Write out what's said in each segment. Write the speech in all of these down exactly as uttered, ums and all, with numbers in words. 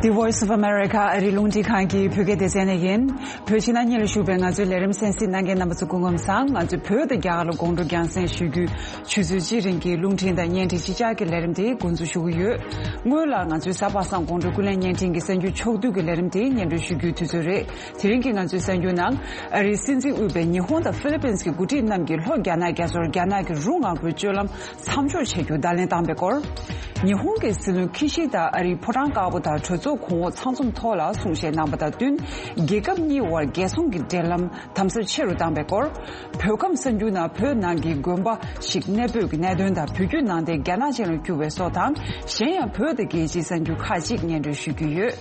The Voice of America ཨ་རིའི་རླུང་འཕྲིན་ཁང་གི་བོད་སྐད་སྡེ་ཚན་ནས་ཡིན། བོད་ཕྱི་ནང་གཉིས་ལ་བཞུགས་པའི་ང་ཚོའི་ལས་རིམ་གསན་གཟིགས་གནང་མཁན་རྣམ་པ་ཚོ་སྐུ་ཁམས་བཟང་། ང་ཚོས་བོད་དང་རྒྱ་གར་ལ་དགོང་དྲོ་རྒྱང་སྲིང་ཞུ་རྒྱུའི་ཆུ་ཚོད་གཅིག་རིང་གི་རླུང་འཕྲིན་དང་བརྙན་འཕྲིན་གཅིག་ཆར་གྱི་ལས་རིམ་དེ་འགོ་འཛུགས་ཞུ་གི་ཡོད། སྔོན་ལ་ང་ཚོའི་གཟའ་པ་སངས་དགོང་དྲོ་ཀུན་གླེང་བརྙན་འཕྲིན་གྱི་གསར་འགྱུར་ཕྱོགས་བསྡུས་ཀྱི་ལས་རིམ་དེ་སྙན་སྒྲོན་ཞུ་རྒྱུའི་དུས་ཚོད་རེད། དེ་རིང་གི་ང་ཚོའི་གསར་འགྱུར་ནང་ཨ་རིའི་སྲིད་འཛིན་དབུས་པའི་ཉི་ཧོང་དང་ཧྥི་ལི་པིན་གྱི་འགོ་ཁྲིད་རྣམས་ཀྱིས་ལྷོ་རྒྱ་ནག་རྒྱ་མཚོར་རྒྱ་ནག་གི་རུ་དངོས་པོའི་སྤྱོད་ལམ་མཚམས་འཇོག་བྱེད་རྒྱུ་བརྡ་ལན་བཏང་བའི་སྐོར། ཉི་ཧོང་གི་སྲིད་བློན་ཁི་ཤི་ད་ཨ་རིའི་ཕོ་བྲང་དཀར་པོ་དང་གྲོས་ཚོགས་གོང་འོག་ཚང་འཛོམས་ཐོག་ལ་གསུང་བཤད་གནང་བ་དང་བསྟུན། རྒྱལ་ཁབ་གཉིས་དབར་རྒྱལ་སྲུང་གི་འབྲེལ་ལམ་དམ་ཟབ་ཆེ་རུ་བཏང་བའི་སྐོར། བོད་ཁམས་གསར་འགྱུར་ནང་བོད་ནང་གི་དགོན་པ་ཞིག་གནས་སྤོས་ཀྱི་གནད་དོན་དང་། བོད་བརྒྱུད་ནང་བསྟན་རྒྱ་ནག་ཅན་ལ་བསྒྱུར་བའི་སོགས་དང་། གཞན་ཡང་བོད་དང་རྒྱལ་སྤྱིའི་གསར་འགྱུར་ཁག་ཅིག་སྙན་སྒྲོན་ཞུ་རྒྱུ་ཡོད།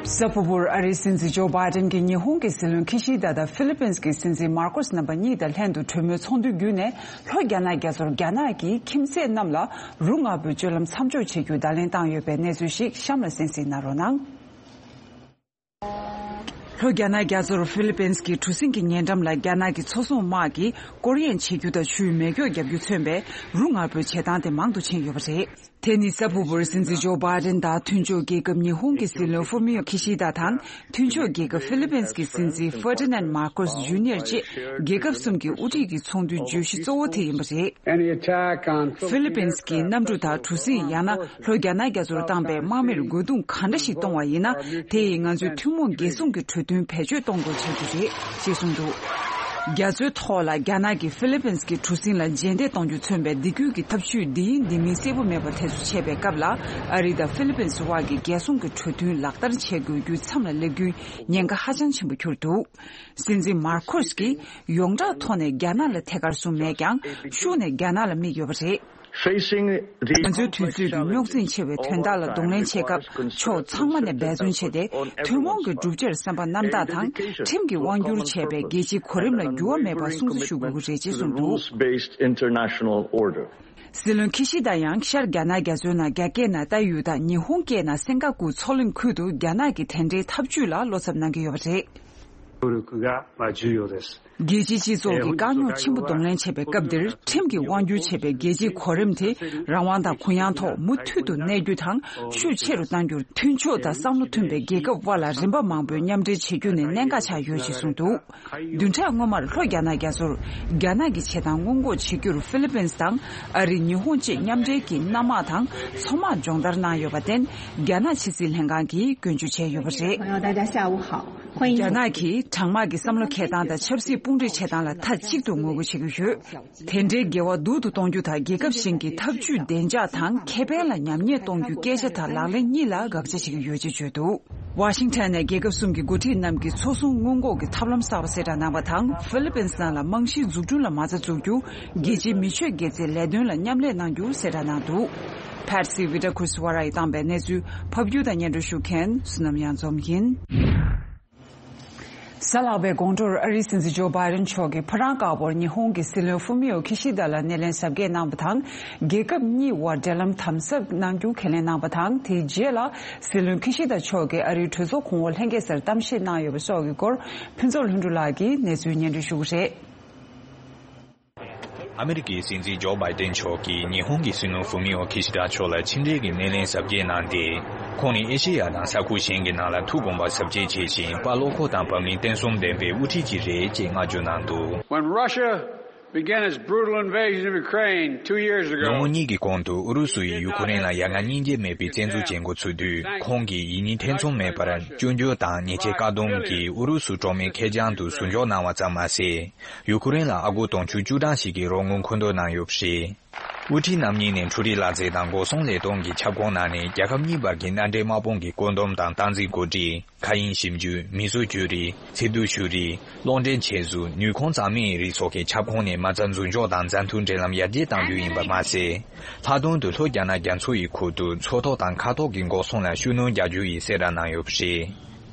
གཟའ་ཕུར་བུར་ཨ་རིའི་སྲིད་འཛིན་ཇོ་བྷའི་ཏན་གྱིས་ཉི་ཧོང་གི་སྲིད་བློན་ཁི་ཤི་ད་དང་ཧྥི་ལི་པིན་གྱི་སྲིད་འཛིན་མར་ཀོ་སི་རྣམ་པ་གཉིས་དང་ལྷན་དུ་གྲོས་མོལ་ཚོགས་འདུ་བརྒྱུད་ནས། ལྷོ་རྒྱ་ནག་རྒྱ་མཚོར་རྒྱ་ནག་གི་ཁྱིམ་མཚེས་རྣམས་ལ་རུ་དངོས་པོའི་སྤྱོད་ལམ་མཚམས་འཇོག་བྱེད་རྒྱུའི་བརྡ་ལན་བཏང་ཡོད་པའི་གནས་ཚུལ་ཞིག་གཤམ་ལ་གསན་གཟིགས་གནང་རོགས་གནང་། ལྷོ་རྒྱ་ནག་རྒྱ་མཚོར་ཧྥི་ལི་པིན་གྱི་གྲུ་གཟིངས་ཀྱི་ཉེ་འགྲམ་ལ་རྒྱ་ནག་གི་མཚོ་སྲུང་དམག་གིས་སྐོར་གཡེང་བྱེད་རྒྱུ་དང་ཆུའི་མེ་སྒྱོགས་བརྒྱབ་རྒྱུ་མཚོན་པའི་རུ་དངོས་པོའི་བྱེད་སྟངས་དེ་མང་དུ་ཕྱིན་ཡོད་པ་རེད། དེ་ནི་གཟའ་ཕུར་བུར་སྲིད་འཛིན་ཇོ་བྷའི་ཏན་དང་མཐུན་ཕྱོགས་རྒྱལ་ཁབ་ཉི་ཧོང་གི་སྲིད་བློན་ཧྥུ་མིའོ་ཁི་ཤི་ད་དང་། མཐུན་ཕྱོགས་རྒྱལ་ཁབ་ཧྥི་ལི་པིན་གྱི་སྲིད་འཛིན་ཧྥར་ཏི་ནན་མར་ཀོས་ཇུ་ནི་ཡར་བཅས་རྒྱལ་ཁབ་གསུམ་གྱི་དབུ་ཁྲིད་ཀྱི་ཚོགས་འདུའི་བརྗོད་གཞི་གཙོ་བོ་དེ་ཡིན་པ་རེད། Any attack on ཧྥི་ལི་པིན་གྱི་གནམ་གྲུ་དང་གྲུ་གཟིངས། ཡང་ན་ལྷོ་རྒྱ་ནག་རྒྱ་མཚོར་བཏང་པའི་དམག་མིར་རྒོལ་རྡུང་ག་འདྲ་ཞིག་གཏོང་བ་ཡིན་ན། དེ་ཡིས་ང་ཚོས་ཐུན་མོང་རྒྱལ་སྲུང་གི་གྲོས་མཐུན་བེད་སྤྱོད་གཏོང་དགོས་ཆགས་རྒྱུ་རེད་ཅེས་གསུངས་འདུག་རྒྱ་མཚོའི་ཐོག་ལ་རྒྱ་ནག་གིས་ཧྥི་ལི་པིན་གྱི་གྲུ་གཟིངས་ལ་རྗེས་འདེད་གཏོང་རྒྱུ་མཚོན་པའི་འདི་ཁུལ་གྱི་འཐབ་ཇུས་འདི་ཡིན་འདི་མིན་གསལ་པོ་མེད་པ་དེ་ཚོ་བྱས་པའི་སྐབས་ལ། ཨ་རི་དང་ཧྥི་ལི་པིན་དབར་གྱི་རྒྱལ་སྲུང་གི་གྲོས་མཐུན་ལག་བསྟར་བྱེད་དགོས་རྒྱུ་མཚམས་ལ་སླེབས་རྒྱུའི་ཉེན་ཁ་ཧ་ཅང་ཆེན་པོ་གྱུར་འདུག་སྲིད་འཛིན་མར་ཁོས་ཀྱིས་ཡོངས་གྲགས་ཐོག་ནས་རྒྱ་ནག་ལ་ཐད་ཀར་བཟུང་མེད་ཀྱང་། ཤུགས་ནས་རྒྱ་ནག་ལ་དམིགས་ཡོད་པ་རེད། Facing the ང་ཚོའི་དུས་ཚོད་ཀྱི་རྙོག་འཛིང་ཆེ་བའི་དོན་དག་ལ་གདོང་ལེན་བྱེད་སྐབས། ཕྱོགས་ཚང་མ་ནས་འབད་བརྩོན་བྱས་ཏེ། ཐུན་མོང་གི་གྲུབ་ཆར་བསམ་པ་རྣམ་དག་དང་། ཁྲིམས་ཀྱིས་དབང་བསྒྱུར་བྱས་པའི་རྒྱལ་སྤྱིའི་གོ་རིམ་ལ་འགྱུར་བ་མེད་པར་སྲུང་བརྩི་ཞུ་དགོས་ཀྱི་རེད་ཅེས་གསུངས་འདུག Rules-based international order. སྲིད་བློན་ཁི་ཤི་ད་ཡང་ཤར་རྒྱ་ནག་རྒྱ་མཚོའི་ནང་རྒྱ་སྐད་ནང་ལྟ་ཡུལ་དང་ཉི་ཧོང་སྐད་ནང་སེང་ག་ཀུ་མཚོ་གླིང་ཁུལ་དུ་རྒྱ་ནག་གི་དེ་འདྲའི་ཐབས་ཇུས་ལ་བློ་འཚབ་གནང་གི་ཡོད་པ་རེད། 協力が、まあ、重要です。 རྒྱལ་སྤྱིའི་སྤྱི་ཚོགས་ཀྱིས་དཀའ་རྙོག་ཆེན་པོ་གདོང་ལེན་བྱེད་པའི་སྐབས་འདིར། ཁྲིམས་ཀྱིས་དབང་བསྒྱུར་བྱེད་པའི་རྒྱལ་སྤྱིའི་གོ་རིམ་དེ་རང་དབང་དང་གུ་ཡངས་ཐོག་མུ་མཐུད་དུ་གནས་རྒྱུ་དང་། ཤུགས་ཆེ་རུ་གཏང་རྒྱུར་མཐུན་ཕྱོགས་དང་བསམ་བློ་མཐུན་པའི་རྒྱལ་ཁབ་དབར་ལ་རིམ་པ་མང་པོའི་མཉམ་འབྲེལ་བྱེད་རྒྱུ་ནི་གནད་འགག་ཆགས་ཡོད་ཅེས་གསུངས་འདུག་བདུན་ཕྲག་སྔོན་མར་ལྷོ་རྒྱ་ནག་རྒྱ་མཚོར་རྒྱ་ནག་གི་བྱེད་སྟངས་སྔོན་འགོག་བྱེད་རྒྱུར་ཧྥི་ལི་པིན་དང་ཨ་རི། ཉི་ཧོང་བཅས་མཉམ་འབྲེལ་གྱིས་གནམ་དམག་དང་མཚོ་དམག་སྦྱོང་བརྡར་གནང་ཡོད་པར་བརྟེན། རྒྱ་ནག་ཕྱི་སྲིད་ལྷན་ཁང་གིས་སྐྱོན་བརྗོད་བྱས་ཡོད་པ་རེད། 朋友，大家下午好。欢迎 རྒྱ་ནག་གིས་གྲང་དམག་གི་བསམ་བློ་འཁྱེར་སྟངས་དང་ཆབ་སྲིད་དཔུང་སྒྲིག་བྱེད་སྟངས་ལ་མཐའ་གཅིག་ཏུ་ངོ་རྒོལ་བྱེད་ཀྱི་ཡོད། དེ་འདྲའི་འགལ་བ་སྡུག་ཏུ་གཏོང་རྒྱུ་དང་། རྒྱལ་ཁབ་གཞན་གྱི་འཐབ་ཇུས་བདེ་འཇགས་དང་ཁེ་ཕན་ལ་ཉམས་ཉེས་གཏོང་རྒྱུའི་སྐད་ཆ་དང་ལག་ལེན་གཉིས་ལ་དགག་བྱ་བྱེད་ཀྱི་ཡོད་ཅེས་བརྗོད་འདུག་ཝ་ཤིང་ཊོན་ནས་རྒྱལ་ཁབ་གསུམ་གྱི་འགོ་ཁྲིད་རྣམས་ཀྱིས་མཚོ་སྲུང་སྔོན་འགོག་གི་ཐབས་ལམ་གསར་པ་གསལ་བསྒྲགས་གནང་བ་དང་། ཧྥི་ལི་པིན་ནང་ལ་རྨང་གཞིའི་འཛུགས་སྐྲུན་ལ་མ་རྩ་འཛུགས་རྒྱུ། རྒྱལ་སྤྱིའི་མི་ཆོས་དགེ་རྩའི་ལས་དོན་ལ་མཉམ་ལས་གནང་རྒྱུ་གསལ་བསྒྲགས་གནང་འདུག Patsy Widakuswara ཡིས་བཏང་པའི་གནས་ཚུལ་ཕབ་སྒྱུར་དང་སྙན་སྒྲོན་ཞུ་མཁན་བསོད་ནམས་གཡང་འཛོམས་ཡིན། གཟའ་ལྷག་པའི་དགོང་དྲོར་ཨ་རིའི་སྲིད་འཛིན་ཇོ་བྷའི་ཌེན་མཆོག་གིས་ཕོ་བྲང་དཀར་པོར་ཉི་ཧོང་གི་སྲིད་བློན་ཧྥུ་མི་ཡོ་ཁི་ཤི་ད་ལ་སྣེ་ལེན་གཟབ་རྒྱས་གནང་བ་དང་། རྒྱལ་ཁབ་གཉིས་དབར་འབྲེལ་ལམ་དམ་ཟབ་གནང་རྒྱུ་ཁས་ལེན་གནང་བ་དང་། དེའི་རྗེས་ལ་སྲིད་བློན་ཁི་ཤི་ད་མཆོག་གིས་ཨ་རིའི་གྲོས་ཚོགས་གོང་འོག་ལྷན་རྒྱས་སར་གཏམ་བཤད་གནང་ཡོད་པ་སོགས་ཀྱི་སྐོར། ཕུན་ཚོགས་ལྷུན་གྲུབ་ལགས་ཀྱིས་གནས་ཚུལ་སྙན་སྒྲོན་ཞུ་གི་རེད། ཨ་མི་རི་ཀའི་སྲིད་འཛིན་ཇོ་བྷའི་ཏན་མཆོག་གིས་ཉི་ཧོང་གི་སྲིད་བློན་ཧྥུ་མི་ཨོ་ཁི་ཤི་ད་མཆོག་ལ་ཕྱི་འབྲེལ་གྱི་སྣེ་ལེན་གཟབ་རྒྱས་གནང་སྟེ། ཁོང་ནི་ཨེ་ཤེ་ཡ་དང་ས་ཁུལ་གཞན་གྱི་ནང་ལ་ཐུགས་དགོངས་པ་ཟབ་རྒྱས་བྱེད་བཞིན། དཔའ་བློ་ཁོག་དང་བབ་བརླིང་བརྟན་གསུམ་ལྡན་པའི་དབུ་ཁྲིད་ཅིག་རེད་ཅེས་བསྔགས་བརྗོད་གནང་འདུག When Russia began its brutal invasion of Ukraine two years ago, ལོ་ངོ་གཉིས་ཀྱི་གོང་དུ་ཨུ་རུ་སུ་ཡིས་ཡུ་ཁུ་རེན་ལ་ཡ་ང་སྙིང་རྗེ་མེད་པའི་བཙན་འཛུལ་བྱེད་འགོ་ཚུགས་དུས། ཁོང་གིས་ཡིད་གཉིས་ཐེ་ཚོམ་མེད་པར་སྐྱོན་བརྗོད་དང་ཉེས་ཆད་བཀག་སྡོམ་གྱིས་ཨུ་རུ་སུ་གྲོགས་མེད་ཁེར་རྐྱང་དུ་ཟུར་འཇོག་གནང་བ་ཙམ་མ་ཟད། ཡུ་ཁུ་རེན་ལ་ཨ་སྒོར་དུང་ཕྱུར་བཅུ་གྲངས་ཤིག་གི་རོགས་དངུལ་མཁོ་འདོན་གནང་ཡོད་པ་རེད། དབུ་ཁྲིད་རྣམ་གཉིས་ནས་འཕྲུལ་རིག་གླ་རྩལ་དང་འགོག་སྲུང་ལས་དོན་གྱི་ཁྱབ་ཁོངས་ནང་ནས་རྒྱལ་ཁབ་གཉིས་བར་གྱི་མནའ་འབྲེལ་དམག་དཔུང་གི་བཀོད་འདོམས་དང་སྟངས་འཛིན་གོ་སྒྲིག་མཁའ་དབྱིངས་ཞིབ་འཇུག་མིས་བཟོ་བཅོས་རིག་འཚིག་རྡུལ་བཅོས་རིག་གློག་འདྲེན་ཆེད་བཟོ་ནུས་ཁུངས་གཙང་མའི་རིགས་སོགས་ཀྱི་ཁྱབ་ཁོངས་ནས་མ་རྩ་འཛུགས་འཇོག་དང་མཛའ་མཐུན་འབྲེལ་ལམ་ཡར་རྒྱས་གཏང་རྒྱུ་ཡིན་པ་མ་ཟད། ལྷག་དོན་དུ་ལྷོ་རྒྱ་ནག་རྒྱ་མཚོ་ཡི་ཁུལ་དུ་མཚོ་ཐོག་དང་མཁའ་ཐོག་གི་འགོག་སྲུང་ལ་ཤུགས་སྣོན་རྒྱག་རྒྱུ་ཡིན་གསལ་བསྒྲགས་གནང་ཡོད་པ་རེད།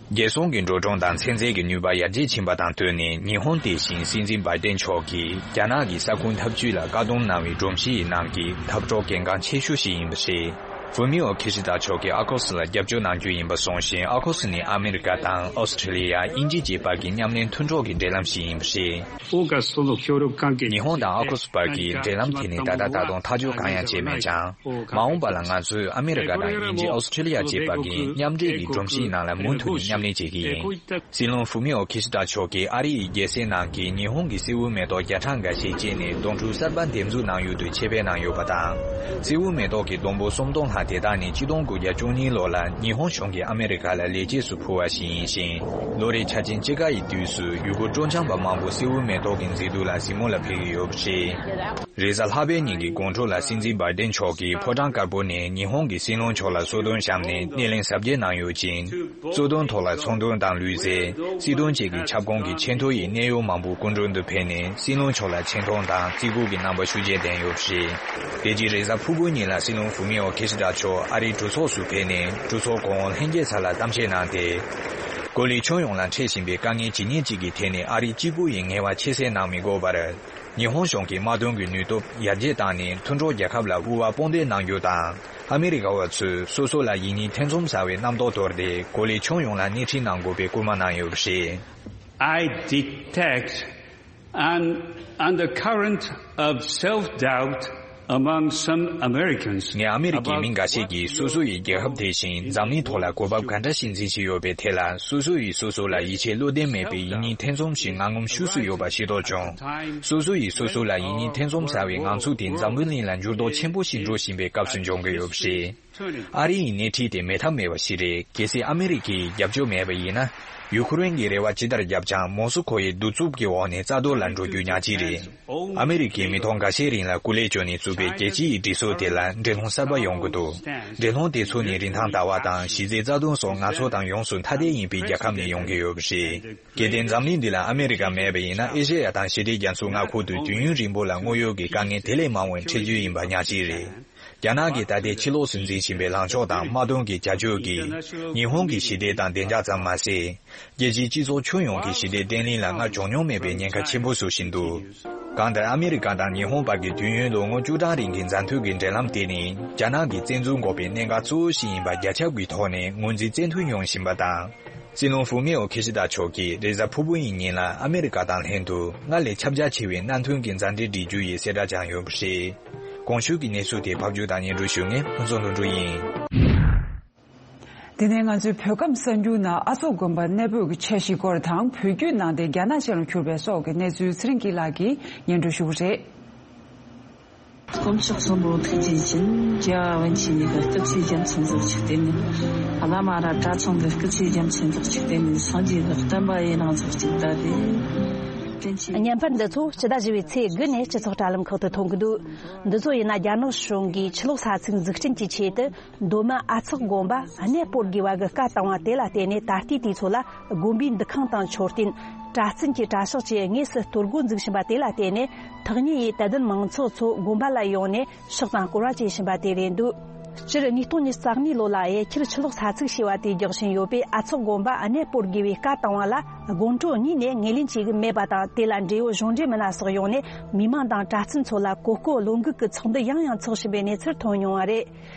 རྒྱལ་སྲུང་གི་འགྲོ་གྲོན་དང་ཚན་རྩལ་གྱི་ནུས་པ་ཡར་རྒྱས་ཕྱིན་པ་དང་བསྟུན་ནས། ཉི་ཧོང་དེ་བཞིན་སྲིད་འཛིན་བྷའི་ཏན་མཆོག་གིས་རྒྱ་ནག་གི་ས་ཁུལ་འཐབ་ཇུས་ལ་བཀག་སྡོམ་གནང་བའི་སྒྲོམ་གཞི་ཡི་ནང་གི་འཐབ་གྲོགས་གལ་འགངས་ཆེ་ཤོས་ཤིག་ཡིན་པ་རེད། ཧྥུ་མི་ཨོ་ཁི་ཤི་ད་མཆོག་གིས་ཨ་ཁོ་སི་ལ་རྒྱབ་སྐྱོར་གནང་རྒྱུ་ཡིན་པ་གསུངས་ཤིང་། ཨ་ཁོ་སི་ནི་ཨ་མི་རི་ཀ་དང་ཨོ་སི་ཁྲི་ལི་ཡ། དབྱིན་ཇི་བཅས་བར་གྱི་མཉམ་ལེན་མཐུན་གྲོགས་ཀྱི་འབྲེལ་ལམ་ཞིག་ཡིན་པ་རེད། 欧感斯洛協力関係 ཉི་ཧོང་དང་ཨ་ཁོ་སི་བར་གྱི་འབྲེལ་ལམ་དེ་ནི་ད་ལྟ་ད་དུང་ཐག་གཅོད་གང་ཡང་བྱས་མེད་ཀྱང་། མ་འོངས་པ་ལ་ང་ཚོས་ཨ་མི་རི་ཀ་དང་དབྱིན་ཇི། ཨོ་སི་ཁྲི་ལི་ཡ་བཅས་བར་གྱི་མཉམ་འབྲེལ་གྱི་སྒྲོམ་གཞིའི་ནང་ལ་མུ་མཐུད་ནས་མཉམ་ལས་བྱེད་ཀྱི་ཡིན། སྲིད་བློན་ཧྥུ་མི་ཨོ་ཁི་ཤི་ད་མཆོག་གིས་ཨ་རི་ཡི་རྒྱལ་སའི་ནང་གི་ཉི་ཧོང་གི་སེའུ་མེ་ཏོག་བརྒྱ་ཕྲག་འགའ་ཤས་བཅད་ནས་སྡོང་ཕྲུག་གསར་པ་འདེབས་འཛུགས་གནང་ཡུལ་དུ་ཆེད་ཕེབས་གནང་ཡོད་པ་དང་། སེའུ་མེ་ཏོག་གི་སྡོང་པོ་སུམ་སྟོང་ལྷག་དེ་དག་ནི་ཆིག་སྟོང་དགུ་བརྒྱ་བཅུ་གཉིས་ལོ་ལ་ཉི་ཧོང་གཞུང་གིས་ཨ་མི་རི་ཀ་ལ་ལེགས་སྐྱེས་སུ་ཕུལ་བ་ཞིག་ཡིན་ཞིང་། ལོ་རེའི་འཆར་ཅན་དཔྱིད་ཀ་ཡི་དུས་སུ་ཡུལ་སྐོར་སྤྲོ་འཆམ་པ་མང་པོ་སེའུ་མེ་ཏོག་གི་མཛེས་སྡུག་ལ་གཟིགས་མོ་ལ་ཕེབས་ཀྱི་ཡོད་པ་རེད། རེས་གཟའ་ལྷག་པའི་ཉིན་གྱི་དགོང་དྲོ་ལ་སྲིད་འཛིན་བྷའི་ཏིན་མཆོག་གིས་ཕོ་བྲང་དཀར་པོ་ནས་ཉི་ཧོང་གི་སྲིད་བློན་མཆོག་ལ་གསོལ་སྟོན་བཤམས་ནས་སྣེ་ལེན་གཟབ་རྒྱས་གནང་ཡོད་ཅིང་། གཙོ་དོན་ཐོག་ལ་ཚོང་དོན་དང་ལུས་རྩལ། སྲིད་དོན་བཅས་ཀྱི་ཁྱབ་ཁོངས་ཀྱི་ཆེས་མཐོ་ཡི་གནད་ཡོད་མང་པོའི་སྐུ་མགྲོན་དུ་ཕེབས་ནས་སྲིད་བློན་མཆོག་ལ་ཆེ་མཐོང་དང་བརྩི་བཀུར་གྱི་རྣམ་པ་ཤུགས་ཆེན་བསྟན་ཡོད་པ་རེད། དེ་རྗེས་རེས་གཟའ་ཕུར་བུའི་ཉིན་ལ་སྲིད་བློན་ཧྥུ་མི་ཨོ་ཁི་ཤི་ད་མཆོག་ཨ་རིའི་གྲོས་ཚོགས་སུ་ཕེབས་ནས་གྲོས་ཚོགས་གོང་འོག་ལྷན་རྒྱས་ས་ལ་གཏམ་བཤད་གནང་སྟེ། གོ་ལའི་ཁྱོན་ཡོངས་ལ་འཕྲད་བཞིན་པའི་དཀའ་ངལ་ཇི་སྙེད་ཅིག་གི་ཐད་ནས་ཨ་རི་གཅིག་པུ་ཡིས་ངལ་བ་ཁྱད་བསད་གནང་མི་དགོས་པར། ཉི་ཧོང་གཞུང་གིས་དམག་དོན་གྱི་ནུས་སྟོབས་ཡར་རྒྱས་བཏང་ནས་མཐུན་གྲོགས་རྒྱལ་ཁབ་ལ་དབུ་བ་དཔུང་འདེགས་གནང་རྒྱུ་དང་། ཨ་མི་རི་ཀ་བ་ཚོས་སོ་སོ་ལ་ཡིད་གཉིས་ཐེ་ཚོམ་ཟ་བའི་རྣམ་རྟོག་དོར་ཏེ་གོ་ལའི་ཁྱོན་ཡོངས་ལ་སྣེ་ཁྲིད་གནང་དགོས་པའི་སྐུལ་མ་གནང་ཡོད་པ་རེད། I detect an undercurrent of self-doubt among some Americans. ངས་ཨ་མི་རི་ཀའི་མི་འགའ་ཤས་ཀྱིས་སོ་སོ་ཡི་རྒྱལ་ཁབ་དེ་བཞིན་འཛམ་གླིང་ཐོག་ལ་གོ་བབ་ག་འདྲ་ཞིག་འཛིན་བཞིན་ཡོད་པའི་ཐད་ལ་སོ་སོ་ཡིས་སོ་སོ་ལ་ཡིད་ཆེས་བློ་བརྟན་མེད་པའི་ཡིད་གཉིས་ཐེ་ཚོམ་ཞིག་ངང་ངམ་ཤུགས་སུ་ཡོད་པ་ཤེས་རྟོགས་བྱུང་། སོ་སོ་ཡིས་སོ་སོ་ལ་ཡིད་གཉིས་ཐེ་ཚོམ་ཟ་བའི་ངང་ཚུལ་དེ་འཛམ་བུ་གླིང་ལ་འགྱུར་ལྡོག་ཆེན་པོ་ཞིག་འགྲོ་བཞིན་པའི་སྐབས་སུ་འབྱུང་གི་ཡོད་པ་རེད། ཨ་རི་ཡི་སྣེ་ཁྲིད་དེ་མེད་ཐབས་མེད་པ་ཞིག་རེད། གལ་སྲིད་ཨ་མི་རི་ཀའི་རྒྱབ་སྐྱོར་མེད་པ་ཡིན་ན། ཡུ་ཁུ་རེན་གྱི་རེ་བ་ཇི་ལྟར་བརྒྱབ་ཀྱང་མོ་སི་ཁོ་ཡི་གདུག་རྩུབ་ཀྱི་འོག་ནས་རྩ་གཏོར་ལ་འགྲོ་རྒྱུ་ཉག་གཅིག་རེད། ཨ་མི་རི་ཀས་མི་ཐོག་འགའ་ཤས་རིང་ལ་སྐུ་ལས་བསྐྱོན་ནས་བཙུགས་པའི་རྒྱལ་སྤྱི་ཡི་སྒྲིག་སྲོལ་དེ་ལ་འགྲན་སློང་གསར་པ་ཡོང་གི་འདུག་འགྲན་སློང་དེ་ཚོ་ནི་རིན་ཐང་ལྟ་བ་དང་གཞི་རྩའི་རྩ་དོན་སོགས་ང་ཚོ་དང་ཡོངས་སུ་ཐ་དད་ཡིན་པའི་རྒྱལ་ཁབ་ནས་ཡོང་གི་ཡོད་པ་རེད། གལ་ཏེ་འཛམ་གླིང་འདི་ལ་ཨ་མི་རི་ཀ་མེད་པ་ཡིན་ན་ཨེ་ཤེ་ཡ་དང་ཞི་བདེ་རྒྱ་མཚོའི་མངའ་ཁོངས་དུ་དུས་ཡུན་རིང་པོ་ལ་དངོས་ཡོད་ཀྱི་དཀའ་ངལ་དེ་ལས་མང་བ་འཕྲད་རྒྱུ་ཡིན་པ་ཉག་གཅིག་རེད། རྒྱ་ནག་གིས་ད་ལྟའི་ཕྱི་ལོགས་སུ་འཛིན་བཞིན་པའི་ལངས་ཕྱོགས་དང་དམག་དོན་གྱི་བྱ་སྤྱོད་ཀྱིས་ཉི་ཧོང་གི་ཞི་བདེ་དང་བདེ་འཇགས་ཙམ་མ་ཟད། རྒྱལ་སྤྱིའི་སྤྱི་ཚོགས་ཁྱོན་ཡོངས་ཀྱི་ཞི་བདེ་བརྟན་ལྷིང་ལ་སྔར་བྱུང་མྱོང་མེད་པའི་ཉེན་ཁ་ཆེན་པོ་བཟོ་བཞིན་འདུག་གང་ལྟར་ཨ་མི་རི་ཀ་དང་ཉི་ཧོང་བར་གྱི་དུས་ཡུན་ལོ་ངོ་བཅུ་གྲངས་རིང་གི་མཛའ་མཐུན་གྱི་འབྲེལ་ལམ་དེ་ནི་རྒྱ་ནག་གིས་བཙན་འཛུལ་འགོག་པའི་གནད་འགག་གཙོ་བོ་ཞིག་ཡིན་པ་རྒྱ་ཁྱབ་ཀྱི་ཐོག་ནས་ངོས་འཛིན་བཙན་ཐབས་ཡོང་བཞིན་པ་དང་། སྲིད་བློན་ཧྥུ་མི་ཨོ་ཁི་ཤི་ད་མཆོག་གིས་རེས་གཟའ་ཕུར་བུ་ཡི་ཉིན་ལ་ཨ་མི་རི་ཀ་དང་ལྷན་དུ་སྔར་ལས་ཁྱབ་རྒྱ་ཆེ་བའི་མནའ་མཐུན་གྱི་མཛའ་འབྲེལ་སྒྲིག་རྒྱུ་ཡི་གསལ་བསྒྲགས་བྱུང་ཡོད་པ་རེད། གོང་ཞུས་ཀྱི་གནས་ཚུལ་དེ་ཕབ་སྒྱུར་དང་སྙན་སྒྲོན་ཞུ་མཁན་ཕུན་ཚོགས་ལྷུན་གྲུབ་ཡིན། དེ་ནས་ང་ཚོའི་བོད་ཁམས་གསར་འགྱུར་ནང་ཨ་ཚོགས་དགོན་པ་གནས་སྤོས་ཀྱི་འཆར་གཞིའི་སྐོར་དང་བོད་བརྒྱུད་ནང་བསྟན་རྒྱ་ནག་ཅན་ལ་གྱུར་པའི་སོགས་ཀྱི་གནས་ཚུལ་ཚེ་རིང་སྐྱིད་ལགས་ཀྱིས་སྙན་སྒྲོན་ཞུ་གི་རེད། དཀོན་མཆོག་གསུམ་པོ་ཐུགས་རྗེ་ཅན། རྒྱལ་བ་པཎ་ཆེན་ཉིད་ཀྱི་སྐུ་ཚེ་རྒྱ་མཚན་རྫོགས་ཅིག་བརྟན་ནས། བླ་མ་ར་གྲྭ་ཚང་གི་སྐུ་ཚེ་རྒྱ་མཚན་རྫོགས་ཅིག་བརྟན་ནས། སངས་རྒྱས་ཀྱི་བསྟན་པ་ཡུན་རིང་རྫོགས་ཅིག་བདག་གིས་བཀྲིན་ཆེ། བརྙན་པར་འདི་ཚོ་སྤྱི་ཟླ་བཞི་པའི་ཚེས་དགུ་ནས་སྤྱི་ཚོགས་དྲ་ལམ་ཁག་ཏུ་ཐོན་གྱི་འདུག་འདི་ཚོ་ཡིན་ན་རྒྱ་ནག་གཞུང་གིས་ཆུ་ལོག་ས་ཚིགས་འཛུགས་སྐྲུན་གྱི་ཆེད་དུ། མདོ་སྨད་ཨ་ཚོགས་དགོན་པ་གནས་སྤོར་དགོས་པ་གི་བཀའ་བཏང་བ་དེ་ལ་བརྟེན་ནས་ད་ལྟའི་དུས་ཚོད་ལ་དགོན་པའི་འདུ་ཁང་དང་མཆོད་རྟེན། གྲྭ་བཙུན་གྱི་གྲྭ་ཤག་བཅས་དངོས་སུ་གཏོར་རྒོལ་འཛུགས་བཞིན་པ་དེ་ལ་བརྟེན་ནས་ཐག་ཉེ་ཡི་དད་ལྡན་མང་ཚོགས་ཚོ་དགོན་པ་ལ་ཡོང་ནས་ཕྱག་དང་སྐོར་བ་བྱེད་བཞིན་པ་དེ་རེད་འདུག་སྤྱིར་ཉིས་སྟོང་ཉི་ཤུ་རྩ་གཉིས་ལོ་ལ་དབྱར་ཁྱེར་ཆུ་ལོག་ས་ཚིགས་ཞེས་པ་དེ་རྒྱག་བཞིན་ཡོད་པས་ཨ་ཚོགས་དགོན་པ་གནས་སྤོར་དགོས་པའི་བཀའ་བཏང་བ་ལ་དགོན་གྲོང་གཉིས་ནས་ངོས་ལེན་བྱེད་ཀྱི་མེད་པ་དང་། དེ་ལ་འབྲེལ་ཡོད་གཞུང་འབྲེལ་མི་སྣ་སོགས་ཡོང་ནས་མི་མང་དང་གྲྭ་བཙུན་ཚོ་ལ་གོ་སྐབས་བློ་འགུག་གི་ཚོགས་འདུ་ཡང་ཡང་འཚོགས་བཞིན་པའི་གནས་ཚུལ་ཐོན་མྱོང་བ་རེད།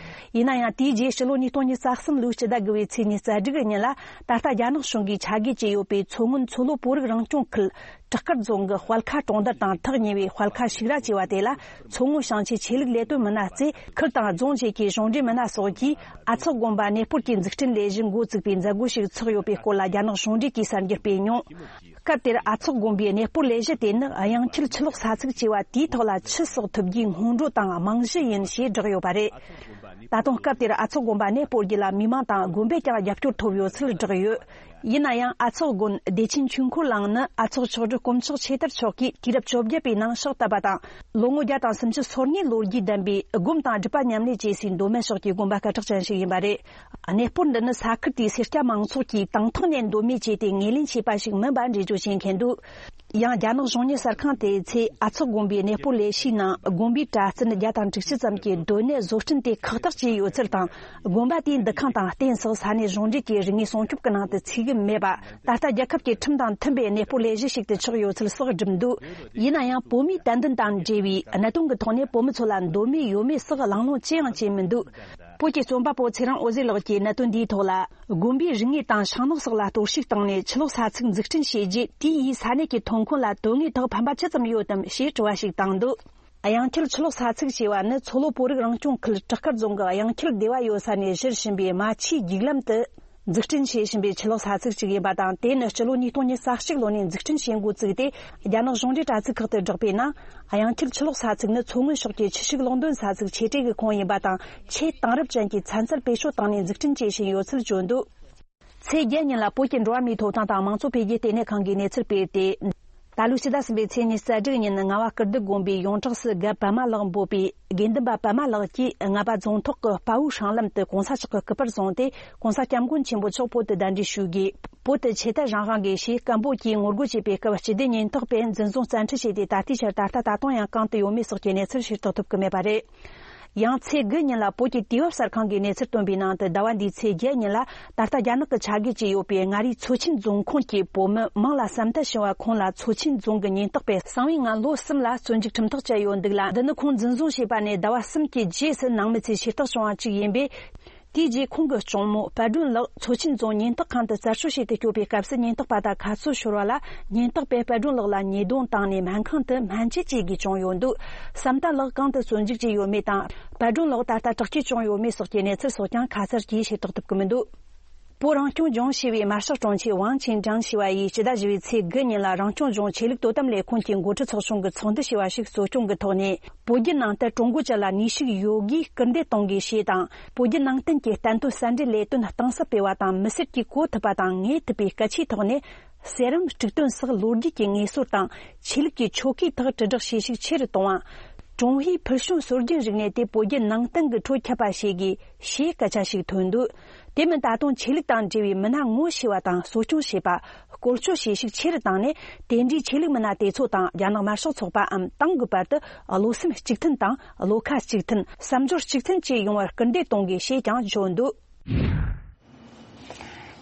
ཡིན་ན་ཡང་དེའི་རྗེས་ཕྱི་ལོ་ཉིས་སྟོང་ཉི་ཤུ་རྩ་གསུམ་ལོའི་སྤྱི་ཟླ་དགུ་པའི་ཚེས་ཉི་ཤུ་རྩ་དྲུག་གི་ཉིན་ལ་ད་ལྟ་རྒྱ་ནག་གཞུང་གིས་ཆ་བགོས་བྱས་ཡོད་པའི་མཚོ་སྔོན་མཚོ་ལྷོ་བོད་རིགས་རང་སྐྱོང་ཁུལ་བྲག་དཀར་རྫོང་གི་དཔལ་ཁ་གྲོང་རྡལ་དང་ཐག་ཉེ་བའི་དཔལ་ཁ་ཤིག་ར་ཅེས་པ་དེ་ལ་མཚོ་སྔོན་ཞིང་ཆེན་ཆོས་ལུགས་ལས་དོན་མི་སྣ་རྩེ་ཁུལ་དང་རྫོང་བཅས་ཀྱི་གཞུང་འབྲེལ་མི་སྣ་སོགས་ཀྱིས་ཨ་ཚོགས་དགོན་པ་གནས་སྤོར་གྱི་འཛུགས་སྐྲུན་ལས་གཞི་འགོ་བཙུགས་པའི་མཛད་སྒོ་ཞིག་འཚོགས་ཡོད་པའི་སྐོར་ལ་རྒྱ་ནག་གཞུང་འབྲེལ་གྱིས་གསར་འགྱུར་སྤེལ་མྱོང་། སྐབས་དེར་ཨ་ཚོགས་དགོན་པའི་གནས་སྤོར་ལས་གཞི་དེ་ནི་དབྱངས་འཁྱིལ་ཆུ་ལོག་ས་ཚིགས་ཅེས་པ་དེའི་ཐོག་ལ་ཆུ་བསགས་ཐུབ་རྒྱུའི་སྔོན་འགྲོ་དང་རྨང་གཞི་ཡིན་ཞེས་བསྒྲགས་ཡོད་པ་རེད། ད་དུང་སྐབས་དེར་ཨ་ཚོགས་དགོན་པ་གནས་སྤོར་རྒྱུ་ལ་མི་མང་དང་དགོན་པས་ཀྱང་རྒྱབ་སྐྱོར་ཐོབ་ཡོད་ཚུལ་བསྒྲགས་ཡོད། ཡིན་ན་ཡང་ཨ་ཚོགས་དགོན་བདེ་ཆེན་ཆོས་འཁོར་གླིང་ནི་ཨ་ཚོགས་མཆོག་སྤྲུལ་དཀོན་མཆོག་ཆོས་དར་མཆོག་གིས་དུས་རབས་བཅོ་བརྒྱད་པའི་ནང་ཕྱག་བཏབ་པ་དང་། ལོ་ངོ་བརྒྱ་དང་སུམ་ཅུ་སོ་ལྔའི་ལོ་རྒྱུས་ལྡན་པའི་སྒོམ་དང་སྒྲུབ་པ་མཉམ་ལས་བྱེད་སའི་མདོ་སྨད་ཕྱོགས་ཀྱི་དགོན་པ་སྐད་གྲགས་ཅན་ཞིག་ཡིན་པ་རེད། གནས་སྤོར་འདི་ནི་ས་ཁུལ་དེའི་སེར་སྐྱ་མང་ཚོགས་ཀྱིས་དང་ཐོག་ནས་མདོ་སྨད་བཅས་ཏེ་ངོས་ལེན་བྱས་པ་ཞིག་མིན་པ་འགྲེལ་བརྗོད་བྱེད་མཁན་འདུག་ཡང་རྒྱ་ནག་གཞུང་གཉེར་གསར་ཁང་དེའི་ཚེ་ཨ་ཚོགས་དགོན་པའི་གནས་སྤོར་ལས་གཞིའི་ནང་དགོན་པའི་གྲྭ་བཙུན་བརྒྱ་དང་དྲུག་ཅུ་ཙམ་གྱི་སྡོད་གནས་བཟོ་སྐྲུན་དེ་ཁག་ཐེག་བྱས་ཡོད་ཚུལ་དང་། དགོན་པ་དེའི་འདུ་ཁང་དང་རྟེན་སོགས་ས་གནས་གཞུང་འབྲེལ་གྱི་རིག་དངོས་སྲུང་སྐྱོབ་ཀྱི་ནང་དུ་ཚུད། གི་མེད་པ། ད་ལྟ་རྒྱལ་ཁབ་ཀྱི་ཁྲིམས་དང་མཐུན་པའི་གནས་སྤོ་ལས་གཞི་ཞིག་ཏུ་ཆགས་ཡོད་ཚུལ་སོགས་བསྒྲུབས་འདུག་ཡིན་ན་ཡང་བོད་མིའི་དད་འདུན་དང་འབྲེལ་བའི་གནད་དོན་གྱི་ཐོག་ནས་བོད་མི་ཚོ་ལ་འདོད་མོས་ཡོད་མེད་སོགས་གླེང་སློང་ཅི་ཡང་བྱས་མི་འདུག་བོད་ཀྱི་རྩོམ་པ་པོ་ཚེ་རིང་འོད་ཟེར་ལགས་ཀྱིས་གནད་དོན་འདིའི་ཐོག་ལ། དགོན་པའི་རིག་གནས་དང་ཤིང་ནགས་སོགས་ལ་གཏོར་བཤིག་བཏང་ནས་ཆུ་ལོག་ས་ཚིགས་འཛུགས་སྐྲུན་བྱས་རྗེས། དེ་ཡིས་ས་གནས་ཀྱི་ཐོན་ཁུངས་ལ་དོན་དངོས་ཐོག་ཕན་པ་ཅི་ཙམ་ཡོད་དམ་ཞེས་དྲི་བ་ཞིག་བཏང་འདུག་གཡང་ཁྱིལ་ཆུ་ལོག་ས་ཚིགས་ཞེས་པ་ནི་མཚོ་ལྷོ་བོད་རིགས་རང་སྐྱོང་ཁུལ་བྲག་དཀར་རྫོང་གི་གཡང་ཁྱིལ་སྡེ་བ་ཡོད་ས་ནས་བཞུར་བཞིན་པའི་རྨ་ཆུའི་རྒྱུག་ལམ་དུ་འཛུགས་སྐྲུན་བྱེད་བཞིན་པའི་ཆུ་ལོག་ས་ཚིགས་ཤིག་ཡིན་པ་དང་། དེ་ནི་སྤྱི་ལོ་ཉིས་སྟོང་ཉེར་གཅིག་ལོ་ནས་འཛུགས་སྐྲུན་བྱེད་འགོ་བཙུགས་ཏེ། རྒྱ་ནག་གཞུང་འབྲེལ་དྲ་ཚིགས་ཁག་ཏུ་བསྒྲགས་པའི་ནང་། གཡང་ཁྱིལ་ཆུ་ལོག་ས་ཚིགས་ནི་མཚོ་སྔོན་ཕྱོགས་ཀྱི་ཆུ་ཤུགས་གློག་འདོན་ས་ཚིགས་ཆེ་གྲས་ཀྱི་ཁོངས་ཡིན་པ་དང་། ཆེས་དེང་རབས་ཅན་གྱི་ཚན་རྩལ་བེད་སྤྱོད་བཏང་ནས་འཛུགས་སྐྲུན་བྱེད་བཞིན་ཡོད་ཚུལ་བརྗོད་འདུག་ཚེས་བརྒྱད་ཉིན་ལ་བོད་ཀྱི་འགྲོ་བ་མིའི་ཐོབ་ཐང་དང་མང་གཙོ་འཕེལ་རྒྱས་ལྟེ་གནས་ཁང་གིས་གནས་ཚུལ་སྤེལ་ཏེ། ད་ལོའི་ཕྱི་ཟླ་གསུམ་པའི་ཚེས་ཉི་ཤུ་རྩ་དྲུག་ཉིན་རྔ་བ་ཀིརྟི་དགོན་པའི་ཡོངས་གྲགས་སུ་རྒན་པདྨ་ལགས་འབོད་པའི་དགེ་འདུན་པ་པདྨ་ལགས་ཀྱིས་རྔ་པ་རྫོང་ཐོག་གི་དཔའ་བོའི་སྲང་ལམ་དུ་གོང་ས་མཆོག་གི་སྐུ་པར་བཟུང་སྟེ། གོང་ས་སྐྱབས་མགོན་ཆེན་པོ་མཆོག་བོད་དུ་གདན་འདྲེན་ཞུ་དགོས། བོད་དུ་ཆོས་དད་རང་དབང་དགོས་ཞེས་སྐད་འབོད་ཀྱིས་ངོ་རྒོལ་བྱས་པའི་སྐབས། སྤྱི་བདེ་ཉེན་རྟོག་པས་འཛིན་བཟུང་བཙན་ཁྲིད་བྱས་ཏེ། ད་ལྟའི་ཆར་ད་ལྟ་ད་དུང་ཡང་གང་དུ་ཡོད་མེད་སོགས་ཀྱི་གནས་ཚུལ་ཤེས་རྟོགས་ཐུབ་ཀྱི་མེད་པ་རེད། ཡང་ཚེས་དགུ་ཉིན་ལ་བོད་ཀྱི་དུས་བབ་གསར་ཁང་གིས་གནས་ཚུལ་བཏོན་པའི་ནང་དུ། ཟླ་བ་འདིའི་ཚེས་བརྒྱད་ཉིན་ལ་ད་ལྟ་རྒྱ་ནག་གི་ཆ་བགོས་བྱས་ཡོད་པའི་མངའ་རིས་མཚོ་ཆེན་རྫོང་ཁོངས་ཀྱི་བོད་མི་མང་ལ་ཟམ་ཐལ་བྱུང་བ་ཁོངས་ལ། མཚོ་ཆེན་རྫོང་གི་ཉེན་རྟོག་པས་གསང་བའི་ངང་ལོ་གསུམ་ལ་བཙོན་འཇུག་ཁྲིམས་ཐག་བཅད་ཡོད་འདུག་ལ། འདི་ནི་ཁོང་འཛིན་བཟུང་བྱས་པ་ནས་ཟླ་བ་གསུམ་གྱི་རྗེས་སུ་ནང་མི་ཚོས་ཤེས་རྟོགས་བྱུང་བ་གཅིག་ཡིན་པས། དེའི་རྗེས་ཁོང་གི་གཅུང་མོ་དཔལ་སྒྲོན་ལགས་མཚོ་ཆེན་རྫོང་ཉེན་རྟོག་ཁང་དུ་རྩར་སྤྱོད་བྱེད་དུ་སྐྱོད་པའི་སྐབས་སུ། ཉེན་རྟོག་པ་དང་ཁ་རྩོད་ཤོར་བ་ལ། ཉེན་རྟོག་པས་དཔལ་སྒྲོན་ལགས་ལ་ཉེས་རྡུང་བཏང་ནས་སྨན་ཁང་དུ་སྨན་བཅོས་བྱེད་དགོས་བྱུང་ཡོད་འདུག་བསམ་གཏན་ལགས་གང་དུ་བཙོན་འཇུག་བྱས་ཡོད་མེད་དང་། དཔལ་སྒྲོན་ལགས་ད་ལྟ་དྲག་སྐྱེད་བྱུང་ཡོད་མེད་སོགས་ཀྱི་གནས་ཚུལ་སོགས་ཀྱང་ཁ་གསལ་གྱིས་ཤེས་རྟོགས་ཐུབ་ཀྱི་མི་འདུག་བོད་རང་སྐྱོང་ལྗོངས་ཞེས་པའི་དམར་ཤོག་དྲུང་ཆེ་ཝང་ཆིན་ཀྲང་ཞེས་པ་ཡིས་སྤྱི་ཟླ་བཞི་པའི་ཚེས་དགུ་ཉིན་ལ། རང་སྐྱོང་ལྗོངས་ཆོས་ལུགས་དོ་དམ་ལས་ཁུངས་ཀྱི་འགོ་ཁྲིད་ཚོགས་ཆུང་གི་ཚོགས་འདུ་ཞེས་པ་ཞིག་གཙོ་སྐྱོང་གི་ཐོག་ནས། བོད་བརྒྱུད་ནང་བསྟན་ཀྲུང་གོ་ཅན་ལ་ནུས་ཤུགས་ཡོད་དགུས་སྐུལ་འདེད་གཏོང་དགོས་ཞེས་དང་། བོད་བརྒྱུད་ནང་བསྟན་གྱི་བསྟན་དོན་གསར་འགྲེལ་ལས་དོན་གཏིང་ཟབ་སྤེལ་བ་དང་། མི་སེར་གྱིས་གོ་ཐུབ་པ་དང་ངེས་ཐུབ་པའི་སྐད་ཆའི་ཐོག་ནས། གསེར་བུམ་དཀྲུག་འདོན་སོགས་ལོ་རྒྱུས་ཀྱི་ངེས་སྲོལ་དང་། ཆོས་ལུགས་ཀྱི་ཆོ་གའི་ཐོག་དྲིལ་བསྒྲགས་བྱེད་ཤུགས་ཆེ་རུ་གཏོང་བ། ཀྲུང་ཧྭའི་ཕུལ་བྱུང་སྲོལ་རྒྱུན་རིག་གནས་དེ་བོད་བརྒྱུད་ནང་བསྟན་གྱི་ཁྲོད་ཁྱབ་པ་བྱེད་དགོས་ཞེས་སྐད་ཆ་ཞིག་ཐོན་འདུག་དེ་མིན་ད་དུང་ཆོས་ལུགས་དང་འབྲེལ་བའི་མི་སྣ་ངོ་ཤེས་པ་དང་གསོ་སྐྱོང་བྱེད་པ། བཀོལ་སྤྱོད་བྱེད་ཤུགས་ཆེ་རུ་བཏང་ནས། དེ་འདྲའི་ཆོས་ལུགས་མི་སྣ་དེ་ཚོ་དང་རྒྱ་ནག་དམར་ཤོག་ཚོགས་པའམ་ཏང་གི་བར་དུ་བློ་སེམས་གཅིག་མཐུན་དང་བློ་ཁ་གཅིག་མཐུན། བསམ་སྦྱོར་གཅིག་མཐུན་བཅས་ཡོང་བར་སྐུལ་འདེད་གཏོང་དགོས་ཞེས་ཀྱང་བརྗོད་འདུག་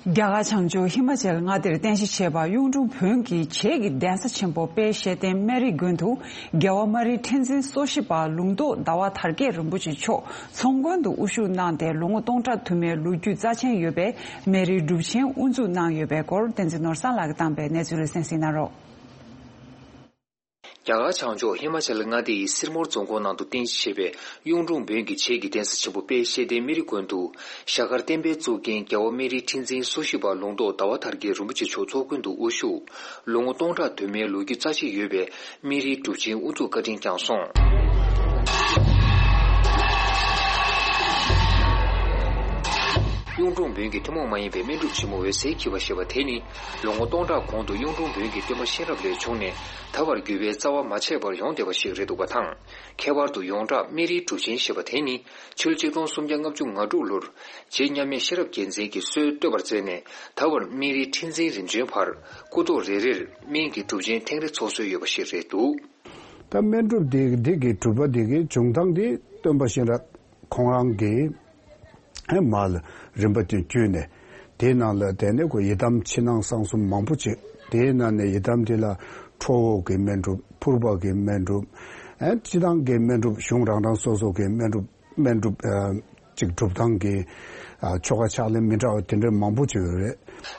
རྒྱ་གར་བྱང་ཕྱོགས་ཧི་མ་ཅལ་མངའ་སྡེར་རྟེན་གཞི་བྱས་པ་གཡུང་དྲུང་བོན་གྱི་བྱེས་ཀྱི་གདན་ས་ཆེན་པོ་དཔལ་ཤེར་ལྡན་སྨན་རིའི་དགོན་དུ། རྒྱལ་བ་སྨན་རིའི་ཁྲི་འཛིན་སོ་བཞི་པ་ལུང་རྟོགས་ཟླ་བ་དར་རྒྱས་རིན་པོ་ཆེ་མཆོག་ཚོང་དགོན་དུ་དབུ་བཞུགས་གནང་སྟེ། ལོ་ངོ་སྟོང་ཕྲག་དུ་མའི་ལོ་རྒྱུས་རྩ་ཆེན་ཡོད་པའི་སྨན་རིའི་སྒྲུབ་ཆེན་དབུ་འཛུགས་གནང་ཡོད་པའི་སྐོར། བསྟན་འཛིན་ནོར་བཟང་ལགས་ཀྱིས་བཏང་བའི་གནས་ཚུལ་ལ་གསན་གཟིགས་གནང་རོགས། རྒྱ་གར་བྱང་ཕྱོགས་ཧི་མ་ཅལ་མངའ་སྡེ་ཡི་སིར་མོར་རྫོང་ཁོངས་ནང་དུ་རྟེན་གཞི་བྱས་པའི་གཡུང་དྲུང་བོན་གྱི་བྱེས་ཀྱི་གདན་ས་ཆེན་པོ་དཔལ་ཤེར་ལྡན་སྨན་རིའི་དགོན་དུ། ཞྭ་དཀར་བསྟན་པའི་གཙུག་རྒྱན་རྒྱལ་བ་སྨན་རིའི་ཁྲི་འཛིན་སོ་བཞི་པ་ལུང་རྟོགས་ཟླ་བ་དར་རྒྱས་རིན་པོ་ཆེ་མཆོག་ཚོགས་མགོན་དུ་དབུ་བཞུགས། ལོ་ངོ་སྟོང་ཕྲག་དུ་མའི་ལོ་རྒྱུས་རྩ་ཆེ་ཡོད་པའི་སྨན་རིའི་སྒྲུབ་ཆེན་དབུ་འཛུགས་བཀའ་དྲིན་བསྐྱངས་སོང་། གཡུང་དྲུང་བོན་གྱི་ཐུན་མོང་མ་ཡིན་པའི་སྨན་སྒྲུབ་ཆེན་མོ་འོད་ཟེར་འཁྱིལ་བ་ཞེས་པ་དེ་ནི། ལོ་ངོ་སྟོང་ཕྲག་གོང་དུ་གཡུང་དྲུང་བོན་གྱི་སྟོན་པ་གཤེན་རབ་ལས་བྱུང་ནས། ད་བར་བརྒྱུད་པའི་རྩ་བ་མ་ཆད་པར་ཡོང་བསྡད་པ་ཞིག་རེད་འདུག་པ་དང་། ཁྱད་པར་དུ་ཡོངས་གྲགས་སྨན་རིའི་སྒྲུབ་ཆེན་ཞེས་པ་དེ་ནི། ཕྱི་ལོ་ཆིག་སྟོང་སུམ་བརྒྱ་ལྔ་བཅུ་ང་དྲུག་ལོར། རྗེ་མཉམ་མེད་ཤེས་རབ་རྒྱལ་མཚན་གྱིས་སྲོལ་བཏོད་པར་མཛད་ནས། ད་བར་སྨན་རིའི་ཁྲི་འཛིན་རིམ་བྱོན་བར། སྐུ་ཐོག་རེ་རེར་སྨན་གྱི་སྒྲུབ་ཆེན་ཐེངས་རེ་ཚོགས་སྲོལ་ཡོད་པ་ཞིག་རེད་འདུག་ད་སྨན་སྒྲུབ་འདི་འདི་གི་སྒྲུབ་པ་འདི་གི་བྱུང་སྟངས་འདི་སྟོན་པ་གཤེན་རབ་ཁོང་རང་གི་མར་ལ་རིམ་པ་དེ་བརྒྱུད་ནས། དེའི་ནང་ལ་དེ་ནས་ཁོ་ཡི་དམ་ཕྱི་ནང་གསང་གསུམ་མང་པོ་ཅིག་དེའི་ནང་ནས་ཡི་དམ་དེ་ལ་ཁྲོ་བོ་གི་སྨན་སྒྲུབ། ཕུར་པ་གི་སྨན་སྒྲུབ། ཨེ་སྤྱི་བཏང་གི་སྨན་སྒྲུབ། གཞུང་རང་རང་སོ་སོ་གི་སྨན་སྒྲུབ། སྨན་སྒྲུབ་ཨ་ཅིག་སྒྲུབ་སྟངས་ཀྱི་ཨ་ཆོ་ག་ཕྱག་ལེན་མི་འདྲ་བ་དེ་འདྲ་མང་པོ་ཅིག་ཡོད་རེད།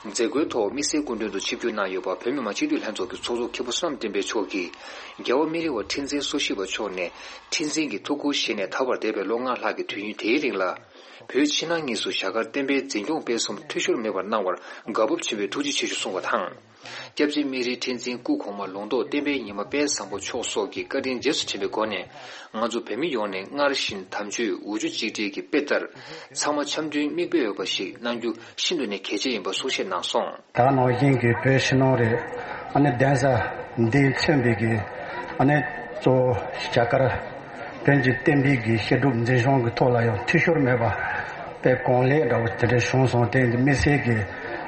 མཛད་སྒོའི་ཐོག་དམིགས་བསལ་སྐུ་མགྲོན་དུ་ཆིབས་བསྒྱུར་གནང་ཡོད་པ། བོད་མི་མང་སྤྱི་འཐུས་ལྷན་ཚོགས་ཀྱི་ཚོགས་གཙོ་མཁན་པོ་བསོད་ནམས་བསྟན་འཕེལ་མཆོག་གིས། རྒྱལ་བ་སྨན་རི་བ་ཁྲི་འཛིན་སོ་བཞི་པ་མཆོག་ནས་ཁྲི་འཛིན་གྱི་ཐུགས་ཁུར་བཞེས་ནས། ད་བར་འདས་པའི་ལོ་ལྔ་ལྷག་གི་དུས་ཡུན་དེའི་རིང་ལ། བོད་ཕྱི་ནང་གཉིས་སུ་རྒྱ་གར་བསྟན་པའི་འཛིན་སྐྱོང་སྤེལ་གསུམ་འཐུས་ཤོར་མེད་པར་གནང་བར་དགའ་སྤོབས་ཆེན་པོས་ཐུགས་རྗེ་ཆེ་ཞུ་གསུངས་པ་དང་། སྐྱབས་རྗེ་སྨན་རིའི་ཁྲི་འཛིན་སྐུ་གོང་མ་ལུང་རྟོགས་བསྟན་པའི་ཉི་མ་དཔལ་བཟང་པོ་མཆོག་སོགས་ཀྱི་བཀའ་དྲིན་རྗེས་སུ་དྲན་པའི་སྒོ་ནས། ང་ཚོ་བོད་མི་ཡོངས་ནས་སྔར་བཞིན་དམ་ཆོས་འུ་ཆུ་གཅིག་སྒྲིལ་གྱི་དཔེ་ལྟར། ཚང་མ་འཆམ་མཐུན་མིག་དཔེ་འོས་པ་ཞིག་གནང་རྒྱུ་ཤིན་ཏུ་ནས་གལ་ཆེ་ཡིན་པ་གསུང་བཤད་གནང་སོང་། ད་ནང་བཞིན་གྱི་བོད་ཕྱི་ནང་རེད། ཨ་ནི་གདན་ས་འདི་མཚོན་པའི་གི་ཨ་ནི་གཙོ་བོ་རྒྱ་གར་བོན་གྱི་བསྟན་པའི་གི་བཤད་སྒྲུབ་འཛིན་སྐྱོང་གི་ཐོག་ལ་ཡང་འཐུས་ཤོར་མེད་པ་དཔེ་གང་ལེགས་འདྲ་བོ་དེ་འདྲ་བྱུང་སོང་། དེ་འདི་དམིགས་བསལ་གྱི་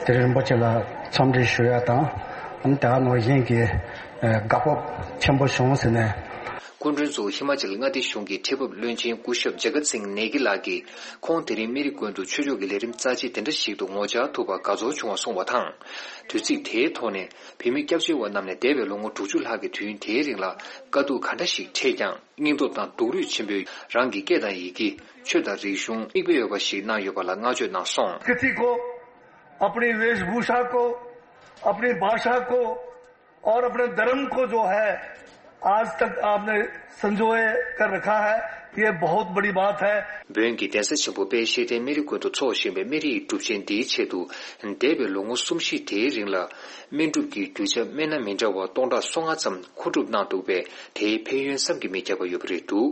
དེ་རིན་པོ་ཆེ་ལ་འཚམས་འདྲི་ཞུ་ཡ་དང་། ཨ་ནི་ད་ནང་བཞིན་གྱི་དགའ་སྤོབས་ཆེན་པོ་བྱུང་ཟེར་ནས། སྐུ་མགྲོན་ཚོ་ཧི་མ་ཅལ་མངའ་སྡེ་གཞུང་གི་ཁྲི་འབབ་བློན་ཆེན་སྐུ་ཞབས་ཇ་ག་སིང་ནེ་གི་ལགས་ཀྱིས་ཁོང་དེ་རིང་མི་རིགས་ཀུན་ཏུ་ཆོས་ཕྱོགས་ཀྱི་ལས་རིམ་རྩ་ཆེ་དེ་འདྲ་ཞིག་ཏུ་ངོ་བཅར་ཐུབ་པར་དགའ་ཚོར་བྱུང་བ་གསུངས་པ་དང་། དུས་ཚིགས་དེའི་ཐོག་ནས་བོད་མི་སྐྱབས་བཅོལ་བ་རྣམས་ནས་འདས་པའི་ལོ་ངོ་དྲུག་ཅུ་ལྷག་གི་དུས་ཡུན་དེའི་རིང་ལ་དཀའ་སྡུག་ག་འདྲ་ཞིག་འཕྲད་ཀྱང་། སྙིང་སྟོབས་དང་སྡུག་རུས་ཆེན་པོས་རང་གི་སྐད་དང་ཡི་གེ། ཆོས་དང་རིག་གཞུང་མིག་དཔེ་འོས་པ་ཞིག་གནང་ཡོད་པ་ལ་བསྔགས་བརྗོད་གནང་སོང་། किसी को अपनी वेशभूषा को, अपनी भाषा को और अपने धर्म को जो है आज तक आपने संजोए कर रखा है, ये बहुत बड़ी बात है। བོན་གྱི་གདན་ས་ཆེན་པོ་དཔལ་ཤེར་ཕྲེང་སྨན་རི་ཀུན་ཏུ་འཚོགས་བཞིན་པའི་སྨན་རིའི་སྒྲུབ་ཆེན་འདིའི་ཆེད་དུ། འདས་པའི་ལོ་ངོ་གསུམ་བཞི་དེའི་རིང་ལ། སྨན་སྒྲུབ་ཀྱི་རྒྱུ་ཆ་སྨན་སྣ་མི་འདྲ་བ་སྟོང་ཕྲག་སོ་ལྔ་ཙམ་མཁོ་སྒྲུབ་གནང་འདུག་པས། དེའི་ཕན་ཡོན་བསམ་གྱིས་མི་ཁྱབ་པ་ཡོད་པ་རེད་འདུག།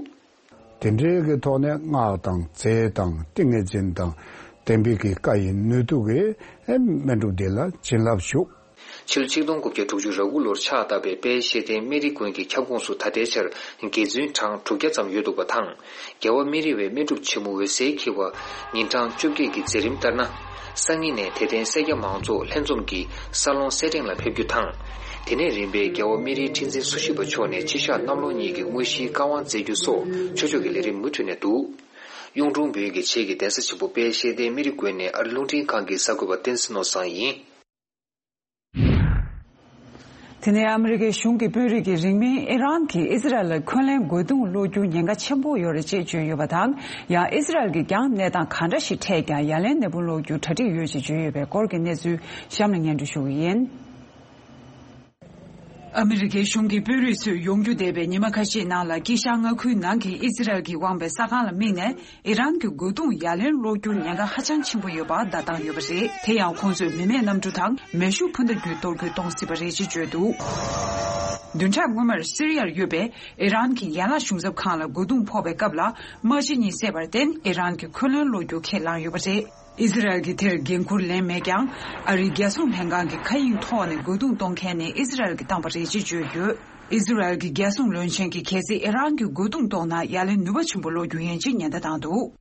དེ་འབྲེལ་གྱི་ཐོག་ནས་སྔགས་དང་རྫས་དང་ཏིང་ངེ་འཛིན་དང་། བསྟན་པའི་གི་བཀའ་ཡི་ནུས་མཐུ་གིས་སྨན་སྒྲུབ་འདི་ལ་བྱིན་རླབས་ཞུགས། ཕྱི་ལོ་ཆིག་སྟོང་དགུ་བརྒྱ་དྲུག་ཅུ་རེ་དགུ་ལོར་ཕྱག་བཏབ་པའི་དཔལ་ཤེར་ཕྲེང་སྨན་རི་དགོན་གྱི་ཁྱབ་ཁོངས་སུ་ད་ལྟའི་ཆར་དགེ་བཙུན་གྲངས་དྲུག་བརྒྱ་ཙམ་ཡོད་འདུག་པ་དང་། རྒྱལ་བ་སྨན་རི་བའི་སྨན་སྒྲུབ་ཆེན་མོ་འོད་གསལ་འཁྱིལ་བ་ཉིན་གྲངས་བཅོ་བརྒྱད་ཀྱི་མཛད་རིམ་ལྟར་ན། སང་ཉིན་ནས་དད་ལྡན་སེར་སྐྱ་མང་ཚོགས་ལྷན་འཛོམས་ཀྱིས་ས་ལོང་སེར་ཕྲེང་ལ་ཕེབས་རྒྱུ་དང་། དེ་ནས་རིམ་པས་རྒྱལ་བ་སྨན་རིའི་ཁྲི་འཛིན་སུ་ཞི་བ་མཆོག་ནས་སྤྱི་བཤགས་གནམ་ལོ་གཉིས་ཀྱི་དངོས་གཞིའི་བཀའ་དབང་སྩལ་རྒྱུ་སོགས་ཆོས་ཕྱོགས་ཀྱི་ལས་རིམ་མུ་མཐུད་ནས་འདུག། གཡུང་དྲུང་བོན་གྱི་ཆེད་ཀྱི་གདན་ས་ཆེན་པོ་དཔལ་ཤེར་ཕྲེང་སྨན་རི་དགོན་ནས་ཨ་རི་རླུང་འཕྲིན་ཁང་གི་གསར་འགོད་པ་བསྟན་འཛིན་ནོར་བཟང་ཡིན། དེ་ནས་ཨ་མི་རི་ཀའི་གཞུང་གི་དཔོན་རིགས་ཀྱིས་རིང་མིན་ཨི་རན་གྱིས་ཨི་ཟི་རལ་ལ་འཁོན་ལན་དགོས་འདུན་སློག་རྒྱུ་ཉེན་ཁ་ཆེན་པོ་ཡོད་རེད་ཅེས་བརྗོད་ཡོད་པ་དང་། ཡང་ཨི་ཟི་རལ་གྱིས་ཀྱང་གནས་སྟངས་གང་འདྲ་ཞིག་འཕྲད་ཀྱང་ཡ་ལན་ནན་པོ་སློག་རྒྱུ་གྲ་སྒྲིག་ཡོད་ཅེས་བརྗོད་ཡོད་པའི་སྐོར་གྱི་གནས་ཚུལ་གཤམ་ལ་སྙན་སྒྲོན་ཞུ་གི་ཡིན། ཨ་མི་རི་ཀའི་གཞུང་གི་དཔོན་རིགས་ཚོས་ཡོང་རྒྱུ་འདས་པའི་ཉི་མ་ཁ་ཤས་ནང་ལ་དཀྱིལ་ཤར་མངའ་ཁུལ་ནང་གི་ཨི་ཟི་རལ་གྱིས་དབང་བའི་ས་ཁང་ལ་དམིགས་ནས། ཨི་རན་གྱི་རྒོལ་རྡུང་ཡ་ལན་སློག་རྒྱུར་ཉེན་ཁ་ཧ་ཅང་ཆེན་པོ་ཡོད་པ་བརྡ་བཏང་ཡོད་པ་རེད། དེ་ཡང་ཁོང་ཚོས་མི་མེད་གནམ་གྲུ་དང་མེ་ཤུགས་འཕུར་མདའ་བརྒྱུད་གཏོར་རྒོལ་གཏོང་སྲིད་པ་རེད་ཅེས་བརྗོད་འདུག། བདུན་ཕྲག་སྔོན་མར་སི་རི་ཡར་ཡོད་པའི་ཨི་རན་གྱི་ཡན་ལག་གཞུང་ཚབ་ཁང་ལ་རྒོལ་རྡུང་ཕོག་པའི་སྐབས་ལ་དམག་སྤྱི་གཉིས་བསད་པར་བརྟེན། ཨི་རན་གྱིས་འཁོན་ལན་སློག་རྒྱུ་ཁས་བླངས་ཡོད་པ་རེད། ཨི་ཟི་རལ་གྱིས་དེར་འགན་འཁུར་ལེན་མེད་ཀྱང་། ཨ་རིའི་རྒྱལ་སྲུང་ལྷན་ཁང་གི་མཁའ་དབྱིངས་ཐོག་ནས་རྒོལ་རྡུང་གཏོང་མཁན་ནི་ཨི་ཟི་རལ་གྱིས་བཏང་བ་རེད་ཅེས་བརྗོད་ཡོད། ཨི་ཟི་རལ་གྱི་རྒྱལ་སྲུང་བློན་ཆེན་གྱིས་གལ་སྲིད་ཨི་རན་གྱིས་རྒོལ་རྡུང་གཏོང་ན་ཡ་ལན་ནུས་པ་ཆེན་པོ་སློག་རྒྱུ་ཡིན་ཅེས་ཉེན་བརྡ་བཏང་འདུག།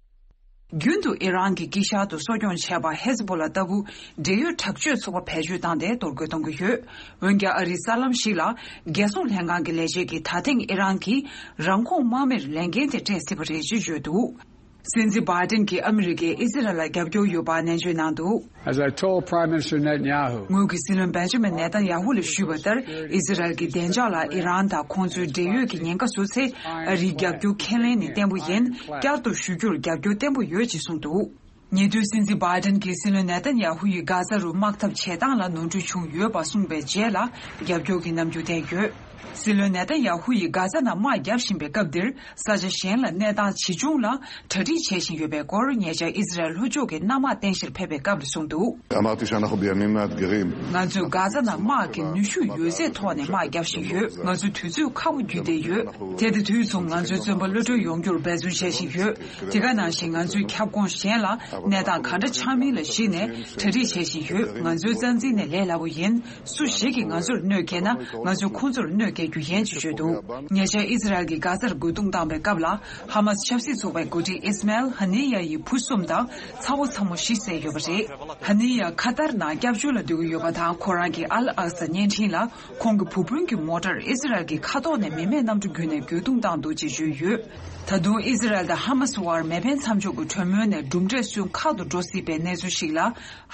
རྒྱུན་དུ་ཨི་རན་གྱི་དཀྱིལ་ཤར་དུ་གསོ་སྐྱོང་བྱས་པ་ཧེ་ཟ་བོ་ལ་ལྟ་བུ་འབྲེལ་ཡོད་དྲག་སྤྱོད་ཚོགས་པ་བེད་སྤྱོད་བཏང་སྟེ་གཏོར་རྒོལ་གཏོང་གི་ཡོད། འོན་ཀྱང་ཨ་རིའི་གསར་ལམ་ཞིག་ལ་རྒྱལ་སྲུང་ལྷན་ཁང་གི་ལས་བྱེད་ཀྱིས་ད་ཐེངས་ཨི་རན་གྱིས་རང་ཁོངས་དམག་མིར་ལས་འགན་དེ་སྤྲད་སྲིད་པ་རེད་ཅེས་བརྗོད་འདུག། སྲིད་འཛིན་བྷའི་ཏིན་གྱིས་ཨ་མི་རི་ཀས་ཨི་ཟི་རལ་ལ་རྒྱབ་སྐྱོར་ཡོད་པ་ནན་བརྗོད་གནང་འདུག། As I told Prime Minister Netanyahu, ངོས་ཀྱིས་སྲིད་བློན་བེན་ཇ་མིན་ནེ་ཐན་ཡ་ཧུ་ལ་ཞུས་པ་ལྟར། ཨི་ཟི་རལ་གྱི་བདེ་འཇགས་ལ་ཨི་རན་དང་ཁོང་ཚོའི་འབྲེལ་ཡོད་ཀྱི་ཉེན་ཁ་བཟོ་ཚེ། ཨ་རིའི་རྒྱབ་སྐྱོར་ཁས་ལེན་ནི་བརྟན་པོ་ཡིན། བསྐྱར་དུ་ཞུ་རྒྱུར་རྒྱབ་སྐྱོར་བརྟན་པོ་ཡོད་ཅེས་གསུངས་འདུག། ཉེ་དུས་སྲིད་འཛིན་བྷའི་ཏིན་གྱིས་སྲིད་བློན་ནེ་ཐན་ཡ་ཧུ་ཡིས་གྷ་ཛ་རུ་དམག་འཐབ་བྱེད་སྟངས་ལ་ནོར་འཁྲུལ་བྱུང་ཡོད་པ་གསུངས་པའི་རྗེས་ལ་རྒྱབ་སྐྱོར་གྱི་རྣམ་འགྱུར་བསྟན་ཡོད། སྲིད་བློན་ནེ་ཐན་ཡ་ཧུ་ཡིས་གྷ་ཛ་ནང་དམག་བརྒྱབ་བཞིན་པའི་སྐབས་འདིར། ས་ཆ་གཞན་ལ་གནས་སྟངས་ཇི་བྱུང་ལ་གྲ་སྒྲིག་བྱེད་བཞིན་ཡོད་པའི་སྐོར་ཉེ་ཆར་ཨི་ཟི་རལ་ལྷོ་ཕྱོགས་ཀྱི་གནམ་དམག་རྟེན་གཞིར་ཕེབས་པའི་སྐབས་ལ་གསུངས་འདུག། אמרתי שאנחנו בימים מאתגרים. ང་ཚོས་གྷ་ཛ་ནང་དམག་གི་ནུས་ཤུགས་ཡོད་ཚད་ཐོག་ནས་དམག་བརྒྱབ་བཞིན་ཡོད། ང་ཚོ་དུས་ཚོད་ཁག་པོ་བརྒྱུད་བསྡད་ཡོད། དེ་ལྟ་དུས་མཚུངས་ང་ཚོའི་བཙོན་པ་གློད་གྲོལ་ཡོང་རྒྱུར་འབད་བརྩོན་བྱེད་བཞིན་ཡོད། དེ་ག་ནང་བཞིན་ང་ཚོའི་ཁྱབ་ཁོངས་གཞན་ལ་གནས་སྟངས་ག་འདྲ་ཆགས་མིན་ལ་གཞིགས་ནས་གྲ་སྒྲིག་བྱེད་བཞིན་ཡོད། ང་ཚོའི་རྩ་འཛིན་ནི་ལས་སླ་པོ་ཡིན། སུ་ཞིག་གིས་ང་ཚོར་གནོད་བསྐྱལ་ན་ང་ཚོས་ཁོང་ཚོར་གནོད་བསྐྱལ་རྒྱུ་ཡིན་ཅེས་བརྗོད་འདུག། ཉེ་ཆར་ཨི་ཟི་རལ་གྱིས་གྷ་ཛར་རྒོལ་རྡུང་བཏང་བའི་སྐབས་ལ་ཧ་མ་སི་ཆབ་སྲིད་ཚོགས་པའི་འགོ་ཁྲིད་ཨིས་མཱེལ་ཧ་ནི་ཡ་ཡི་བུ་གསུམ་དང་ཚ་བོ་ཚ་མོ་བཞི་བསད་ཡོད་པ་རེད། ཧ་ནི་ཡ་ཁ་ཏར་ནང་སྐྱབས་བཅོལ་ལ་སྡོད་ཀྱི་ཡོད་པ་དང་། ཁོ་རང་གི་ཨལ་ཨག་ས་བརྙན་འཕྲིན་ལ་ཁོང་གི་བུ་སྤུན་གྱི་མོ་ཊར་ཨི་ཟི་རལ་གྱི་མཁའ་ཐོག་ནས་མི་མེད་གནམ་གྲུ་བརྒྱུད་ནས་རྒོལ་རྡུང་བཏང་འདུག་ཅེས་བརྗོད་ཡོད། ད་དུང་ཨི་ཟི་རལ་དང་ཧ་མ་སི་དབར་མེ་འཕེན་མཚམས་འཇོག་གི་གྲོས་མོལ་ནས་གྲུབ་འབྲས་སོན་ཁག་ཏུ་འགྲོ་སྲིད་པའི་གནས་ཚུལ་ཞིག་ལ།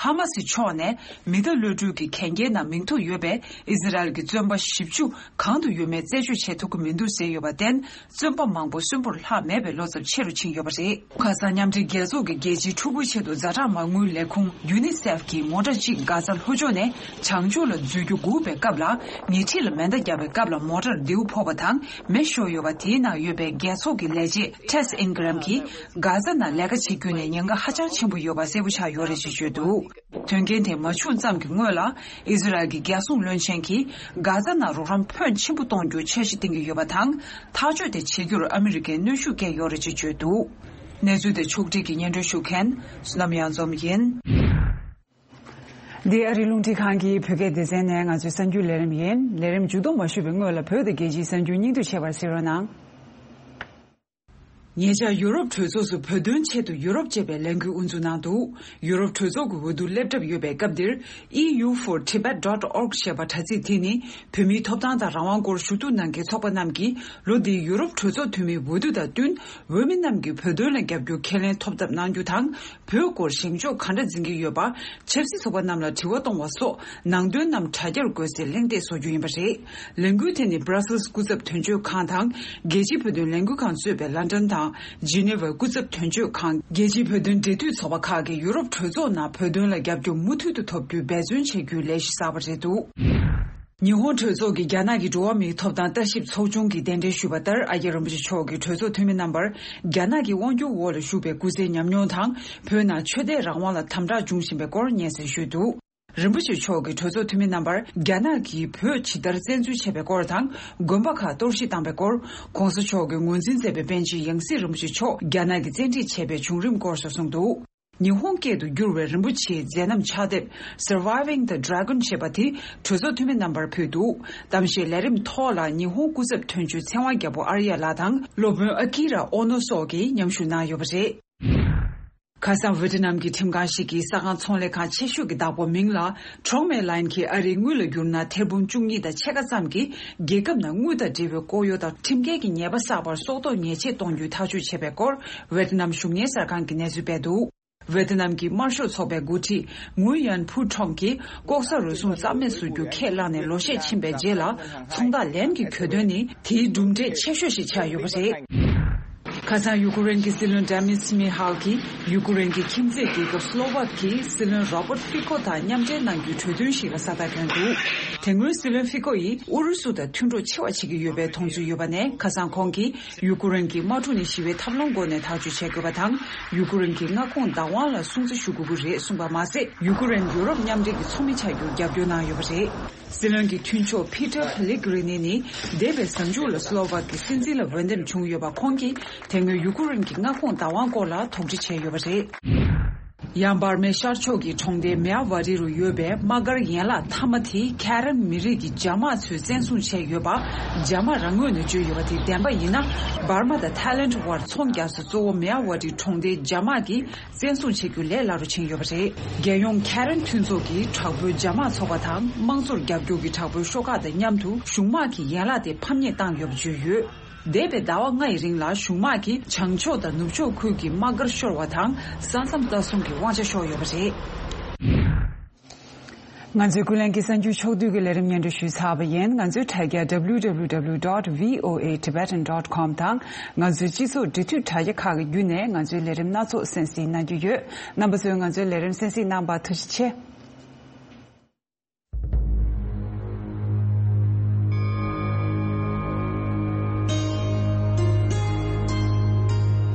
ཧ་མ་སི་ཕྱོགས་ནས་མི་གདའ་གློད་གྲོལ་གྱི་གན་རྒྱའི་ནང་མིང་ཐོ་ཡོད་པའི་ཨི་ཟི་རལ་གྱི་བཙོན་པ་བཞི་བཅུ་གང་དུ་ཡོད་མེད་རྩད་གཅོད་བྱེད་ཐུབ་ཀྱི་མི་འདུག་ཟེར་ཡོད་པར་བརྟེན། བཙོན་པ་མང་པོ་གསོན་པོར་ལྷག་མེད་པའི་བློ་འཚབ་ཆེ་རུ་ཕྱིན་ཡོད་པ་རེད། ཁ་སང་མཉམ་འབྲེལ་རྒྱལ་ཚོགས་ཀྱི་རྒྱལ་སྤྱིའི་ཕྲུ་གུའི་ཆེད་དུ་ཛ་དྲག་མ་དངུལ་ལས་ཁུངས་ཡུ་ནི་སེཕ་གིས་མོ་ཊར་གཅིག་གྷ་ཛ་ལྷོ་ཕྱོགས་ནས་བྱང་ཕྱོགས་ལ་འཛུལ་རྒྱུ་སྒུག་པའི་སྐབས་ལ། ཉེ་འཁྲིས་ལ་མེ་མདའ་བརྒྱབ་པའི་སྐབས་ལ་མོ་ཊར་མདེའུ་ཕོག་པ་དང་མེ་ཤོར་ཡོད་པ། དེའི་ནང་ཡོད་པའི་རྒྱལ་ཚོགས་ཀྱི་ལས་བྱེད་ཊེས་ཨིན་གྷི་རམ་གྱིས། གྷ་ཛ་ནང་ལས་ཀ་བྱེད་རྒྱུ་ནི་ཉེན་ཁ་ཧ་ཅང་ཆེན་པོ་ཡོད་པ་གསལ་པོ་ཆགས་ཡོད་རེད་ཅེས་བརྗོད་འདུག། དོན་རྐྱེན་དེ་མ་བྱུང་ཙམ་གྱི་སྔོན་ལ། ཨི་ཟི་རལ་གྱི་རྒྱལ་སྲུང་བློན་ཆེན་གྱིས་གྷ་ཛ་ནང་རོགས་རམ་ཕོན་ཆེན་པོ་གཏོང་རྒྱུ་འཆར་གཞི་བཏིང་གི་ཡོད་པ་དང་། ཐག་གཅོད་དེ་བྱེད་རྒྱུར་ཨ་མི་རི་ཀས་གནོན་ཤུགས་བསྐྱལ་ཡོད་རེད་ཅེས་བརྗོད་འདུག། གནས་ཚུལ་དེ་ཕྱོགས་སྒྲིག་གིས་སྙན་སྒྲོན་ཞུ་མཁན་བསོད་ནམས་གཡང་འཛོམས་ཡིན། འདི་ཨ་རིའི་རླུང་འཕྲིན་ཁང་གི་བོད་སྐད་སྡེ་ཚན་ནས་ང་ཚོའི་གསར་འགྱུར་ལས་རིམ་ཡིན། ལས་རིམ་མཇུག་བསྡོམས་མ་ཞུས་པའི་སྔོན་ལ་བོད་དང་རྒྱལ་སྤྱིའི་གསར་འགྱུར་སྙིང་བསྡུས་བྱས་པར་གཟིགས་རོགས་གནང་། ཉེ་ཆར་ཡུ་རོབ་གྲོས་ཚོགས་སུ་བོད་དོན་ཆེད་དུ་ཡུ་རོབ་ཅེས་པའི་ལས་འགུལ་དབུ་འཛུགས་གནང་འདུག་ཡུ་རོབ་གྲོས་ཚོགས་ཀྱི་འོས་བསྡུ་སླེབས་གྲབས་ཡོད་པའི་སྐབས་འདིར། E U for Tibet dot org ཞེས་པ་དྲ་ཚིགས་དེ་ནི། བོད་མིའི་ཐོབ་ཐང་དང་རང་དབང་སྐོར་ཞུ་གཏུག་གནང་མཁན་ཚོགས་པ་རྣམས་ཀྱིས། ལོ་འདིའི་ཡུ་རོབ་གྲོས་ཚོགས་འཐུས་མིའི་འོས་བསྡུ་དང་བསྟུན། འོས་མི་རྣམས་ཀྱིས་བོད་དོན་ལ་རྒྱབ་སྐྱོར་ཁས་ལེན་ཐོབ་ཐབས་གནང་རྒྱུ་དང་། བོད་སྐོར་བཞེངས་ཕྱོགས་ག་འདྲ་འཛིན་གྱི་ཡོད་པ། ཆབ་སྲིད་ཚོགས་པ་རྣམས་ལ་དྲི་བ་གཏོང་བ་སོགས་ནང་དོན་རྣམས་དྲ་རྒྱར་བཀོད་སའི་གླེང་སྟེགས་བཟོ་རྒྱུ་ཡིན་པ་རེད། ལས་འགུལ་དེ་ནི་Brussels སྐུ་ཚབ་དོན་གཅོད་ཁང་དང་། རྒྱལ་སྤྱིའི་བོད་དོན་ལས་འགུལ་ཁང་གཙོས་པའི་London དང་Geneva སྐུ་ཚབ་དོན་གཅོད་ཁང་། རྒྱལ་སྤྱིའི་བོད་དོན་འབྲེལ་མཐུད་ཚོགས་པ་ཁག་གིས་ཡུ་རོབ་གྲོས་ཚོགས་ནང་བོད་དོན་ལ་རྒྱབ་སྐྱོར་མུ་མཐུད་དུ་ཐོབ་རྒྱུའི་འབད་བརྩོན་བྱེད་རྒྱུའི་ལས་གཞི་གསར་པ་རེད་འདུག་ཉི་ཧོང་གྲོས་ཚོགས་ཀྱི་རྒྱ་ནག་གི་འགྲོ་བ་མིའི་ཐོབ་ཐང་ལྟ་ཞིབ་ཚོགས་ཆུང་གིས་གདན་འདྲེན་ཞུས་པ་ལྟར། ཨ་རྒྱ་རིན་པོ་ཆེ་མཆོག་གིས་གྲོས་ཚོགས་འཐུས་མི་རྣམ་པར། རྒྱ་ནག་གི་དབང་སྒྱུར་འོག་ལ་བཞུགས་པའི་སྐུ་ཚེའི་ཉམས་མྱོང་དང་། བོད་ནང་ཆོས་དད་རང་དབང་ལ་དམ་དྲག་འབྱུང་བཞིན་པའི་སྐོར་སྙན་སེང་ཞུས་འདུག་རིན་པོ་ཆེ་མཆོག་གིས་གྲོས་ཚོགས་འཐུས་མི་རྣམ་པར། རྒྱ་ནག་གིས་བོད་ཇི་ལྟར་བཙན་འཛུལ་བྱས་པའི་སྐོར་དང་། དགོན་པ་ཁག་གཏོར་བཤིག་བཏང་པའི་སྐོར། ྋགོང་ས་མཆོག་གིས་ངོས་འཛིན་མཛད་པའི་པཎ་ཆེན་ཡང་སྲིད་རིན་པོ་ཆེ་མཆོག་རྒྱ་ནག་གིས་བཙན་ཁྲིད་བྱས་པའི་བྱུང་རིམ་སྐོར་སོགས་གསུངས་འདུག་ཉི་ཧོང་སྐད་དུ་བསྒྱུར་བའི་རིན་པོ་ཆེའི་མཛད་རྣམ་ཕྱག་དེབ་Surviving the Dragon ཞེས་པ་དེ་གྲོས་ཚོགས་འཐུས་མི་རྣམ་པར་ཕུལ་འདུག་གཏམ་བཤད་ལས་རིམ་ཐོག་ལ་ཉི་ཧོང་སྐུ་ཚབ་དོན་གཅོད་ཚེ་དབང་རྒྱལ་པོ་ཨར་ཡ་ལགས་དང་སློབ་དཔོན་ཨ་ཀི་ར་ཨོ་ནོ་སོགས་ཀྱིས་མཉམ་ཞུགས་གནང་ཡོད་པ་རེད། ཁ་སང་ཝེ་ཏི་ནམ་གྱི་ཁྲིམས་ཁང་ཞིག་གིས་ས་ཁང་ཚོང་ལས་ཁང་ཆེ་ཤོས་ཀྱི་བདག་པོ་མིང་ལ་Trong Mae Line གྱིས་ཨ་རིའི་དངུལ་ལ་བསྒྱུར་ན་ཐེར་འབུམ་བཅུ་གཉིས་དང་ཕྱེད་ཀ་ཙམ་གྱིས་རྒྱལ་ཁབ་ནང་དངུལ་དང་འབྲེལ་བའི་ལྐོག་གཡོ་དང་ཁྲིམས་འགལ་གྱི་ཉེས་པ་བསགས་པར་སྲོག་ཐོག་ཉེས་ཆད་གཏོང་རྒྱུའི་ཐག་གཅོད་བྱས་པའི་སྐོར་ཝེ་ཏི་ནམ་གཞུང་གཉེར་གསར་ཁང་གིས་གནས་ཚུལ་སྤེལ་འདུག་ཝེ་ཏི་ནམ་གྱི་དམར་ཤོག་ཚོགས་པའི་འགོ་ཁྲིད་ངུའུ་ཡན་ཕུའུ་ཁྲོང་གིས་ལྐོག་ཟ་རུལ་སུངས་རྩ་མེད་བཟོ་རྒྱུ་ཁས་བླངས་ནས་ལོ་ཤས་ཕྱིན་པའི་རྗེས་ལ་ཚོང་རྟགས་ལེན་གྱི་གྱོད་དོན་ནི་དེའི་གྲུབ་འབྲས་ཆེ་ཤོས་ཤིག་ཆགས་ཡོད་པ་རེད། ཁ་སང་ཡུ་ཀེ་རེན་གྱི་སྲིད་བློན་Denys Shmyhal གྱིས་ཡུ་ཀེ་རེན་གྱི་ཁྱིམ་མཚེས་རྒྱལ་ཁབ་སློ་ཝཱཀ་གྱི་སྲིད་བློན་Robert Fico དང་མཉམ་འབྲེལ་གནང་རྒྱུའི་གྲོས་མཐུན་ཞིག་ལ་ས་རྟགས་བསྐྱོན་འདུག་དེ་སྔོན་སྲིད་བློན་Fico ཡིས་ཨུ་རུ་སུ་དང་མཐུན་གྲོགས་ཆེ་བ་བྱེད་ཀྱི་ཡོད་པའི་མཐོང་ཚུལ་ཡོད་པ་ནས། ཁ་སང་ཁོང་གིས་ཡུ་ཀེ་རེན་གྱི་དམག་འཁྲུག་ནས་ཞི་བའི་ཐབས་ལམ་སྒོ་ནས་ཐག་གཅོད་བྱེད་དགོས་པ་དང་། ཡུ་ཀེ་རེན་གྱི་མངའ་ཁོངས་བདག་དབང་ལ་སྲུང་བརྩི་ཞུ་དགོས་ཀྱི་རེད་གསུངས་པ་མ་ཟད། ཡུ་ཀེ་རེན་ཡུ་རོབ་མཉམ་འབྲེལ་གྱི་ཚོགས་མི་ཆགས་རྒྱུར་རྒྱབ་སྐྱོར་གནང་ཡོད་པ་རེད། སྲིད་བློན་གྱི་མཐུན་ཕྱོགས་Peter Pellegrini ནི་འདས་པའི་གཟའ་མཇུག་ལ་སློ་ཝཱཀ་གི་སྲིད་འཛིན་ལ་འོས་འདེམས་བྱུང་ཡོད་པ། ཁོང་གིས་དེ་སྔོན་ཡུ་ཀེ་རེན་གྱི་མངའ་ཁོངས་བདག་དབང་སྐོར་ལ་དོགས་འདྲི་བྱས་ཡོད་པ་རེད། ཡང་འབར་མའི་ཤར་ཕྱོགས་ཀྱི་གྲོང་སྡེ་མེ་ཡ་ཝ་ཏི་རུ་ཡོད་པའི་དམག་སྒར་ཡན་ལག་མཐའ་མ་དེ་ཁེ་རན་མི་རིགས་ཀྱི་རྒྱ་དམག་ཚོས་བཙན་བཟུང་བྱས་ཡོད་པ། རྒྱ་དམག་རང་ངོས་ནས་བརྗོད་ཡོད་པ་དེ་བདེན་པ་ཡིན་ན། འབར་མ་དང་ཐའི་ལེན་ཝར་ཚོང་རྒྱག་ས་གཙོ་བོ་མེ་ཡ་ཝ་ཏི་གྲོང་སྡེའི་རྒྱ་དམག་གིས་བཙན་བཟུང་བྱེད་རྒྱུ་ལས་སླ་རུ་ཕྱིན་ཡོད་པ་རེད། རྒྱལ་ཡོངས་ཁེ་རན་མཐུན་ཚོགས་ཀྱི་དྲག་པོའི་རྒྱ་དམག་ཚོགས་པ་དང་དམངས་གཙོར་རྒྱབ་སྐྱོར་གྱི་དྲག་པོའི་ཤོག་ཁག་དང་མཉམ་དུ་གཞུང་དམག་གི་ཡན་ལག་དེ་ཕམ་ཉེས་བཏང་ཡོད་པ་བརྗོད་ཡོད། འདས་པའི་ཟླ་བ་ལྔ་ཡི་རིང་ལ་གཞུང་དམག་གིས་བྱང་ཕྱོགས་དང་ནུབ་ཕྱོགས་ཁུལ་གྱི་དམག་སྒར་ཤོར་བ་དང་ས་མཚམས་ལྟ་སྲུང་གི་དབང་ཆ་ཤོར་ཡོད་པ་རེད། ང་ཚོའི་ཀུན་གླེང་གི་གསར་འགྱུར་ཕྱོགས་བསྡུས་ཀྱི་ལས་རིམ་སྙན་སྒྲོན་ཞུས་ཚར་བ་ཡིན། ང་ཚོའི་དྲ་རྒྱ་W W W dot V O A Tibetan dot com དང་ང་ཚོའི་སྤྱི་ཚོགས་འབྲེལ་མཐུད་དྲ་རྒྱ་ཁག་གི་བརྒྱུད་ནས་ང་ཚོའི་ལས་རིམ་སྣ་ཚོགས་གསན་གཟིགས་གནང་རྒྱུ་ཡོད། རྣམ་པ་ཚོས་ང་ཚོའི་ལས་རིམ་གསན་གཟིགས་གནང་བར་ཐུགས་རྗེ་ཆེ།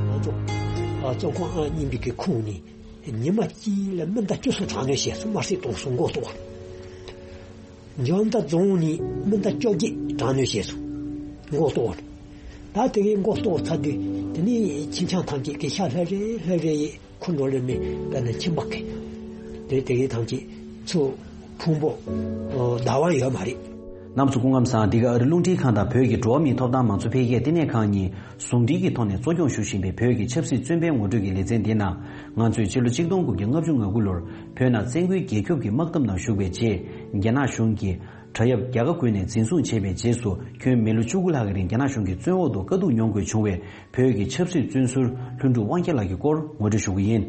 ང་ཚོ་ཨ་བཙོན་ཁང་ཨང་གཉིས་པའི་གི་ཁོངས་ནས་ཉི་མ་གཅིག་ལ་མི་ཟླ་བཅུ་གསུམ་དྲག་གནོན་བྱས་སོང་། དམར་གསོད་གཏོང་སོང་། མགོ་གཏོགས། འཇམ་མདའ་རྫོང་ནས་མི་ཟླ་བཅོ་བརྒྱད་དྲག་གནོན་བྱས་སོང་། མགོ་གཏོགས། ད་དེ་གའི་མགོ་གཏོགས་ཚར་དུས་དེ་ནས་ཁྱིམ་ཚང་ཐམས་ཅད་ཀྱི་ཤ་ལྷ་རེ་ལྷ་རེ་ཡིས། ཁོ་འགྲོ་ལེ་མི་དཔེར་ན་ཁྱིམ་པ་གི་དེ་དེ་གའི་ཐམས་ཅད་ཚུར་ཕུང་པོ་བདག་དབང་ཡོད་མ་རེད། རྣམ་ཚོ་སྐུ་ཁམས་བཟང་། འདི་ག་ཨ་རི་རླུང་འཕྲིན་ཁང་དང་བོད་ཀྱི་འགྲོ་བ་མིའི་ཐོབ་ཐང་མང་གཙོ་འཕེལ་རྒྱས་བསྟི་གནས་ཁང་གཉིས་ཟུང་འབྲེལ་གྱི་ཐོག་ནས་གཙོ་སྐྱོང་ཞུ་བཞིན་པའི་བོད་ཀྱི་ཆབ་སྲིད་བཙོན་པའི་ངོ་སྤྲོད་ཀྱི་ལེ་ཚན་འདི་ནང་། ང་ཚོས་ཕྱི་ལོ་ཆིག་སྟོང་དགུ་བརྒྱ་ལྔ་བཅུ་ང་དགུ་ལོར་བོད་ནང་བཙན་རྒོལ་རྒྱལ་སྐྱོབ་ཀྱི་དམག་འཐབ་ནང་ཞུགས་པའི་རྗེས། རྒྱ་ནག་གཞུང་གིས་དྲ་ཡབ་རྒྱ་གར་བརྒྱུད་ནས་འཛིན་བཟུང་བྱས་པའི་རྗེས་སུ། ཁྱོན་མི་ལོ་བཅུ་དགུ་ལྷག་གི་རིང་རྒྱ་ནག་གཞུང་གི་བཙོན་འོག་ཏུ་དཀའ་སྡུག་མྱོང་དགོས་བྱུང་བའི་བོད་ཀྱི་ཆབ་སྲིད་བཙོན་ཟུར་ལྷུན་གྲུབ་དབང་རྒྱལ་ལགས་ཀྱི་སྐོར་ངོ་སྤྲོད་ཞུ་གི་ཡིན།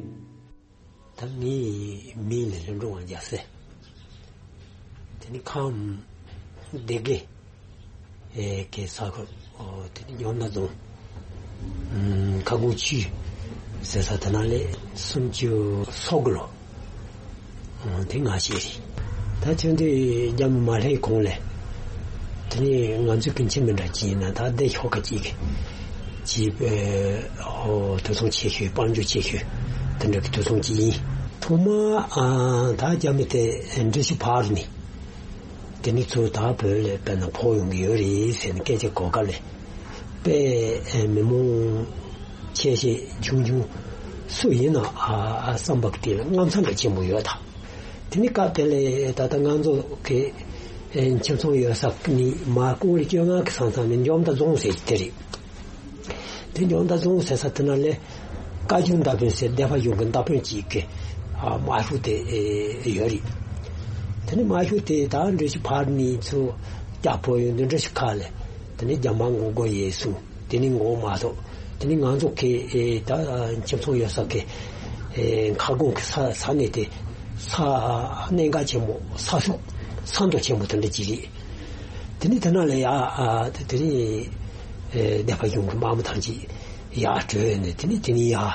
ད་ངའི་མིང་ལ་ལྷུན་གྲུབ་དབང་རྒྱལ་ཟེར། དེ་ནི་ཁམས་སྡེ་དགེ་གི་ས་ཁུལ། དེ་ནི་འཇམ་མདའ་རྫོང་ཁ་སྒོ་ཆུས་ཟེར་ས་དེ་ན་ལས་སུམ་ཅུ་སོ་དགུ་ལོ། དེ་ང་ཤེས་རེད། ད་ཆུང་དུས་རྒྱ་མི་མ་སླེབས་གོང་ལས། དེ་ནས་ང་ཚོའི་ཀུན་མཁྱེན་མི་འདྲ་ཅིག་ཡིན་ན་ད་བདེ་ཤོག་ཁ་ཅིག་ཅིག་ཨོ་དུད་ཚང་ཆེ་ཤོས། དཔལ་འབྱོར་ཆེ་ཤོས་དེ་འདྲ་གི་དུད་ཚང་ཅིག་ཡིན། ཐོག་མ་ཨ་ད་རྒྱ་མི་དེ་འགྲུལ་བཞུད་ཕར་ནས་དེ་ནས་ཚུར་ད་བོད་ལ་དཔེར་ན་ཕོག་ཡོང་གི་ཡོད་རེད་ཟེར་ནས་སྐད་ཆ་གོ་སྐབས་ལས། དཔེ་མི་མང་ཆེ་ཤས་ཆུང་ཆུང་སུ་ཡིན་ན་ཨ་ཨ་བསམ་པ་དེ་ལ་དངངས་འཚབ་འདྲ་ཆེན་པོ་ཡོད་ད། དེ་ནི་སྐབས་དེ་ལས་ད་ལྟ་ང་ཚོ་གི་ཁྱིམ་ཚང་ཡོད་ས་ནི་མར་ཀོང་རི་བཅོ་ལྔ་གི་ས་མཚམས་ནི་འཇམ་མདའ་རྫོང་ཟེར་གྱི་དེ་རེད། དེ་འཇོ་མདའ་རྫོང་ཟེར་ས་དེ་ན་ལས་བཀའ་བརྒྱུད་མདའ་དཔོན་ཟེར་སྡེ་པ་གཞུང་གི་མདའ་དཔོན་གཅིག་གི་ཨ་དམག་ཤོག་དེ་ཨེ་ཡོད་རེད། དེ་ནས་དམག་ཤོག་དེ་ད་འགྲུལ་བཞུད་ཕར་ནས་ཚུར་རྒྱ་བོད་ཡོང་དུས་འགྲུལ་བཞུད་ཁག་ལས་དེ་ནས་རྒྱ་དམག་མགོ་སྐོར་ཡས་སོང་། དེ་ནས་མགོ་མ་གཏོགས་དེ་ནས་ང་ཚོ་གི་ཨེ་ད་ཁྱིམ་ཚང་ཡོད་ས་གི་ཨེ་མཁར་གོང་གི་ས་ས་གནས་དེ་ས་གནད་འགག་ཆེན་པོ་ས་ཤུག་ས་མདོ་ཆེན་པོ་དེ་འདྲ་ཅིག་རེད། དེ་ནས་དེ་ན་ལས་ཡ་ཨ་དེ་དེ་ནས་ཨེ་སྡེ་པ་གཞུང་གི་དམག་མི་ཐམས་ཅད་ཡར་བྲོས་ནས་དེ་ནས་དེ་ནས་ཡར་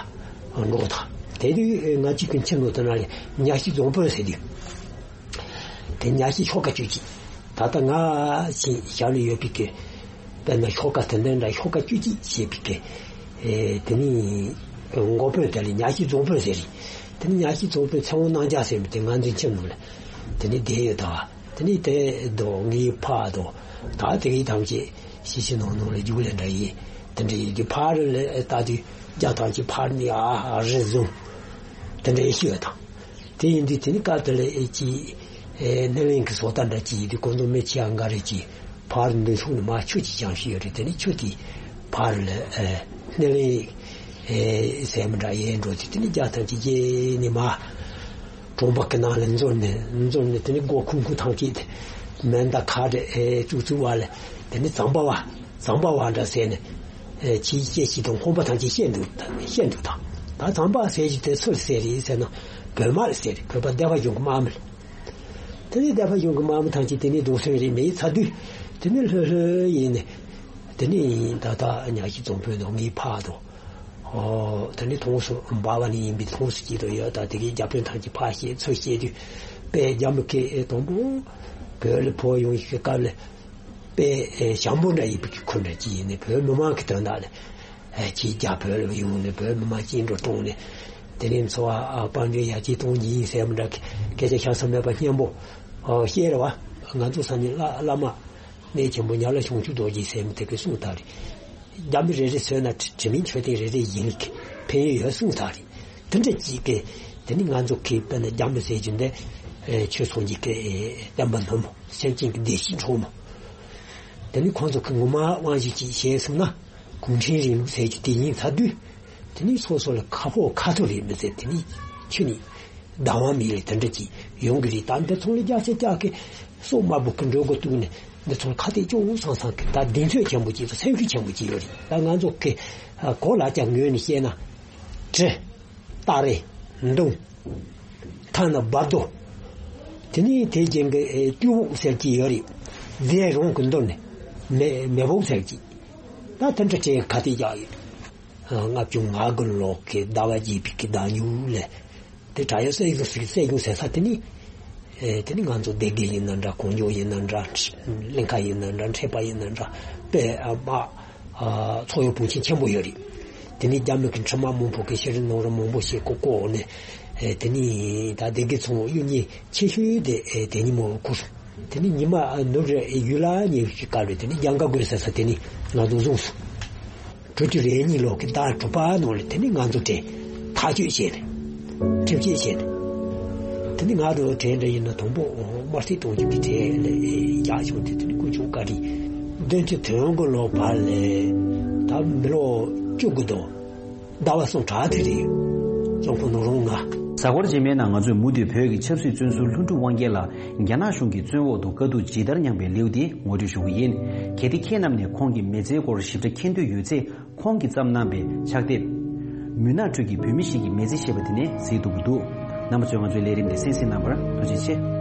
འགྲོ་དང་། དེ་དུས་ང་གཅིག་གི་ཁྱིམ་ནང་དེ་ན་ལས་ཉ་ཤི་རྫོང་དཔོན་ཟེར་དུས། དེ་ཉ་ཤི་ཤོག་ཁ་བཅུ་གཅིག། ད་ལྟ་ང་ཞིག་ཞབས་ལ་ཡོད་པའི་གི་དཔེར་ན་ཤོག་ཁ་དེ་འདྲ་འདྲ་ཤོག་ཁ་བཅུ་གཅིག་ཞེས་པའི་གི་ཨེ་དེ་ནི་འགོ་དཔོན་དེ་ལ་ཉ་ཤི་རྫོང་དཔོན་ཟེར་རེད། དེ་ནི་ཉ་ཤི་རྫོང་དཔོན་ཚེ་དབང་རྣམ་རྒྱལ་ཟེར་མི་དེ་ང་ཚོའི་ཁྱིམ་ནང་ལ་དེ་ནི་བསྡད་ཡོད་ད། དེ་ནི་དེ་དོ་ངའི་ཕ་དོ་ད་དེ་གི་ཐམས་ཅད་ཤི་ཤི་ནང་ནང་ལ་རྒྱུགས་ལས་འདྲ་ཡིན། དེ་འདྲ་ཡིན་དུས་ཕར་ལ་ལྟ་དུས་རྒྱ་ཐམས་ཅད་ཕར་ནི་ཨ་རི་བཟུང་། དེ་འདྲ་ཡིན་ཤི་ཡོད་དང་། དེ་ཡིན་དུས་དེ་ནི་སྐབས་དེ་ལ་ཨེ་ཅི་ཨེ་སྣེ་ལེན་གྱི་བཟོ་ལྟ་འདྲ་ཅིག་ཡིན་དུས་ཁོང་ཚོ་མི་ཆེ་ཡང་འགའ་རེ་ཅིག་ཕར་འདུ་ཚོགས་ནས་མར་ཆུ་ཅིག་བཞེངས་ཤིག་ཡོད་རེད། དེ་ནི་ཆུ་དེ་ཕར་ལ་ཨེ་སྣེ་ལེན་ཨེ་ཟེར་མི་འདྲ་ཡས་འགྲོ་དུས་དེ་ནི་རྒྱ་ཐམས་ཅད་རྗེས་ནས་མར་གྲོང་པ་གི་ནང་ལ་འཛུལ་ནས་འཛུལ་ནས་དེ་ནི་སྒོ་ཁུང་ཁུང་ཐམས་ཅད་དེ་མེ་མདའ་ཁ་བྲལ་ཨེ་བཙུགས་བཙུགས་བ་ལ་དེ་ནི་ཛམ་པ་བ་ཛམ་པ་བ་འདྲ་ཟེར་ནས། ཨེ་ཕྱིའི་སྐད་ཅིག་དང་ཧོན་པ་ཐམས་ཅད་བཤད་འདུག་བཤད་འདུག་དང་། ད་ཛམ་པ་ཟེར་གྱི་དེ་སུ་ཟེར་རེད་ཟེར་ན་བོད་དམག་ཟེར་རེད། བོད་པ་སྡེ་པ་གཞུང་གི་དམག་མི་རེད། དེ་ནས་སྡེ་པ་གཞུང་གི་དམག་མི་ཐམས་ཅད་དེ་ནས་སྡུག་སོན་རེད་མེད་ཚ་དུས་དེ་ནས་ལྷོད་ལྷོད་ཡིན་ནས་དེ་ནས་ད་ལྟ་ཉ་ཤི་རྫོང་དཔོན་དང་ངའི་ཕ་དང་། ཨོ་དེ་ནས་ཐོང་སུ་འབའ་བ་ནས་ཡིན་པའི་ཐོང་སུ་སྐྱིད་དོ་ཡོད་ད། དེ་གའི་རྒྱ་དཔོན་ཐམས་ཅད་ཕ་བཤད་ཚུར་བཤད་དུས་དཔེ་རྒྱ་མི་སྐད་དང་པོ་བོད་ལ་བོད་ཡོང་ཤི་སྐབས་ལ། དཔེ་ཨེ་ཞང་པོ་འདྲ་ཡིན་པའི་གི་ཁུལ་འདྲ་ཅིག་ཡིན་ནས་བོད་མི་མང་གི་དོན་དག་ལ་ཨེ་ཅིག་རྒྱ་བོད་ལ་ཡོང་ནས་བོད་མི་མང་སྐྱིད་འགྲོ་གཏོང་ནས་དེ་རིང་འཚོ་བ་ཨ་དཔལ་འབྱོར་ཡར་རྒྱས་གཏོང་གི་ཡིན་ཟེར་མི་འདྲ་གི་སྐད་ཆ་ཤ་ཚ་མེད་པ་སྙན་པོ་ཨ་བཤད་རེད་བ། ང་ཚོ་ས་གནས་བླ་བླ་མ་གནས་ཆེན་པོ་ཉག་ལ་ཞང་ཆུ་རྡོ་རྗེ་ཟེར་མི་དེ་གི་གསུང་ལྟར་རེད། རྒྱ་མི་རེ་རེ་བཟོས་ན་དྲི་དྲི་མིན་མཆོད་རྟེན་རེ་རེ་ཡིན་གི་ཕན་ཡོན་ཡོད་གསུང་ལྟར་རེད། དེ་འདྲ་ཅིག་གི་དེ་ནི་ང་ཚོ་གི་དཔེར་ན་རྒྱ་མི་ཟེར་རྒྱུ་འདི་ཨེ་ཆོས་སངས་རྒྱས་ཀྱི་ཨེ་བསྟན་པ་སྣུམ་པོ་སེམས་ཅན་གྱི་བདེ་སྐྱིད་འཕྲོག་མོ། དེ་ནི་ཁོང་ཚོ་གི་ངོ་མ་དབང་བཞི་ཅིག་བྱས་སོང་ན་གུང་ཁྲན་རིང་ལུགས་ཟེར་རྒྱུ་དེ་ཡིན་ཚར་དུས་དེ་ནི་སོ་སོ་ལ་ཁ་ཕོ་ཁ་ཐོ་རེད་མི་ཟེར། དེ་ནི་ཁྱོད་ནི་ཟླ་བ་མི་ལས་དེ་འདྲ་ཅིག་ཡོང་གི་རེད། ད་འདི་ཚོ་ལ་རྒྱ་ཆེ་རྒྱ་གི་སྲོག་དམར་པོ་གི་འགྲོ་སྒོ་བཏུགས་ནས་འདི་ཚོ་ལ་ཁ་གཏད་གཅོག་སང་སང་གི་ད་གདེང་ཚོད་ཆེན་པོ་ཅིག་དང་སེམས་ཤུགས་ཆེན་པོ་ཅིག་ཡོད་རེད། ད་ང་ཚོ་གི་གོ་ལ་རྒྱ་ངོས་ནས་བཤད་ན་གྲི། སྟ་རེ། མདུང་། ཐ་ན་སྦར་རྡོ། དེ་ནས་དེ་རྗེས་ཀྱི་ཨེ་ཏུའུ་བོག་ཟེར་གྱི་ཡོད་རེད། རྫས་རང་གི་མདུན་ནས་མེ་མེ་བོག་ཟེར་གྱི། ད་དེ་འདྲ་སྤྲད་ག་དེ་རྒྱག་ཡོད། ལྔ་བཅུ་ང་དགུ་ལོ་གི་ཟླ་བ་བརྒྱད་པའི་གི་ཟླ་མཇུག་ལ། དེ་དྲ་ཡོད་སྲིད་གཞུང་སྲིད་གཞུང་ཟེར་ས་དེ་ནི། ཨེ་དེ་ནི་ང་ཚོ་སྡེ་དགེ་ཡིན་ན་འདྲ་གོང་འཇོག་ཡིན་ན་འདྲ་གླིང་ཁ་ཡིན་ན་འདྲ་འཕྲེད་པ་ཡིན་ན་འདྲ་དཔེ་ཨ་མ། ཚོགས་ཡོད་བུང་ཆེན་ཆེན་པོ་ཡོད་རེད། དེ་ནི་རྒྱ་མི་གི་འཕྲུལ་མ་མང་པོ་གི་ཤེས་རིག་ནོར་བུ་མང་པོ་ཞིག་བཀོག་བཀོག་ནས་དེ་ནི་ད་སྡེ་དགེ་ཚང་གཡུ་ཉིན་ཆེ་ཤོས་དེ་དེ་ཉིན་མོ་ཁུར་སོང་། དེ་ནི་ཉི་མ་ནུབ་རེ་ཡུལ་ལ་ཉེ་ཤོས་སྐབས་རེ་དེ་ནི་རྒྱང་ག་དགོས་ཟེར་ས་དེ་ནི་ང་ཚོ་བཟུང་སོང་། དྲུག་ཅུ་རེ་གཉིས་ལོ་གི་ཟླ་དྲུག་པ་ནང་ལ་དེ་ནི་ང་ཚོ་གྲས་ཐག་གཅོད་བྱས་ནས་ཁྲིམས་བཅད་བྱས་ནས་དེ་ནི་ང་ཚོ་གྲས་འདྲ་ཡིན་ན་དང་པོ་དམར་ཐིག་གཏོང་རྒྱུ་གི་གྲས་ལ་རྒྱག་བྱུང་སྟེ་དེ་ནི་དཀོན་མཆོག་བཀའ་དྲིན་བདུན་ཅུ་དོན་དགུ་ལོ་བར་ལ་ད་མི་ལོ་བཅུ་དགུ་དང་ཟླ་བ་གསུམ་གྲངས་དེ་རེད། སྐྱོང་ཁུངས་ནོར་རོང་ང་། གཟའ་འཁོར་རྗེས་མའི་ནང་ང་ཚོས་མུ་མཐུད་བོད་ཀྱི་ཆབ་སྲིད་བཙོན་ཟུར་ལྷུན་གྲུབ་དབང་རྒྱལ་ལགས་རྒྱ་ནག་གཞུང་གི་བཙོན་འོག་ཏུ་དཀའ་སྡུག་ཇི་ལྟར་མྱངས་པའི་ལེའུ་དེ་ངོ་སྤྲོད་ཞུ་གི་ཡིན། གལ་ཏེ་ཁྱེད་རྣམས་ནས་ཁོང་གི་མི་ཚེའི་སྐོར་ཞིབ་ཕྲ་མཁྱེན་འདོད་ཡོད་ཚེ། ཁོང་གིས་བརྩམས་གནང་པའི་ཕྱག་དེབ། མུན་ནག་ཁྲོད་ཀྱི་བོད་མི་ཞིག་གི་མི་ཚེ་ཞེས་པ་དེ་ནས་གཟིགས་ཐུབ་ཀྱི་འདུག་རྣམ་པ་ཚོས་ང་ཚོའི་ལས་རིམ་འདི་གསན་གཟིགས་གནང་བར་ཐུགས་རྗེ་ཆེ།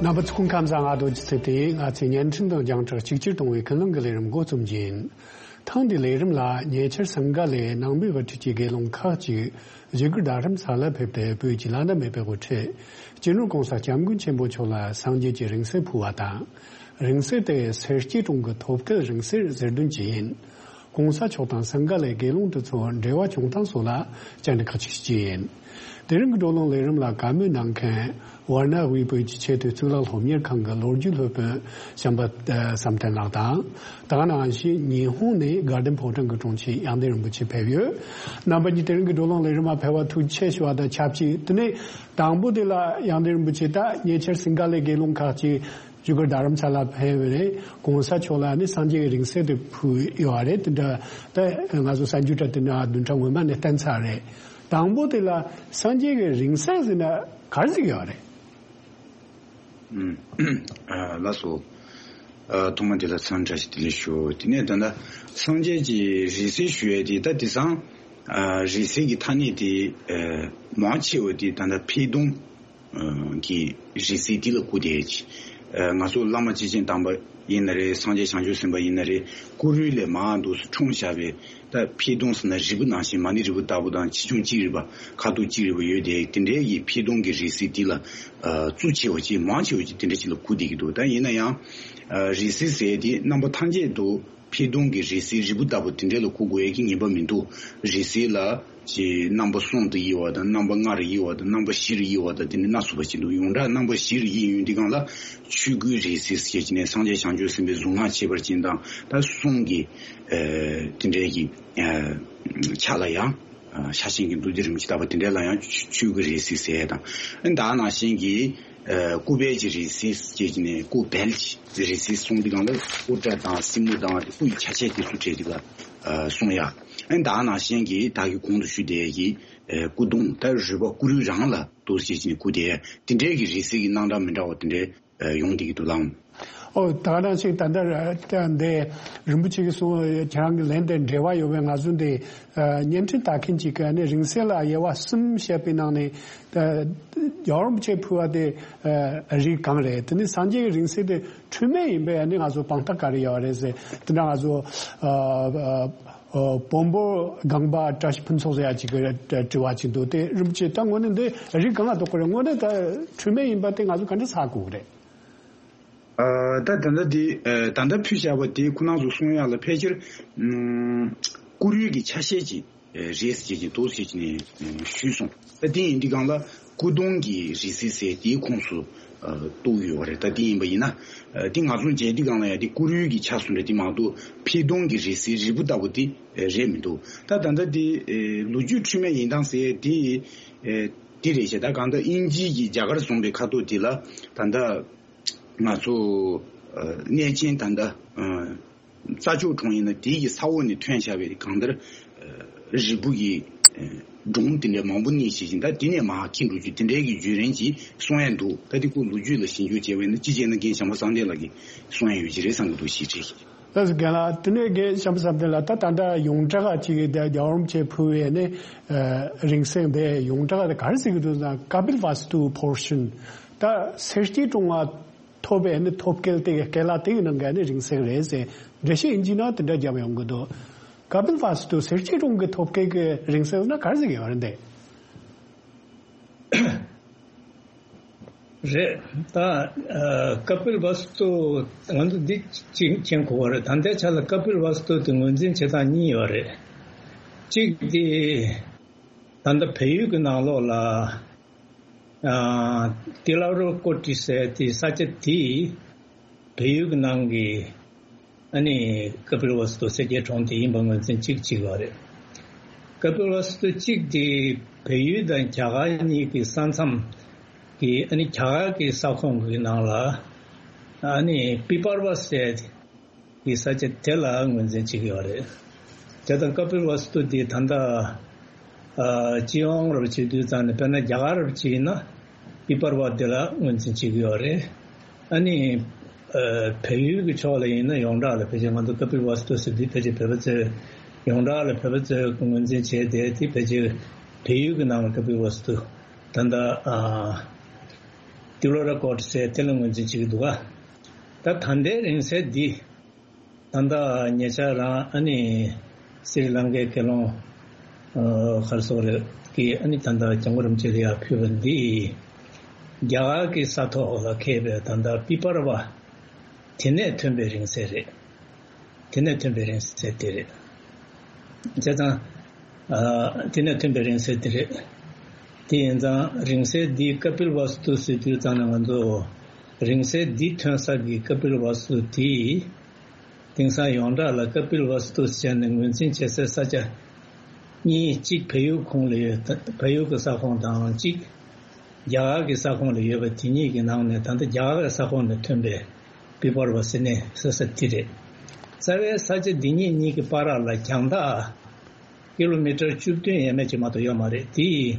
རྣམ་པ་ཚོ་སྐུ་ཁམས་བཟང་། ང་རྡོ་རྗེ་ཚེ་བརྟན་ཡིན། ང་ཚོས་བརྙན་འཕྲིན་དང་རྒྱང་བསྒྲགས་གཅིག་གྱུར་གཏོང་བའི་ཀུན་སློང་གི་ལས་རིམ་འགོ་རྩོམ་རྒྱུ་ཡིན། ཐེངས་འདིའི་ལས་རིམ་ལ་ཉེ་ཆར་སིངྒ་ལའི་ནང་པའི་དབུ་ཁྲིད་ཀྱི་དགེ་སློང་ཁག་ཅིག་བཞུགས་སྒར་རྡ་རམ་ས་ལར་ཕེབས་ཏེ་བོད་ཀྱི་བླ་ན་མེད་པའི་དབུ་ཁྲིད་སྤྱི་ནོར་༸གོང་ས་༸སྐྱབས་མགོན་ཆེན་པོ་མཆོག་ལ་སངས་རྒྱས་ཀྱི་རིང་བསྲེལ་ཕུལ་བ་དང་། རིང་བསྲེལ་དེ་སེར་སྐྱའི་གྲོང་གི་ཐོབ་སྐལ་རིང་བསྲེལ་ཟེར་དོན་ཅི་ཡིན། ༸གོང་ས་མཆོག་དང་སིང་ག་ལའི་དགེ་སློང་དེ་ཚོ་འབྲེལ་བ་བྱུང་སྟངས་སོགས་ལ་བཅར་འདྲི་ཁག་ཅིག་བྱས་ཡིན། དེ་རིང་གི་བགྲོ་གླེང་ལས་རིམ་ལ་བཀའ་མོལ་གནང་མཁན་ཝར་ན་དབུས་བོད་ཀྱི་ཆེས་མཐོའི་གཙུག་ལག་སློབ་གཉེར་ཁང་གི་ལོ་རྒྱུས་སློབ་དཔོན་བྱམས་པ་བསམ་གཏན་ལགས་དང་། ད་ག་ནང་བཞིན་ཉི་ཧོང་ནས་དགའ་ལྡན་ཕོ་བྲང་གི་དྲུང་ཆེ་དབྱངས་ལྡན་རིན་པོ་ཆེ་ཕེབས་ཡོད། རྣམ་པ་གཉིས་དེ་རིང་གི་བགྲོ་གླེང་ལས་རིམ་མ་ཕེབས་པར་ཐུགས་རྗེ་ཆེ་ཞུ་བ་དང་ཆབས་ཅིག་དེ་ནས་དང་པོ་དེ་ལ་དབྱངས་ལྡན་རིན་པོ་ཆེ་ད་ཉེ་ཆར་སིང་ག་ལའི་དགེ་སློང་ཁག་ཅིག་བཞུགས་སྒར་རྡ་རམ་ས་ལ་ཕེབས་པ་རེད། ༸གོང་ས་མཆོག་ལ་ནི་སངས་རྒྱས་ཀྱི་རིང་བསྲེལ་དེ་ཕུལ་ཡོད་རེད། དེ་འདྲ་ད་ང་ཚོ་གསར་འགྱུར་ཁྲོད་དེ་འདྲ་བདུན་ཕྲག་སྔོན་མ་ནས་བསྟན་ཚར་རེད། དང་པོ་དེ་ལ་སངས་རྒྱས་ཀྱི་རིང་བསྲེལ་ཟེར་ན་ག་རེ་ཟེར་གྱི་ཡོད་རེད། ཨུམ། ཨ། ལགས་སོ། ཨ། ཐོག་མ་དེ་ལ་འཚམས་འདྲི་བཀྲ་ཤིས་བདེ་ལེགས་ཞུ། དེ་ནས་ད་ལྟ་སངས་རྒྱས་ཀྱི་རིང་བསྲེལ་ཞུ་ཡས་དེ་ད་དེང་སང་ཨ་རིང་བསྲེལ་གྱི་ཐ་སྙད་དེ་ཨ་མང་ཆེ་བ་དེ་ད་ལྟ་འཕེལ་གདུང་གི་རིང་བསྲེལ་དེ་ལ་གོ་བསྡད་ཀྱི། ཨ་ང་ཚོ་བླ་མ་སྐྱེས་ཆེན་དམ་པ་ཡིན་ན་རེད། སངས་རྒྱས་བྱང་ཆུབ་སེམས་དཔའ་ཡིན་ན་རེད། སྐུ་རུས་ལས་མར་འདུག་སེ་འཁྲུངས་བཞག་པའི་ད་འཕེལ་གདུང་ཟེར་ན་རིལ་བུ་ནང་བཞིན་མ་ཎི་རིལ་བུ་ལྟ་བུ་དང་ཆེ་ཆུང་གཅིག་རིལ་བ་ཁ་དོག་གཅིག་རིལ་བ་ཡོད་དེ། དེ་འདྲའི་གི་འཕེལ་གདུང་གི་རིང་བསྲེལ་དེ་ལ་ཨ་གཙོ་ཆེ་བ་ཅིག་མང་ཆེ་བ་ཅིག་དེ་འདྲ་ཅིག་ལ་གོ་བསྡད་ཀྱི་འདུག་ད་ཡིན་ན་ཡང་ཨ་རིང་བསྲེལ་ཟེར་དེ་རྣམ་པ་ཐམས་ཅད་དུ་འཕེལ་གདུང་གི་རིང་བསྲེལ་རིལ་བུ་ལྟ་བུ་དེ་འདྲ་ལ་གོ་དགོས་ཡས་ཀྱི་ངེས་པ་མི་འདུག་རིང་བསྲེལ་ལ་ཅིག་རྣམ་པ་གསུམ་དུ་དབྱེ་བ་དང་། རྣམ་པ་ལྔ་རུ་དབྱེ་བ་དང་། རྣམ་པ་བཞི་རུ་དབྱེ་བ་དང་། དེ་ནས་སྣ་ཚོགས་པ་ཅིག་འདུག་ཡོངས་གྲགས་རྣམ་པ་བཞི་རུ་དབྱེ་ཡོང་དུས་སྒང་ལ་ཆོས་སྐུའི་རིང་བསྲེལ་ཟེར་བྱས་ནས་སངས་རྒྱས་བྱང་ཆུབ་སེམས་དཔའི་གཟུངས་སྔགས་བྱེད་པར་བྱིན་དང་། ད་གསུང་གི་ཨ་དེ་འདྲའི་གི་ཨ་ཕྱག་ལ་ཡང་ཨ་ཕྱག་ཆེན་གྱི་མདོ་སྡེ་རིན་པོ་ཆེ་བཏབ་པ་དེ་འདྲ་ལ་ཡང་ཆོས་ཆོས་ཀྱི་རིང་བསྲེལ་ཟེར་ཡས་དང་། ཨ་ནི་ད་ནང་བཞིན་གྱི་ཨ་སྐུ་བལ་གྱི་རིང་བསྲེལ་ཟེར་བྱས་ནས་སྐུ་བལ་གྱི་རིང་བསྲེལ་གསུང་དུས་སྒང་ལ་སྐུ་སྐྲ་དང་སེན་མོ་དང་སྐུ་ཡི་ཆ་བྱད་དེ་ཚོ་བྲིས་དུས་ལ་ཨ་གསུང་ཡ། ཨ་ནི་ད་ནང་བཞིན་གྱི་ད་གི་གོང་དུ་ཞུས་དེ་གི་ཨ་སྐུ་གདུང་ད་རུས་པ་སྐུ་རུས་རང་ལ་འདུག་སེ་བྱས་ནས་སྐུ་དེ་དེ་འདྲའི་གི་རིང་བསྲེལ་གྱི་རྣམ་གྲངས་མི་འདྲ་བ་དེ་འདྲའི་ཨ་ཡོང་བསྡད་ཀྱི་འདུག་ལགས། ཨོ། ད་ག་ནང་བཞིན་ད་ལྟ་ད་འདི་རིན་པོ་ཆེ་གིས་གསུངས། ཁྱེད་རང་གི་ལན་དེ་འབྲེལ་བ་ཡོད་པས། ང་ཚོ་འདི་ཨ་བརྙན་འཕྲིན་ལྟ་མཁན་ཅིག་གིས་ནི་རིང་བསྲེལ་ལ་དབྱེ་བ་གསུམ་བཤད་པའི་ནང་ནས་ད་རྒྱལ་བ་རིན་པོ་ཆེས་ཕུལ་བ་དེ་ཨ་རིགས་གང་རེད། དེ་ནི་སངས་རྒྱས་ཀྱི་རིང་བསྲེལ་དེ་འཁྲུལ་མེད་ཡིན་པས་ནི་ང་ཚོ་དཔང་རྟགས་ག་རེ་ཡོད་རེད་ཟེར། དེ་འདྲ་ང་ཚོ་ཨ་ཨ་ཨ་བོན་པོ་སྒང་པ་བཀྲ་ཤིས་ཕུན་ཚོགས་ཟེར་ཡ་ཅིག་གིས་དྲི་བ་ཅིག་འདུག་དེ་རིན་པོ་ཆེ་ད་དངོས་གནས་འདི་རིགས་གང་ལ་གཏོགས་ཀྱི་རེད། དངོས་གནས་ད་འཁྲུལ་མེད་ཡིན་པ་དེ་ང་ཚོ་ག་འདྲ་ཚོར་དགོས་ཀྱི་རེད། ཨ་ད་ད་ལྟ་དེ་ཨ་ད་ལྟ་ཕུལ་བཞག་པ་དེ་ཁོ་རང་ཚོ་གསུང་ཡག་ལ་ཕལ་ཆེར་ཨུམ་སྐུ་རུས་ཀྱི་ཆ་ཤས་ཅིག་ཨ་རེད་ཟེར་གྱི་འདུག་ཟེར་གྱི་ནས་ཨ་ཞུས་སོང་། ད་དེ་ཡིན་དུས་སྒང་ལ་སྐུ་གདུང་གི་རིང་བསྲེལ་ཟེར་དེའི་ཁོངས་སུ་ཨ་གཏོགས་ཡོད་པ་རེད། ད་དེ་ཡིན་པ་ཡིན་ན་ཨ་དེ་ང་ཚོ་མཇལ་དུས་སྒང་ལ་ཡང་དེ་སྐུ་རུས་ཀྱི་ཆ་བཟུང་རེད། དེ་མ་གཏོགས་འཕེལ་གདུང་གི་རིང་བསྲེལ་རིལ་བུ་ལྟ་བུ་དེ་ཨ་རེད་མི་འདུག་ད་ད་ལྟ་དེ་ཨ་ལོ་རྒྱུས་འཁྲུལ་མེད་ཡིན་སྟངས་ཟེར་དེ་ཨ་དེ་རེད་ཤག་ད་གང་ལྟར་དབྱིན་ཇི་གི་རྒྱ་གར་བཟུང་བའི་ཁ་ཐོག་དེ་ལ་ད་ལྟ་ང་ཚོ་ཨ་གནས་ཆེན་ད་ལྟ་ཨ་རྩྭ་མཆོག་གྲོང་ཡིན་ན་དེའི་གི་ས་འོག་ནས་ཐོན་བཞག་པའི་གང་ལྟར་ཨ་རིལ་བུ་གི་ཨ་སྒྲོམ་དེ་འདྲ་མང་པོ་རྙེད་བྱས་ཤིང་། ད་དེ་ནས་མར་འཁྱེར་འགྲོ་རྒྱུ་དེ་འདྲའི་གི་བརྒྱུད་རིམ་ཅིག་གསུང་ཡ་འདུག་ད་དེ་ཁོ་ལོ་རྒྱུས་ལ་ཞིབ་འཇུག་བྱས་པ་ཡིན་ན་ཅི་བྱས་ན་རྒན་བྱམས་པ་བསམ་གཏན་ལགས་ཀྱིས་གསུང་ཡ་ཡོད་ཀྱི་རེད་བསམ་གྱི་འདུག་ཞེས་དྲིས། ལགས་སོ། རྒན་ལགས། དེ་ནས་རྒན་བྱམས་པ་བསམ་གཏན་ལགས། ད་ད་ལྟ་ཡོངས་གྲགས་ཅིག་གི་དེ་རྒྱལ་བ་རིན་པོ་ཆེས་ཕུལ་བའི་ནི་ཨ་རིང་བསྲེལ་དེ་ཡོངས་གྲགས་དེ་ག་རེ་ཟེར་གྱི་འདུག་ཟེར་ན། ཀ་པིལ་ཝ་སྟུ་པོར་ཤན། ད་སེར་སྐྱའི་གྲོང་ལ་ཐོབ་པའི་ནི་ཐོབ་སྐལ་དེ་གི་སྐལ་བ་དེ་གི་ནང་གི་ནི་རིང་བསྲེལ་རེད་ཟེར་འགྲེལ་བཤད་དབྱིན་ཇིའི་ནང་དེ་འདྲ་བརྒྱབ་ཡོང་གི་འདུག་ཀ་པིལ་ཝ་སྟུ་སེར་སྐྱའི་གྲོང་གི་ཐོབ་སྐལ་གི་རིང་བསྲེལ་ན་ག་རེ་ཟེར་གྱི་ཡོད་རེད་འདི། རེད། ད་ཨ་ཀ་པིལ་ཝ་སྟུ་ང་ཚོ་འདི་གཅིག་མཁྱེན་དགོས་པ་རེད། ད་ལྟའི་ཆ་ལ་ཀ་པིལ་ཝ་སྟུ་དེ་ངོས་འཛིན་བྱེད་སྟངས་གཉིས་ཡོད་རེད། གཅིག་དེ་ད་ལྟ་བལ་ཡུལ་གྱི་ནང་ལོགས་ལ་ཨ་ཏི་ལ་རུ་ཀོ་ཏི་ཟེར་དེ་ས་ཆ་དེ་བལ་ཡུལ་གྱི་ནང་གི་ཨ་ནི་ཀ་པིལ་ཝ་སྟུ་སེར་སྐྱའི་གྲོང་དེ་ཡིན་པ་ངོས་འཛིན་གཅིག་གཅིག་ཡོད་རེད། ཀ་པིལ་ཝ་སྟུ་གཅིག་དེ་བལ་ཡུལ་དང་རྒྱ་གར་གཉིས་ཀྱི་ས་མཚམས་ཀྱི་ཨ་ནི་རྒྱ་གར་གྱི་ས་ཁོངས་ཀྱི་ནང་ལ་ཨ་ནི་པི་པར་བ་ཟེར་གྱི་ས་ཆ་དེ་ལ་ངོས་འཛིན་བྱེད་ཀྱི་ཡོད་རེད། དེ་དང་ཀ་པིལ་ཝ་སྟུ་དེ་ད་ལྟ་ཨ་སྤྱི་ཡོངས་རབ་བྱེད་དུས་ཙང་ནས་དཔེར་ན་རྒྱ་གར་རབ་བྱེད་ཡིན་ན་པི་པར་བ་དེ་ལ་ངོས་འཛིན་བྱེད་ཀྱི་ཡོད་རེད། ཨ་ནི་ཨ་བལ་ཡུལ་གྱི་ཕྱོགས་ལ་ཡིན་ན་ཡོངས་གྲགས་ལ་ཕལ་ཆེར་ང་ཚོ་ཀ་པིལ་ཝ་སྟུ་ཟེར་དུས་ཕལ་ཆེར་བོད་པ་ཚོས་ཡོངས་གྲགས་ལ་བོད་པ་ཚོས་ངོས་འཛིན་བྱས་ཏེ་དེ་ཕལ་ཆེར་བལ་ཡུལ་གྱི་ནང་ལ་ཀ་པིལ་ཝ་སྟུ་ད་ལྟ་ཨ་ཏི་ལོ་ར་ཀོ་ཏི་ཟེར་དེ་ལ་ངོས་འཛིན་བྱེད་ཀྱི་འདུག་ག་ད་ད་ལྟའི་རིང་བསྲེལ་འདི་ད་ལྟ་ཉེ་ཆར་རང་ཨ་ནི་སི་རི་ལང་ཀའི་དགེ་སློང་ཨ་ག་རེ་ཟེར་དགོས་རེད་ཀྱིས་ཨ་ནི་ད་ལྟ་སྐྱབས་མགོན་རིན་པོ་ཆེ་ལ་ཡར་ཕུལ་བ་འདི་རྒྱ་གར་གྱི་ས་ཐོག་ལ་འཁེལ་བའི་ད་ལྟ་པི་པར་བ་དེ་ནས་ཐོན་པའི་རིང་བསྲེལ་རེད། དེ་ནས་ཐོན་པའི་རིང་བསྲེལ་དེ་རེད། བྱས་ཙང་། ཨ། དེ་ནས་ཐོན་པའི་རིང་བསྲེལ་དེ་རེད། དེ་ཡིན་ཙང་རིང་བསྲེལ་འདི་ཀ་པིལ་ཝ་སྟུ་ཟེར་དུས་ཙང་ནས་ང་ཚོ་རིང་བསྲེལ་འདི་ཐོན་ས་གི་ཀ་པིལ་ཝ་སྟུ་དེ། དེང་སང་ཡོངས་གྲགས་ལ་ཀ་པིལ་ཝ་སྟུ་ཟེར་ནས་ངོས་འཛིན་བྱེད་སའི་ས་ཆ་གཉིས། གཅིག་བལ་ཡུལ་ཁོངས་ལ་ཡོད། བལ་ཡུལ་གྱི་ས་ཁོངས་དང་གཅིག་རྒྱ་གར་གྱི་ས་ཁོངས་ལ་ཡོད་པ་དེ་གཉིས་ཀྱི་ནང་ནས། ད་ལྟ་རྒྱ་གར་གྱི་ས་ཁོངས་ནས་ཐོན་པའི་བི་བར་བ་ཟེར་ནས་ཟེར་ས་དེ་རེད། རྩ་བའི་ས་ཆ་འདི་གཉིས་གཉིས་ཀྱི་བར་ལ་རྒྱང་ཐག་ཀི་ལོ་མི་ཊར་བཅུ་བདུན་ཡས་མས་ཅིག་མ་གཏོགས་ཡོད་མ་རེད། དེ་ཡིས་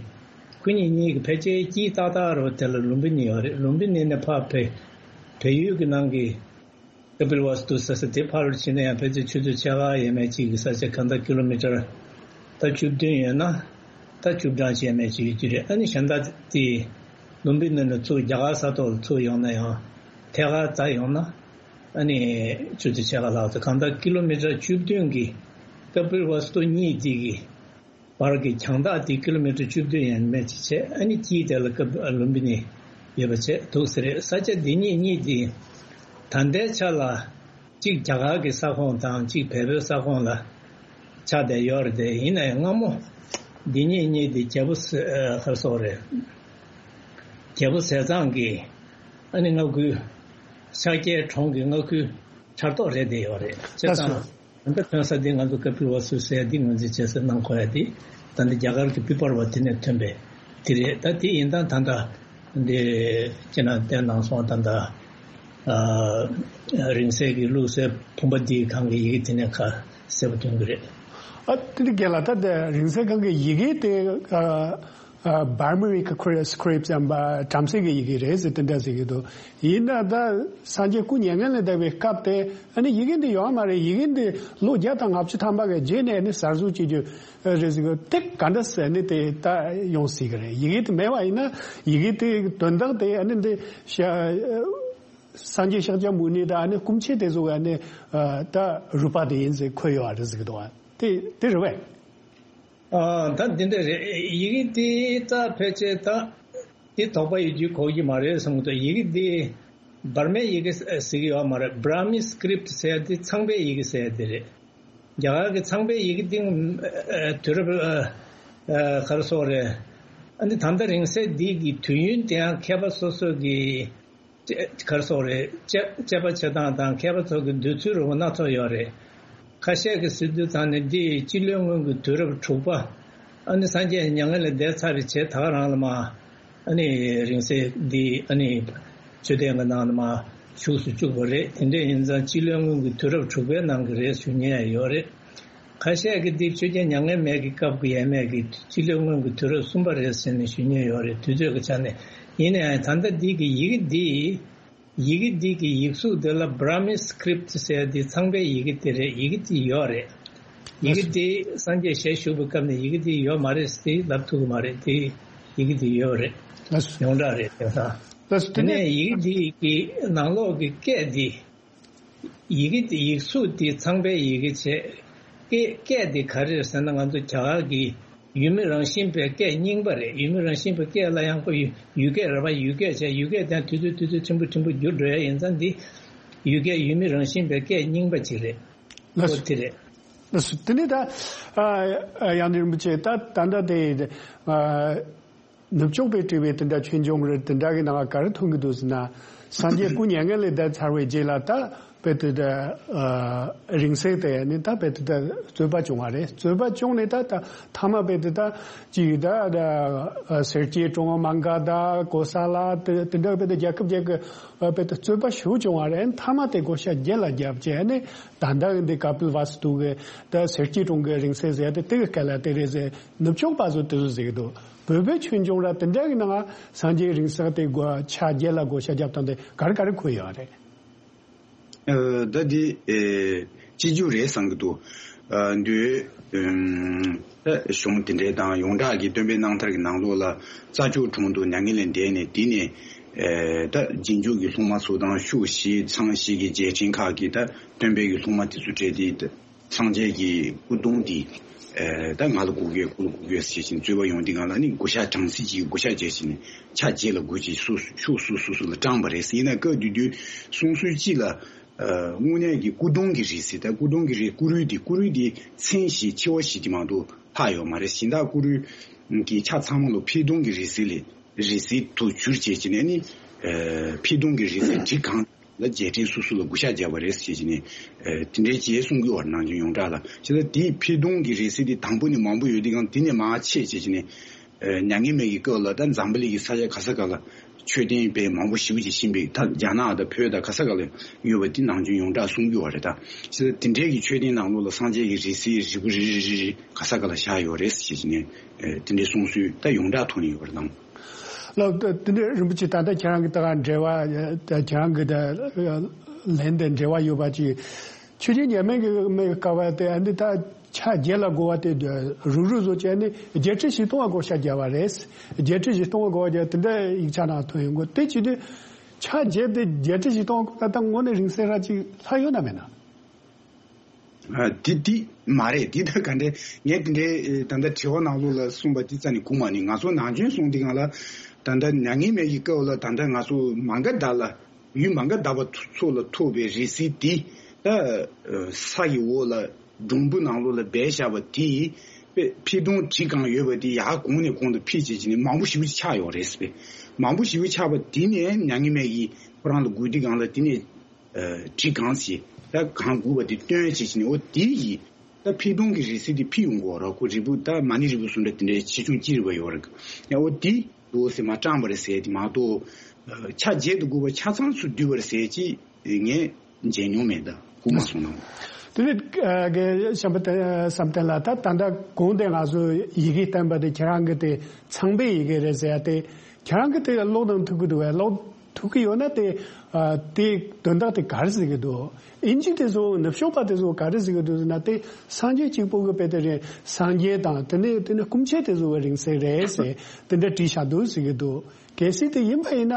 ཁོ་གཉིས་གཉིས་ཀྱི་ཕལ་ཆེར་དཀྱིལ་ཏག་ཏག་རེད་པ། དེ་ལ་ལུམ་བི་ནི་ཡོད་རེད། ལུམ་བི་ནི་ནས་ཕར་བལ་བལ་ཡུལ་གྱི་ནང་གི་ཀ་པིལ་ཝ་སྟུ་ཟེར་ས་དེ་ཕར་ཕྱིན་ན་ཡང་ཕལ་ཆེར་ཆུ་ཚོད་ཕྱེད་ཀ་ཡས་མས་ཅིག་གི་ས་ཆ། གང་ལྟར་ཀི་ལོ་མི་ཊར་ད་བཅུ་བདུན་ཡོད་ན་ད་བཅུ་གྲངས་ཅིག་ཡས་མས་ཅིག་ཡོད་ཀྱི་རེད། ཨ་ནི་གཞན་དག་དེ་ལུམ་བི་ནི་ནས་ཚུར་རྒྱ་གར་ས་ཐོག་ལ་ཚུར་ཡོང་ན་ཡང་ཐད་ཀར་འཛེགས་ཡོང་ན་ཨ་ནི་ཆུ་ཚོད་ཕྱེད་ཀ་ལྷག་ཙམ། གང་ལྟར་ཀི་ལོ་མི་ཊར་བཅུ་བདུན་གྱི་ཀ་པིལ་ཝ་སྟུ་གཉིས་དེ་གི་བར་གྱི་རྒྱང་ཐག་དེ་ཀི་ལོ་མི་ཊར་བཅུ་བདུན་ཡས་མས་ཅིག་བྱས། ཨ་ནི་དཀྱིལ་དེ་ལ་ཀ་པིལ་ལུམ་བི་ནི་ཡོད་པ་བྱས་འདུག་ཟེར་རེད། ས་ཆ་འདི་གཉིས་གཉིས་དེ་ད་ལྟའི་ཆ་ལ་གཅིག་རྒྱ་གར་གྱི་ས་ཁོངས་དང་གཅིག་བལ་པོའི་ས་ཁོངས་ལ་ཆགས་བསྡད་ཡོད་རེད་དེ། ཡིན་ན་ཡང་སྔ་མོ་འདི་གཉིས་གཉིས་དེ་རྒྱལ་པོ་ཟེར། ཨ། ག་རེ་ཟེར་དགོས་རེད། རྒྱལ་པོ་ཟས་གཙང་གི་ཨ་ནི་མངའ་ཁུལ། ཤཱཀྱའི་གྲོང་གི་མངའ་ཁུལ་ཆགས་ཐོག་རེད་བསྡད་ཡོད་རེད། བྱས་ཙང་། ད་ལྟ་ཐོན་ས་འདི་ང་ཚོ་ཀ་པིལ་ཝ་སྟུ་ཟེར་ཡ་འདི་ངོས་འཛིན་བྱེད་ས་གནང་དགོས་ཡ་འདི། ད་ལྟ་རྒྱ་གར་གྱི་བི་བར་བ་དེ་ནས་ཐོན་པའི་དེ་རེད། ད་དེ་ཡིན་སྟངས་ད་ལྟ་འདི་ཁྱེད་རང་བསྟན་གནང་སོང་། ད་ལྟ་ཨ། རིང་བསྲེལ་གྱི་བླུགས་སའི་བུམ་པ་འདིའི་སྒང་གི་ཡི་གེ་དེ་ནས་ཁ་གསལ་པོ་སྟོན་གྱི་རེད། ཨ། དེ་འདྲ་རྒན་ལགས། ད་ལྟ་རིང་བསྲེལ་སྒང་གི་ཡི་གེ་དེ། ཨ། ཨ། བར་མི་རི་ཀི་སི་ཀི་རིབ་ཊི་ཟེར་བ་བྲམ་ཟེ་གི་ཡི་གེ་རེད་ཟེར་དེ་འདྲ་ཟེར་གྱི་འདུག་ཡིན་ན་ད་སངས་རྒྱས་སྐུ་མྱ་ངན་ལས་འདས་པའི་སྐབས་དེ་ཨ་ནི་ཡི་གེ་འདི་ཡོད་མ་རེད། ཡི་གེ་འདི་ལོ་བརྒྱ་དང་ལྔ་བཅུ་ཐམ་པ་གི་རྗེས་ནས་ཨ་ནི་གསར་བཟོ་བྱེད་རྒྱུ་རེད་ཟེར་གྱི། དེ་ག་འདྲ་ཟེར་ནི་དེ་ད་ཡོང་སྲིད་ཀྱི་རེད། ཡི་གེ་དེ་མེད་པ་ཡིན་ན་ཡི་གེ་དེ་དོན་དག་དེ་ཨ་ནི་འདི་ཤ་སངས་རྒྱས་ཤཱཀྱ་མུ་ནེ་དང་ཨ་ནི་སྐུ་མཆེད་དེ་ཚོ་གི་ཨ་ནི་ད་རུས་པ་དེ་ཡིན་ཟེར་འཁོད་ཡོད་པ་རེད་ཟེར་གྱི་འདུག་པ། དེ་དེ་རེད་པས། ཨ། ད་འདི་འདྲ་རེད། ཡི་གེ་འདི་ད་ཕལ་ཆེར་ད་འདི་དོགས་པ་ཡོད་རྒྱུ་གོ་གི་མ་རེད་བསམ་གྱི་འདུག་ཡི་གེ་འདི་བར་མའི་ཡི་གེ་ཟེར་གྱི་ཡོད་མ་རེད། བྷ་ར་མི་སི་ཀི་རིབ་ཊི་ཟེར་ཡ་འདི་ཚངས་པའི་ཡི་གེ་ཟེར་ཡ་འདི་རེད། རྒྱ་གར་གྱི་ཚངས་པའི་ཡི་གེ་འདི་དུས་རབས་ཨ། ཨ། ག་རེ་ཟེར་དགོས་རེད། ཨ་ནི་ད་ལྟ་རིང་བསྲེལ་འདི་གི་དུས་ཡུན་དེ་ཡང་མཁས་པ་སོ་སོ་གི་ག་རེ་ཟེར་དགོས་རེད། དཔྱད་དཔྱད་པ་བྱེད་སྟངས་དང་མཁས་པ་ཚོ་གི་འདོད་ཚུལ་རིགས་པ་སྣ་ཚོགས་ཡོད་རེད། ཁ་ཤས་ཀྱིས་ཟེར་དུས་ཙང་ནས་འདི་སྤྱི་ལོའི་སྔོན་གྱི་དུས་རབས་དྲུག་པ། ཨ་ནི་སངས་རྒྱས་མྱ་ངན་ལས་འདས་ཚར་བའི་རྗེས་ད་ག་རང་ལ་མ། ཨ་ནི་རིང་བསྲེལ་འདི་ཨ་ནི་མཆོད་རྟེན་གྱི་ནང་ལ་མ་བཞུགས་སུ་བཅུག་པ་རེད། དེ་འདྲ་ཡིན་ཙང་སྤྱི་ལོའི་སྔོན་གྱི་དུས་རབས་དྲུག་པའི་ནང་གི་རེད་ཞུ་མཁན་ཡང་ཡོད་རེད། ཁ་ཤས་ཀྱིས་འདི་ཆོས་རྒྱལ་མྱ་ངན་མེད་ཀྱི་སྐབས་ཀྱི་ཡས་མས་ཀྱི་སྤྱི་ལོའི་སྔོན་གྱི་དུས་རབས་གསུམ་པ་རེད་ཟེར་ནས་ཞུ་མཁན་ཡོད་རེད། དུས་ཚོད་ཀྱི་ཆ་ནས། ཡིན་ན་ཡང་ད་ལྟ་འདི་གི་ཡི་གེ་འདི། ཡི་གེ་འདི་གི་ཡིག་གཟུགས་འདི་ལ་བྷ་ར་མི་སི་ཀི་རིབ་ཊི་ཟེར་ཡ་འདི་ཚངས་པའི་ཡི་གེ་འདི་རེད། ཡི་གེ་འདི་ཡོད་རེད། ཡི་གེ་འདི་སངས་རྒྱས་ཞལ་བཞུགས་པའི་སྐབས་ནས་ཡི་གེ་འདི་ཡོད་མ་རེད་ཟེར་ལབ་ཐུབ་ཀྱི་མ་རེད། དེ་ཡི་གེ་འདི་ཡོད་རེད། ལགས་སོ། ཡོངས་གྲགས་རེད། དེང་སང་། ལགས་སོ། དེ་དེ་ནས་ནས་ཡི་གེ་འདི་གི་ནང་ལོགས་ཀྱི་སྐད་འདི། ཡི་གེ་འདི་ཡིག་གཟུགས་འདི་ཚངས་པའི་ཡི་གེ་བྱས། སྐད་སྐད་འདི་ག་རེ་རེད་ཟེར་ན། ང་ཚོ་རྒྱ་གར་གྱི་ཡུལ་མི་རང་བཞིན་པའི་སྐད་རྙིང་པ་རེད། ཡུལ་མི་རང་བཞིན་པའི་སྐད་ལ་ཡང་ཁོ་ཡུལ་ཡུལ་སྐད་རེད་པ། ཡུལ་སྐད་བྱས། ཡུལ་སྐད་དེ་དུས་ཚོད་དུས་ཚོད་ཕྲན་བུ་ཕྲན་བུ་འགྱུར་འགྲོ་ཡ་ཡིན་ཙང་འདི་ཡུལ་སྐད་ཡུལ་མི་རང་བཞིན་པའི་སྐད་རྙིང་པ་ཅིག་རེད། ལགས་སོ། ཨོ་དེ་རེད། ལགས་སོ། དེ་ནས་ད་ཨ་ཨ་དབྱངས་ལྡན་རིན་པོ་ཆེ་ད་ད་ལྟ་དེ་ཨ། ནུབ་ཕྱོགས་པའི་དྲི་བའི་དེ་འདྲ་ཆོས་འབྱུང་རེད། དེ་འདྲ་གི་ནང་ལ་ག་རེ་མཐོང་གི་འདུག་ཟེར་ན། སངས་རྒྱས་སྐུ་མྱ་ངན་ལས་འདས་ཚར་བའི་རྗེས་ལ་ད་དཔེ་དེ་འདྲ་ཨ་རིང་བསྲེལ་དེ་ནི་ད་དཔེ་དེ་འདྲ་རྩོད་པ་བྱུང་བ་རེད། རྩོད་པ་བྱུང་ནས་ད་ད་མཐའ་མ་དཔེ་དེ་ད་ཅིག་ད་ད་སེར་སྐྱའི་གྲོང་མ་ག་དང་གོ་ས་ལ་དེ་དེ་འདྲ་དཔེ་དེ་རྒྱལ་ཁབ་རྒྱལ་ཁབ་དཔེ་དེ་རྩོད་པ་ཞེ་པོ་བྱུང་བ་རེད། མཐའ་མ་དེ་བགོ་བཤའ་རྒྱལ་ལ་བརྒྱབ་བྱས་ནས་ད་ལྟ་འདི་ཀ་པིལ་ཝ་སྟུ་གི་ད་སེར་སྐྱའི་གྲོང་གི་རིང་བསྲེལ་ཟེར་དེ་དེ་གི་སྐད་ལ་དེ་རེད་ཟེར། ནུབ་ཕྱོགས་པ་ཚོ་དེ་ཚོ་ཟེར་གི་འདུག་བོད་པའི་ཆོས་འབྱུང་ར་དེ་འདྲ་གི་ནང་སངས་རྒྱས་རིང་བསྲེལ་དེ་བགོ་ཆ་རྒྱལ་ལ་བགོ་བཤའ་བརྒྱབ་སྟངས་དེ་ག་རེ་ག་རེ་འཁོད་ཡོད་རེད། ཨ། ད་འདི་ཨེ་སྤྱི་རྒྱུ་རེད་བསམ་གི་འདུག་ཨ། འདི་ཨམ་ད་གཞུང་དེ་འདྲའི་དང་ཡོངས་གྲགས་ཀྱི་སྟོན་པའི་རྣམ་ཐར་གྱི་ནང་ལོགས་ལ་རྩྭ་མཆོག་གྲོང་དུ་མྱ་ངན་ལས་འདས་ནས། དེ་ནས་ཨེ་ད་རྗེས་འཇུག་གི་སློབ་མ་ཚོ་དང་ཤུག་བཞི་ཚང་བཞི་གི་རྗེས་དྲན་ཁག་གིས་ད་སྟོན་པའི་གི་སློབ་མ་དེ་ཚོ་གྲས་དེ། སངས་རྒྱས་ཀྱི་སྐུ་གདུང་དེ་ཨ་ད་ང་ལ་དགོས་གས། ཁོ་ལ་དགོས་གས་ཟེར་བཞིན་རྩོད་པ་ཡོང་དུས་སྒང་ལ་ནི་བགོ་བཤའ་གྲངས་ཚད་ཅིག་བགོ་བཤའ་བྱས་བྱས་ནས་ཆ་བརྗེ་ལ་བགོས་ཀྱིས་སུ་ཤུག་སུ་སུ་སུ་ལ་སྤྲད་པ་རེད། ཡིན་ན་སྐབས་དེ་དུས་གསུང་སྲོལ་གཅིག་ལ་ དངོས་གནས་ཀྱི་སྐུ་གདུང་གི་རིགས་སྲིད་ད་སྐུ་གདུང་གི་རིགས་སྐུ་རུས་འདི་སྐུ་རུས་འདི་མཚན་བཞི་ཕྱི་བ་བཞི་དེ་མ་གཏོགས་ལྷག་ཡོད་མ་རེད། གཞན་དག་སྐུ་རུས་ཀྱི་ཆ་ཚང་མ་ལོ་ཕྱི་གདུང་གི་རིགས་སྲིད་ལས་རིགས་སྲིད་དུ་གྱུར་བྱས་ཀྱི་ནས་ནི་ཕྱི་གདུང་གི་རིགས་སྲིད་བྲིས་གང་ལ་རྒྱས་འབྲིང་སོ་སོ་ལ་བགོ་བཤའ་བརྒྱབ་པ་རེད་ཟེར་གྱི་ནས་དེ་འདྲའི་ཅེས་གསུང་གི་བར་ནང་ཆེན་ཡོངས་གྲགས་ལ་བྱས་ཙང་དེའི་ཕྱི་གདུང་གི་རིགས་སྲིད་དེ་དང་པོ་ནས་མང་པོ་ཡོད་དེ་གང་དེ་ནས་མར་ཆད་བྱས་ཀྱི་ནས། མྱ་ངན་མེད་ཀྱི་སྐབས་ལ་ད་འཛམ་བུ་གླིང་གི་ས་ཆ་ག་ས་ག་ལ་མཆོད་རྟེན་དཔེ་མང་པོ་ཞེ་པོ་ཅིག་ཕྱིན་པའི་ད་རྒྱ་ནག་དང་བོད་དང་ག་ས་ག་ལ་ཡོད་པ་འདི་ནང་ཆེན་ཡོངས་གྲགས་གསུང་རྒྱུ་བ་རེད། ད་ཅི་ད་དེ་འདྲའི་གི་མཆོད་རྟེན་ནང་ལོགས་ལ་སངས་རྒྱས་ཀྱི་རིགས་སྲིད་རིལ་བུ་རིལ་རིལ་རིལ་རིལ་ག་ས་ག་ལ་བཞག་ཡོད་རེད་ཟེར་བྱས་ནས་དེ་འདྲའི་གསུང་སྲོལ་ད་ཡོངས་གྲགས་ཐོག་ནས་ཡོད་པ་རེད་ད། ལགས། དེ་འདྲའི་རིན་པོ་ཆེ་ད་ལྟ་ཁྱེད་རང་གི་ད་ག་འབྲེལ་བ་ད་ཁྱེད་རང་གི་ད་ལན་དང་འབྲེལ་བ་ཡོད་པ་ཅིག་ཆོས་རྒྱལ་མྱ་ངན་གྱི་མེད་དཀའ་བ་དེ་ཨ་འདི་ད་ཕྱག་བརྒྱད་ལ་བགོ་བ་དེ་རུག་རུག་བཟོ་བྱས་ནས་བརྒྱད་ཁྲི་བཞི་སྟོང་བ་བགོ་བཤའ་བརྒྱབ་པ་རེད། བརྒྱད་ཁྲི་བཞི་སྟོང་བ་བགོ་བ་བརྒྱབ་དེ་འདྲ་ཡིག་ཆ་ནང་ཐོན་ཡོང་གི་དེ་བྱས་དུས་ཕྱག་བརྒྱད་དེ་བརྒྱད་ཁྲི་བཞི་སྟོང་བགོ་ན་ད་དངོས་གནས་རིང་བསྲེལ་ར་ཅིག་ལྷག་ཡོད་ན་མེད་ན། ཨ་དེ་དེ་མ་རེད། དེ་ད་ག་འདྲ་ངས་དེ་འདྲའི་ད་ལྟ་དྲི་བ་ནང་ལོགས་ལ་གསུངས་པ་དེ་རྩ་ནས་གོ་མ་ནི་ང་ཚོ་ནང་ཆེན་གསུང་དེ་གང་ལ་ད་ལྟ་མྱ་ངན་མེད་ཀྱི་སྐབས་ལ་ད་ལྟ་ང་ཚོ་མ་ག་དྷ་ལ། ཡུལ་མ་ག་དྷ་པ་ཚོ་ལ་ཐོབ་པའི་རིགས་སྲིད་དེ་ད་ས་ཡི་འོག་ལ་སྒྲོམ་བུ་ནང་ལོགས་ལ་སྦས་བཞག་པ་དེ་ཕི་སྟོང་བྲིས་གང་ཡོད་པ་དེ་ཡར་གོང་ནས་གོང་དུ་འཕེལ་བྱས་ཀྱི་ནས་མང་པོ་ཞེ་པོ་ཅིག་ཆགས་ཡོད་རེད་ཟེར། མང་པོ་ཞེ་པོ་ཆགས་པ་དེ་ནས་མྱ་ངན་མེད་ཀྱིས་ཁོ་རང་ལ་དགོས་དུས་གང་ལ་དེ་ནས་བྲིས་གང་ཞིག་ད་གང་དགོས་པ་དེ་སྟོན་བྱས་ཀྱི་ནས་འོ་དེ་ཡིས། ད་ཕི་སྟོང་གི་རིགས་སྲིད་དེ་ཕི་ཡོང་གི་ཡོད་རེད། ཁོ་རིལ་བུ་ད་མ་ཎི་རིལ་བུ་གསུམ་འདྲ་དེ་འདྲའི་ཆེ་ཆུང་ཅི་རིགས་པ་ཡོད་རེད། ཡང་འོ་དེ་འདུག་ཟེར་མ་དྲངས་པ་རེད་ཟེར་དེ་མ་གཏོགས། ཕྱག་བརྒྱད་དུ་དགོས་པ་ཆ་ཚང་ཚུར་བསྡུས་པ་རེད་ཟེར་ཅི་ངས་མཇལ་མྱོང་མེད་ད་གོ་མ་སོང་ན། དེ་ནི་རྒན་བྱམས་པ་བསམ་གཏན་ལགས་ད་ད་ལྟ་གོང་དེ་ང་ཚོ་ཡི་གེ་བསྟན་པ་དེ་ཁྱེད་རང་གི་དེ་ཚངས་པའི་ཡི་གེ་རེད་ཟེར་ཡ་དེ། ཁྱེད་རང་གིས་དེ་ཀློག་དང་ཐུག་གི་འདུག་བས། ཀློག་ཐུག་གི་ཡོད་ན་དེ་ཨ་དེ་དོན་དག་དེ་ག་རེ་ཟེར་གི་འདུག་ཨིན་ཇི་དེ་ཚོ་ནུབ་ཕྱོགས་པ་དེ་ཚོ་ག་རེ་ཟེར་གི་འདུག་ཟེར་ན་དེ་སངས་རྒྱས་གཅིག་པོ་གི་དཔེ་དེ་རེད། སངས་རྒྱས་དང་དེ་ནས་དེ་ནས་སྐུ་མཆེད་དེ་ཚོ་གི་རིང་བསྲེལ་རེད་ཟེར་དེ་འདྲ་བྲིས་བཞག་འདུག་ཟེར་གི་འདུག་གལ་སྲིད་དེ་ཡིན་པ་ཡིན་ན་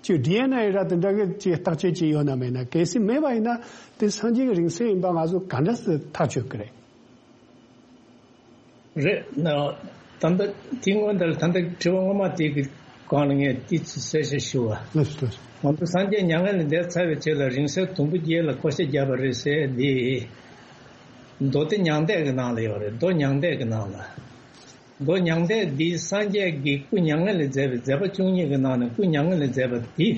ཅིག་ཌི་ཨེན་ཨེ་ར་དེ་འདྲ་གི་ཅིག་བརྟག་དཔྱད་ཅིག་ཡོད་ན་མེད་ན། གལ་སྲིད་མེད་པ་ཡིན་ན་དེ་སངས་རྒྱས་ཀྱི་རིང་བསྲེལ་ཡིན་པ་ང་ཚོ་ག་འདྲ་སེ་ཐག་ཆོད་ཀྱི་རེད། རེད། ད་ལྟ་དེ་སྔོན་དེར་ད་ལྟ་དྲི་བ་སྔོན་མ་དེ་གི་སྒང་ལ་ངས་ཏོག་ཙམ་གསལ་བཤད་ཞུ་བ། ལགས་སོ། ང་ཚོ་སངས་རྒྱས་མྱ་ངན་ལས་འདས་ཚར་བའི་རྗེས་ལ་རིང་བསྲེལ་དུམ་བུ་བརྒྱད་ལ་བགོ་བཤའ་བརྒྱབ་པ་རེད་ཟེར་འདི། མདོ་སྡེ་མྱང་འདས་ཀྱི་ནང་ལ་ཡོད་རེད། མདོ་མྱང་འདས་ཀྱི་ནང་ལ། མདོ་མྱང་འདས་འདི་སངས་རྒྱས་ཀྱི་སྐུ་མྱ་ངན་ལས་འདས་པའི་མཛད་པ་བཅུ་གཉིས་ཀྱི་ནང་ནས་སྐུ་མྱ་ངན་ལས་འདས་པ་འདི།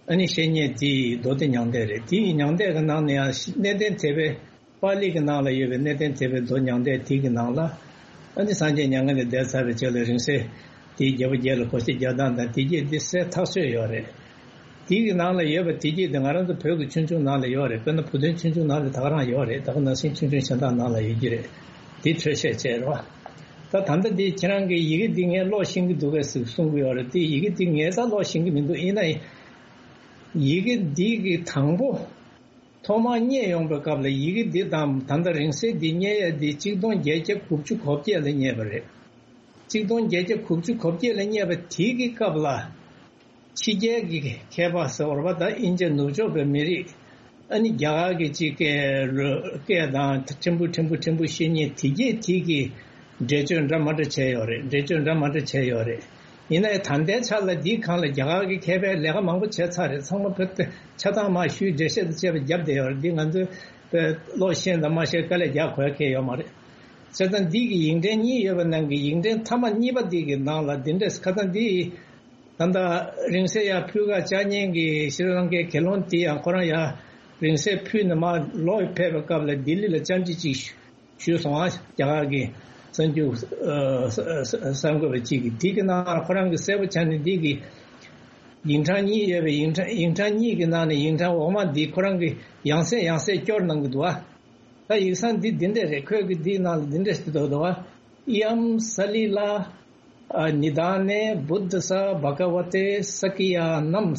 ཨ་ནི་བཤེས་གཉེན་དེའི་མདོ་སྡེ་མྱང་འདས་རེད། དེའི་མྱང་འདས་ཀྱི་ནང་ནས་ཡང་གནས་བརྟན་དད་པའི་པཱ་ལི་གི་ནང་ལ་ཡོད་པའི་གནས་བརྟན་དད་པའི་མདོ་མྱང་འདས་དེ་གི་ནང་ལ། ཨ་ནི་སངས་རྒྱས་མྱ་ངན་ལས་འདས་ཚར་བའི་རྗེས་ལ་རིང་བསྲེལ་དེའི་རྒྱལ་པོ་བརྒྱད་ལ་བགོ་བཤའ་རྒྱག་སྟངས་དང་དེ་རྗེས་འདི་གསལ་ཐག་ཆོད་ཡོད་རེད། དེ་གི་ནང་ལ་ཡོད་པ་དེ་རྗེས་དེ་ང་རང་ཚོ་བོད་ཀྱི་ཆོས་འབྱུང་ནང་ལ་ཡོད་རེད། དཔེར་ན་བུ་སྟོན་ཆོས་འབྱུང་ནང་ལ་ད་ག་རང་ཡོད་རེད། ད་ག་ནང་བཞིན་ཆོས་འབྱུང་གཞན་དག་ནང་ལ་ཡོད་ཀྱི་རེད། དེ་འཕྲོས་བཤད་བྱས་རེད་བ། ད་ད་ལྟ་འདི་ཁྱེད་རང་གི་ཡི་གེ་འདི་ངས་ཀློག་ཤེས་ཀྱི་འདུག་གས་ཟེར་གསུང་གི་ཡོད་རེད། དེ་ཡི་གེ་འདི་ངས་ད་ཀློག་ཤེས་ཀྱི་མི་འདུག་ཡིན་ན་ཡི་གེ་འདི་གི་དང་པོ་ཐོག་མར་རྙེད་ཡོང་པའི་སྐབས་ལ་ཡི་གེ་འདི་དང་ད་ལྟ་རིང་བསྲེལ་འདི་རྙེད་ཡས་འདི་གཅིག་སྟོང་བརྒྱད་བརྒྱ་དགུ་བཅུ་གོ་བརྒྱད་ལ་རྙེད་པ་རེད། གཅིག་སྟོང་བརྒྱད་བརྒྱ་དགུ་བཅུ་གོ་བརྒྱད་ལ་རྙེད་པ་དེ་གི་སྐབས་ལ། ཕྱི་རྒྱལ་གྱི་མཁས་པ་ཟེར་བ་ད་དབྱིན་ཇི་ནུབ་ཕྱོགས་པའི་མི་རིགས། ཨ་ནི་རྒྱ་གར་གྱི་ཅིག་སྐད་ལོ་སྐད་དང་ཕྲན་བུ་ཕྲན་བུ་ཕྲན་བུ་བཤད་མཁན་དེ་གས་དེ་གི་འགྲེལ་བརྗོད་འདྲ་མ་འདྲ་བྱས་ཡོད་རེད། འགྲེལ་བརྗོད་འདྲ་མ་འདྲ་བྱས་ཡོད་རེད། ཡིན་ན་ཡང་ད་ལྟའི་ཆ་ལ་འདིའི་སྒང་ལ་རྒྱ་གར་གྱི་མཁས་པས་ལས་ཀ་མང་པོ་བྱས་ཚར་རེད། ཚང་མ་བོད་དུ་ཆ་ཚང་མ་ཞུས་འགྲེལ་བཤད་དང་བཅས་པ་བརྒྱབ་བསྡད་ཡོད་རེད། འདི་ང་ཚོས་བོད་ཀློག་ཤེས་དང་མ་ཤེས་དཀའ་ལས་རྒྱག་དགོས་ཡ་གང་ཡང་ཡོད་མ་རེད། བྱས་ཙང་འདི་གི་ཡིག་ཕྲེང་གཉིས་ཡོད་པའི་ནང་གི་ཡིག་ཕྲེང་མཐའ་མ་གཉིས་པ་འདི་གི་ནང་ལ་འདི་འདྲས་ཁ་སང་འདི། ད་ལྟ་རིང་བསྲེལ་ཡར་ཕུལ་ག་བཅར་མཁན་གྱི་ཤྲི་ལང་ཀའི་དགེ་སློང་དེ་ཡང་ཁོ་རང་ཡང་རིང་བསྲེལ་ཕུལ་ནས་མར་ལོག་ཕེབས་པའི་སྐབས་ལ་ལྡི་ལི་ལ་བཅར་འདྲི་ཅིག་ཞུས་སོང་ཨ། རྒྱ་གར་གྱི་གསར་འགྱུར་གསར་འགོད་པ་ཅིག་གིས་དེ་གི་ནང་ཁོ་རང་གིས་གསལ་པོ་ཆགས་ནས་འདི་གི་ཡིག་ཕྲེང་གཉིས་ཡོད་པའི་ཡིག་ཕྲེང་ཡིག་ཕྲེང་གཉིས་ཀྱི་ནང་ནས་ཡིག་ཕྲེང་འོག་མ་འདི་ཁོ་རང་གིས་ཡང་སེ་ཡང་སེ་སྐྱོར་གནང་གི་འདུག་ཨ། ད་ཡིག་ཚང་འདི་འདི་འདྲས་རེད། ཁོས་གི་འདིའི་ནང་ལ་འདི་འདྲས་ཞིག་འདུག་འདུག་ཨ། ཨི་ཡམ་ས་ལི་ལ་ཨ་ནི་དཱ་ནེ་བུད་དྷ་ས་བྷ་ག་ཝ་ཏེ་ས་ཀི་ཡ་ནམ།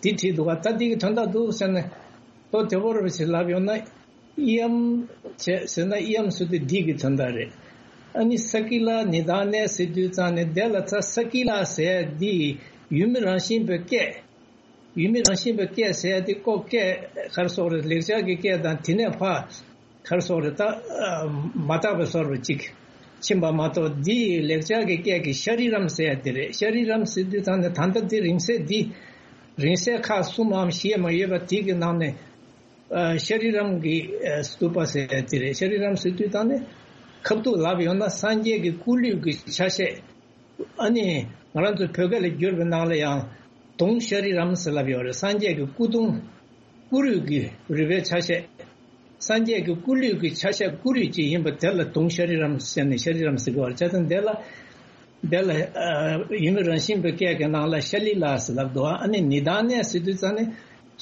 འདི་བྲིས་འདུག་ག་ད་འདི་གི་དོན་དག་འདུག་ཟེར་ནས་ལྟོ་དེ་བོར་བ་ཞིག་ལབ་ཡོང་ན། ཨི་ཡམ་བྱས་ཟེར་ན་ཨི་ཡམ་ཟེར་དུས་འདི་གི་དོན་དག་རེད། ཨ་ནི་ས་ཀི་ལ་ནི་དཱ་ནེ་ཟེར་དུས་ཙང་ནས་དེ་ལ་ད་ས་ཀི་ལ་ཟེར་འདི་ཡུལ་མི་རང་བཞིན་པའི་སྐད། ཡུལ་མི་རང་བཞིན་པའི་སྐད་ཟེར་ཡ་དེ་ཀོ་སྐད་ག་རེ་ཟེར་དགོས་རེད། ལེགས་སྦྱར་གྱི་སྐད་དང་དེ་ནས་ཕར་ག་རེ་ཟེར་དགོས་རེད། ད་མ་དག་པའི་ཟེར་བ་ཅིག་ཕྱིན་པ་མ་གཏོགས། འདི་ལེགས་སྦྱར་གྱི་སྐད་ཀྱི་ཤ་རི་རམ་ཟེར་ཡ་དེ་རེད། ཤ་རི་རམ་ཟེར་དུས་ཙང་ནས་ད་ལྟ་འདི་རིང་བསྲེལ་འདི་རིང་བསྲེལ་ཁག་གསུམ་མམ་བཞི་མ་ཡོད་པ་དེ་གི་ནང་ནས་ ཤཱ་རི་རམ་གྱི་སྟུ་པ་ཟེར་ཡ་དེ་རེད། ཤཱ་རི་རམ་ཟེར་དུས་ཙང་ནི་ཁ་ཐུག་ལབ་ཡོང་ན་སངས་རྒྱས་ཀྱི་སྐུ་ལུས་ཀྱི་ཆ་ཤས། ཨ་ནི་ང་རང་ཚོ་བོད་སྐད་ལ་བསྒྱུར་བའི་ནང་ལ་ཡང་དུང་ཤཱ་རི་རམ་ཟེར་ལབ་ཡོད་རེད། སངས་རྒྱས་ཀྱི་སྐུ་དུང་། སྐུ་རུས་ཀྱི་རུས་པའི་ཆ་ཤས། སངས་རྒྱས་ཀྱི་སྐུ་ལུས་ཀྱི་ཆ་ཤས་སྐུ་རུས་ཅིག་ཡིན་པ་དེ་ལ་དུང་ཤཱ་རི་རམ་ཟེར་ནས་ཤཱ་རི་རམ་ཟེར་གྱི་ཡོད་རེད། བྱས་ཙང་དེ་ལ་དེ་ལ་ཡུམ་རང་བཞིན་པའི་སྐད་ཀྱི་ནང་ལ་ཤཱ་ལི་ལ་ཟེར་ལབ་འདུག་ཨ་ནི་ནི་དཱ་ནས་ཟེར་དུས་ཙང་ནི་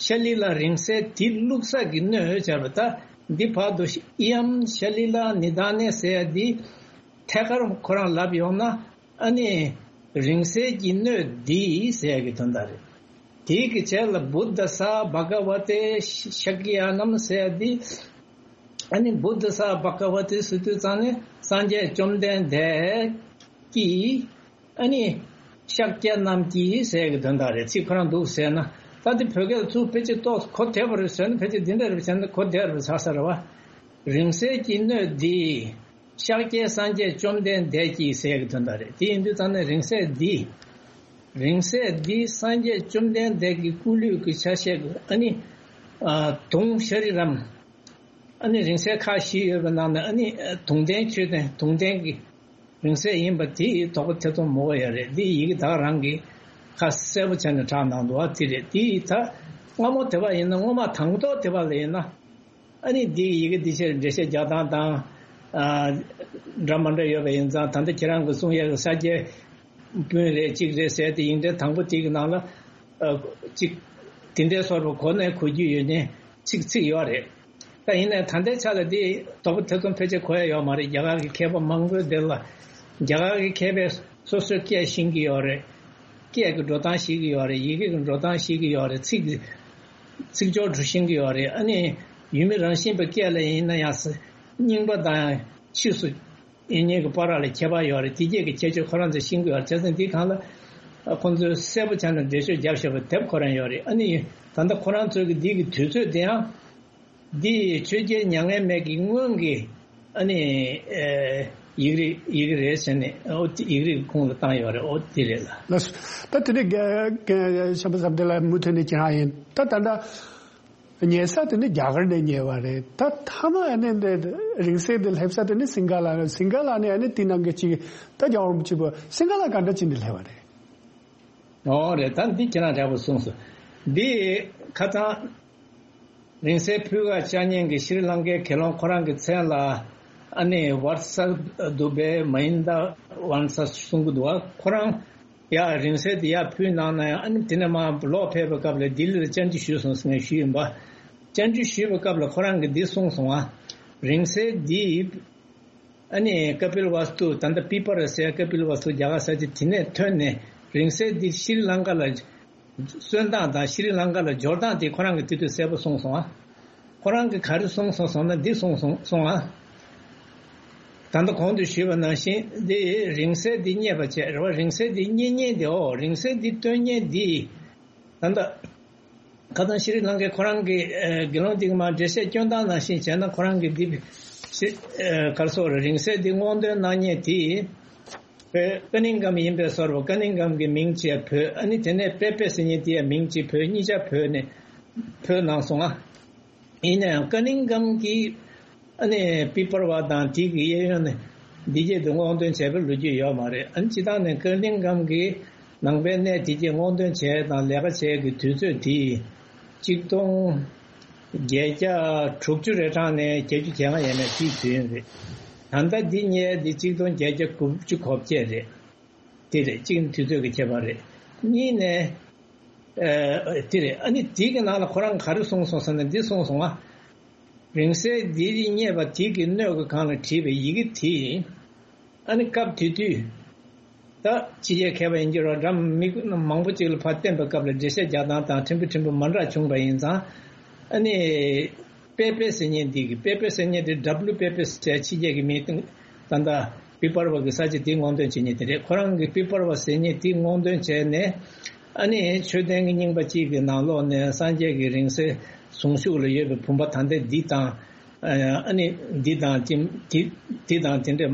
ཤཱ་ལི་ལ་རིང་བསྲེལ་དེ་བླུགས་ས་གི་སྣོད་བྱས་པ། ད་འདི་བར་དུ་ཨི་ཡམ་ཤཱ་ལི་ལ་ནི་དཱ་ནས་ཟེར་ཡ་འདི་ཐད་ཀར་ཁོ་རང་ལབ་ཡོང་ན། ཨ་ནི་རིང་བསྲེལ་གྱི་སྣོད་འདི་ཟེར་ཡ་གི་དོན་དག་རེད། དེའི་གི་རྗེས་ལ་བུདྡྷ་ས་བྷ་ག་ཝ་ཏེ་ཤཱཀྱ་ནམ་ཟེར་ཡ་འདི། ཨ་ནི་བུདྡྷ་ས་བྷ་ག་ཝ་ཏེ་ཟེར་དུས་ཙང་ནི་སངས་རྒྱས་བཅོམ་ལྡན་འདས་ཀྱིས། ཨ་ནི་ཤཱཀྱ་རྣམས་ཀྱིས་ཟེར་གྱི་དོན་དག་རེད། ཚིག་ཁོ་རང་འདུག་ཟེར་ན། ད་འདི་བོད་སྐད་ལ་ཚུར་ཕལ་ཆེར་ཏོག་གོ་བདེ་བ་རེད་ཟེར་ན་ཕལ་ཆེར་འདི་འདྲ་རེད་ཟེར་ན་གོ་བདེ་བ་རེད་ཟེར་ས་རེད་བ། རིང་བསྲེལ་གྱི་སྣོད་འདི་ཤཱཀྱའི་སངས་རྒྱས་བཅོམ་ལྡན་འདས་ཀྱིས་ཟེར་གྱི་དོན་དག་རེད། དེ་ཡིན་དུས་ཙང་ནས་རིང་བསྲེལ་འདི། རིང་བསྲེལ་འདི་སངས་རྒྱས་བཅོམ་ལྡན་འདས་ཀྱི་སྐུ་ལུས་ཀྱི་ཆ་ཤས་ཀྱི་ཨ་ནི་དུང་ཤཱ་རི་རམ། ཨ་ནི་རིང་བསྲེལ་ཁག་བཞི་ཡོད་པའི་ནང་ནས་ཨ་ནི་དུང་ལྡན་མཆོད་རྟེན་དུང་ལྡན་གྱི་རིང་བསྲེལ་ཡིན་པ་དེ་དོགས་པ་ཐེ་ཚོམ་མོ་ཡ་རེད། འདི་ཡི་གེ་ད་ག་རང་གིས་ཁ་གསལ་པོ་བྱས་ནས་གྲགས་གནང་འདུག་བ། དེ་རེད། དེ་ད་སྔ་མོ་དེ་བ་ཡིན་ན་སྔོན་མ་དང་ཐོག་དེ་བ་ལ་ཡིན་ན། ཨ་ནི་འདི་ཡི་གེ་འདི་ཕྱིར་འགྲེལ་བཤད་རྒྱག་སྟངས་དང་། ཨ། འདྲ་མ་འདྲ་ཡོད་པ་ཡིན་ཙང་། ད་ལྟ་ཁྱེད་རང་གིས་གསུང་ཡག་གི་ས་སྐྱའི་སྤུན་རེད་གཅིག་རེད་ཟེར་ཏེ་ཡིག་འབྲེལ་དང་པོ་དེ་གི་ནང་ལ། ཨ། གཅིག་དེ་འདྲའི་སོར་བ་གོ་ནས་གོ་རྒྱུ་ཡོད་མཁན་ཚིག་ཚིག་ཡོད་རེད། ད་ཡིན་ནའི་ད་ལྟའི་ཆ་ལ་འདི་དོགས་པ་ཐེ་ཚོམ་ཕལ་ཆེར་གོ་ཡ་ཡོད་མ་རེད། རྒྱ་གར་གྱི་མཁས་པ་མང་པོས་འདིར་ལ། རྒྱ་གར་གྱི་མཁས་པས་སོ་སོའི་སྐད་ཤེས་ཀྱི་ཡོད་རེད། སྐད་ཀྱི་འགྲོ་སྟངས་ཤེས་ཀྱི་ཡོད་རེད། ཡི་གེ་གི་འགྲོ་སྟངས་ཤེས་ཀྱི་ཡོད་རེད། ཚིག་ཚིག་སྦྱོར་འདྲ་ཤེས་ཀྱི་ཡོད་རེད། ཨ་ནི་ཡུལ་མི་རང་བཞིན་པའི་སྐད་ལ་ཡིན་ན་ཡང་ས་རྙིང་པ་དང་ཕྱིས་སུ་ཡིན་མཁན་གྱི་བར་ལ་ཁྱད་པར་ཡོད་རེད། དེ་སྐད་ཀྱི་ཁྱད་ཆོས་ཁོ་རང་ཚོས་ཤེས་ཀྱི་ཡོད་རེད། བྱས་ཙང་འདི་སྒང་ལ་ཁོང་ཚོས་གསལ་པོ་བྱས་ནས་འགྲེལ་བརྗོད་བརྒྱབ་བཞག་པའི་དེབ་ཁོ་རང་ཡོད་རེད། ཨ་ནི་ད་ལྟ་ཁོ་རང་ཚོའི་གི་འདི་གི་དུས་ཚོད་དེ་ཡང་། འདི་ཆོས་རྒྱལ་མྱ་ངན་མེད་ཀྱི་སྔོན་གྱི་ཨ་ནི་ཨེ་ཡིག་རིགས་ཡི་གེ་རེད་ཟེར་ནས། ཨོ་དེ་ཡིག་རིགས་ཁུངས་ལ་བཏང་ཡོད་རེད། ཨོ་དེ་རེད་ལ། ལགས་སོ། ད་དེ་ནས་རྒན་རྒན་བྱམས་པ་བཟང་པོ་དེ་ལ་མུ་མཐུད་ནས་ཁྱེད་རང་ཡིན། ད་ད་ལྟ་ཉལ་ས་དེ་ནི་རྒྱ་གར་ནས་ཉལ་བ་རེད། ད་མཐའ་མ་ཨ་ནི་འདི་རིང་བསྲེལ་དེ་སླེབས་ས་དེ་ནི་སིང་ག་ལ་རེད། སིང་ག་ལ་ནས་ཨ་ནི་དེ་ནང་གི་གཅིག་ད་རྒྱལ་བ་རིན་པོ་ཆེ་བོད་སིང་ག་ལ་ག་འདྲ་ཅིག་ནས་སླེབས་པ་རེད། ཨོ་རེད། ད་འདི་ཁྱེད་རང་འདྲ་པོ་གསུངས་སོང་། འདི་ཁ་སང་རིང་བསྲེལ་ཕུལ་ག་བཅར་མཁན་གྱི་ཤྲི་ལང་ཀའི་དགེ་སློང་ཁོ་རང་གི་མཚན་ལ་ཨ་ནི་ཝར་ས་དུ་བེ་མ་ཡིན་ད་ཝན་ས་གསུང་གི་འདུག་བ། ཁོ་རང་ཡ་རིང་བསྲེལ་དེ་ཡར་ཕུལ་གནང་ན་ཡང་། ཨ་ནི་དེ་ནས་མར་ལོག་ཕེབས་པའི་སྐབས་ལ་ལྡི་ལི་ལ་བཅར་འདྲི་ཞུས་སོང་ཟེར་ནས་ཞུས་ཡིན་པ། བཅར་འདྲི་ཞུས་པའི་སྐབས་ལ་ཁོ་རང་གིས་འདི་གསུངས་སོང་ཨ། རིང་བསྲེལ་འདི་ཨ་ནི་ཀ་པིལ་ཝ་སྟུ། ད་ལྟ་པི་པར་ཟེར་ཀ་པིལ་ཝ་སྟུ་རྒྱ་གར་ས་ཆ་དེ་ནས་ཐོན་ནས། རིང་བསྲེལ་འདི་ཤྲི་ལང་ཀ་ལ་སོན་སྟངས་དང་ཤྲི་ལང་ཀ་ལ་འབྱོར་སྟངས་དེ་ཁོ་རང་གིས་དེ་དུས་གསལ་པོ་གསུངས་སོང་ཨ། ཁོ་རང་གིས་ག་རེ་གསུངས་སོང་ཟེར་ན་འདི་གསུངས་སོང་སོང་ཨ། ད་ལྟ་གོང་དུ་ཞུས་པ་ནང་བཞིན་འདི་རིང་བསྲེལ་འདི་རྙེད་པ་བྱས་རེད་བ། རིང་བསྲེལ་འདི་རྙེད་མཁན་དེ། ཨོ་རིང་བསྲེལ་འདི་སྟོན་མཁན་འདི། ད་ལྟ་ཁ་སང་ཤྲི་ལང་ཀའི་ཁོ་རང་གི་ཨ་དགེ་སློང་འདི་གི་མར་འགྲེལ་བཤད་སྐྱོན་སྟངས་ནང་བཞིན་བྱས་ན། ཁོ་རང་གི་འདི་ཤི་ཨ་ག་རེ་ཟེར་རེད། རིང་བསྲེལ་འདི་སྔོག་འདོན་གནང་མཁན་དེ་བོད་ཀ་ནིང་ཀམ་ཡིན་པའི་བཟོ་འདྲ་པོ། ཀ་ནིང་ཀམ་གྱི་མིང་བྱས་བོད། ཨ་ནི་དེ་ནས་པེ་པེ་ཟེར་མཁན་དེ་ཡང་མིང་བྱས་བོད། གཉིས་ཆ་བོད་ནས་བོད་གནང་སོང་ཨ། ཡིན་ན་ཡང་ཀ་ནིང་ཀམ་གྱི་ཨ་ནི་པི་པར་བ་དང་དེ་གི་གཡས་གཡོན་ནས་འདི་སྐད་དུ་སྔོག་འདོན་བྱས་པའི་ལོ་རྒྱུས་ཡོད་མ་རེད། ཨ་ནི་སྤྱིར་བཏང་ནས་ཀ་ནིང་ཀམ་གྱི་ནང་པའི་གནས་དེ་སྐད་སྔོག་འདོན་བྱས་དང་ལས་ཀ་བྱས་ཀྱི་དུས་ཚོད་དེ་ཆིག་སྟོང་བརྒྱད་བརྒྱ་དྲུག་ཅུ་རེ་གྲངས་ནས་བརྒྱད་ཅུ་གྱ་ལྔ་ཡས་མས་དེའི་དུས་ཡུན་རེད། ད་ལྟ་འདི་རྙེད་འདི་ཆིག་སྟོང་བརྒྱད་བརྒྱ་དགུ་བཅུ་གོ་བརྒྱད་རེད། དེ་རེད། གཅིག་ནི་དུས་ཚོད་ཀྱི་ཁྱད་པར་རེད། གཉིས་ནས། ཨ། དེ་རེད། ཨ་ནི་དེ་གི་ནང་ལ་ཁོ་རང་ག་རེ་གསུངས་སོང་ཟེར་ན་འདི་གསུངས་སོང་ཨ། རིང་བསྲེལ་འདི་རྙེད་པ་དེ་གི་སྣོད་ཀྱི་སྒང་ལ་བྲིས་པའི་ཡི་གེ་དེ། ཨ་ནི་སྐབས་དེ་དུས་ད་ཕྱི་རྒྱལ་མཁས་པ་ཡིན་གྱི་རོ་འདྲ་མི་མང་པོ་ཅིག་ལ་ཕར་བསྟན་པའི་སྐབས་ལ་འགྲེལ་བཤད་རྒྱག་སྟངས་དང་ཕྲན་བུ་ཕྲན་བུ་མ་འདྲ་བྱུང་བ་ཡིན་ཙང་། ཨ་ནི། པེ་པེ་ཟེར་མཁན་འདི་གི། པེ་པེ་ཟེར་མཁན་དེ་ཌབ་ལུ་པེ་པེ་ཟེར་ཕྱི་རྒྱལ་གྱི་མིང་སྟེ། ད་ལྟ་པི་པར་བ་གི་ས་ཆ་དེ་སྔོག་འདོན་བྱེད་མཁན་དེ་རེད། ཁོ་རང་གི་པི་པར་བ་ཟེར་མཁན་དེ་སྔོག་འདོན་བྱས་ནས། ཨ་ནི་མཆོད་རྟེན་གྱི་རྙིང་པ་གཅིག་གི་ནང་ལོགས་ནས་སངས་རྒྱས་ཀྱི་རིང་བསྲེལ་གཟུངས་གཞུག་ལ་ཡོད་པའི་བུམ་པ་ད་ལྟ་འདི་དང་། ཨ་ནི་འདི་དང་དེ་འདི་དང་དེ་འདྲ་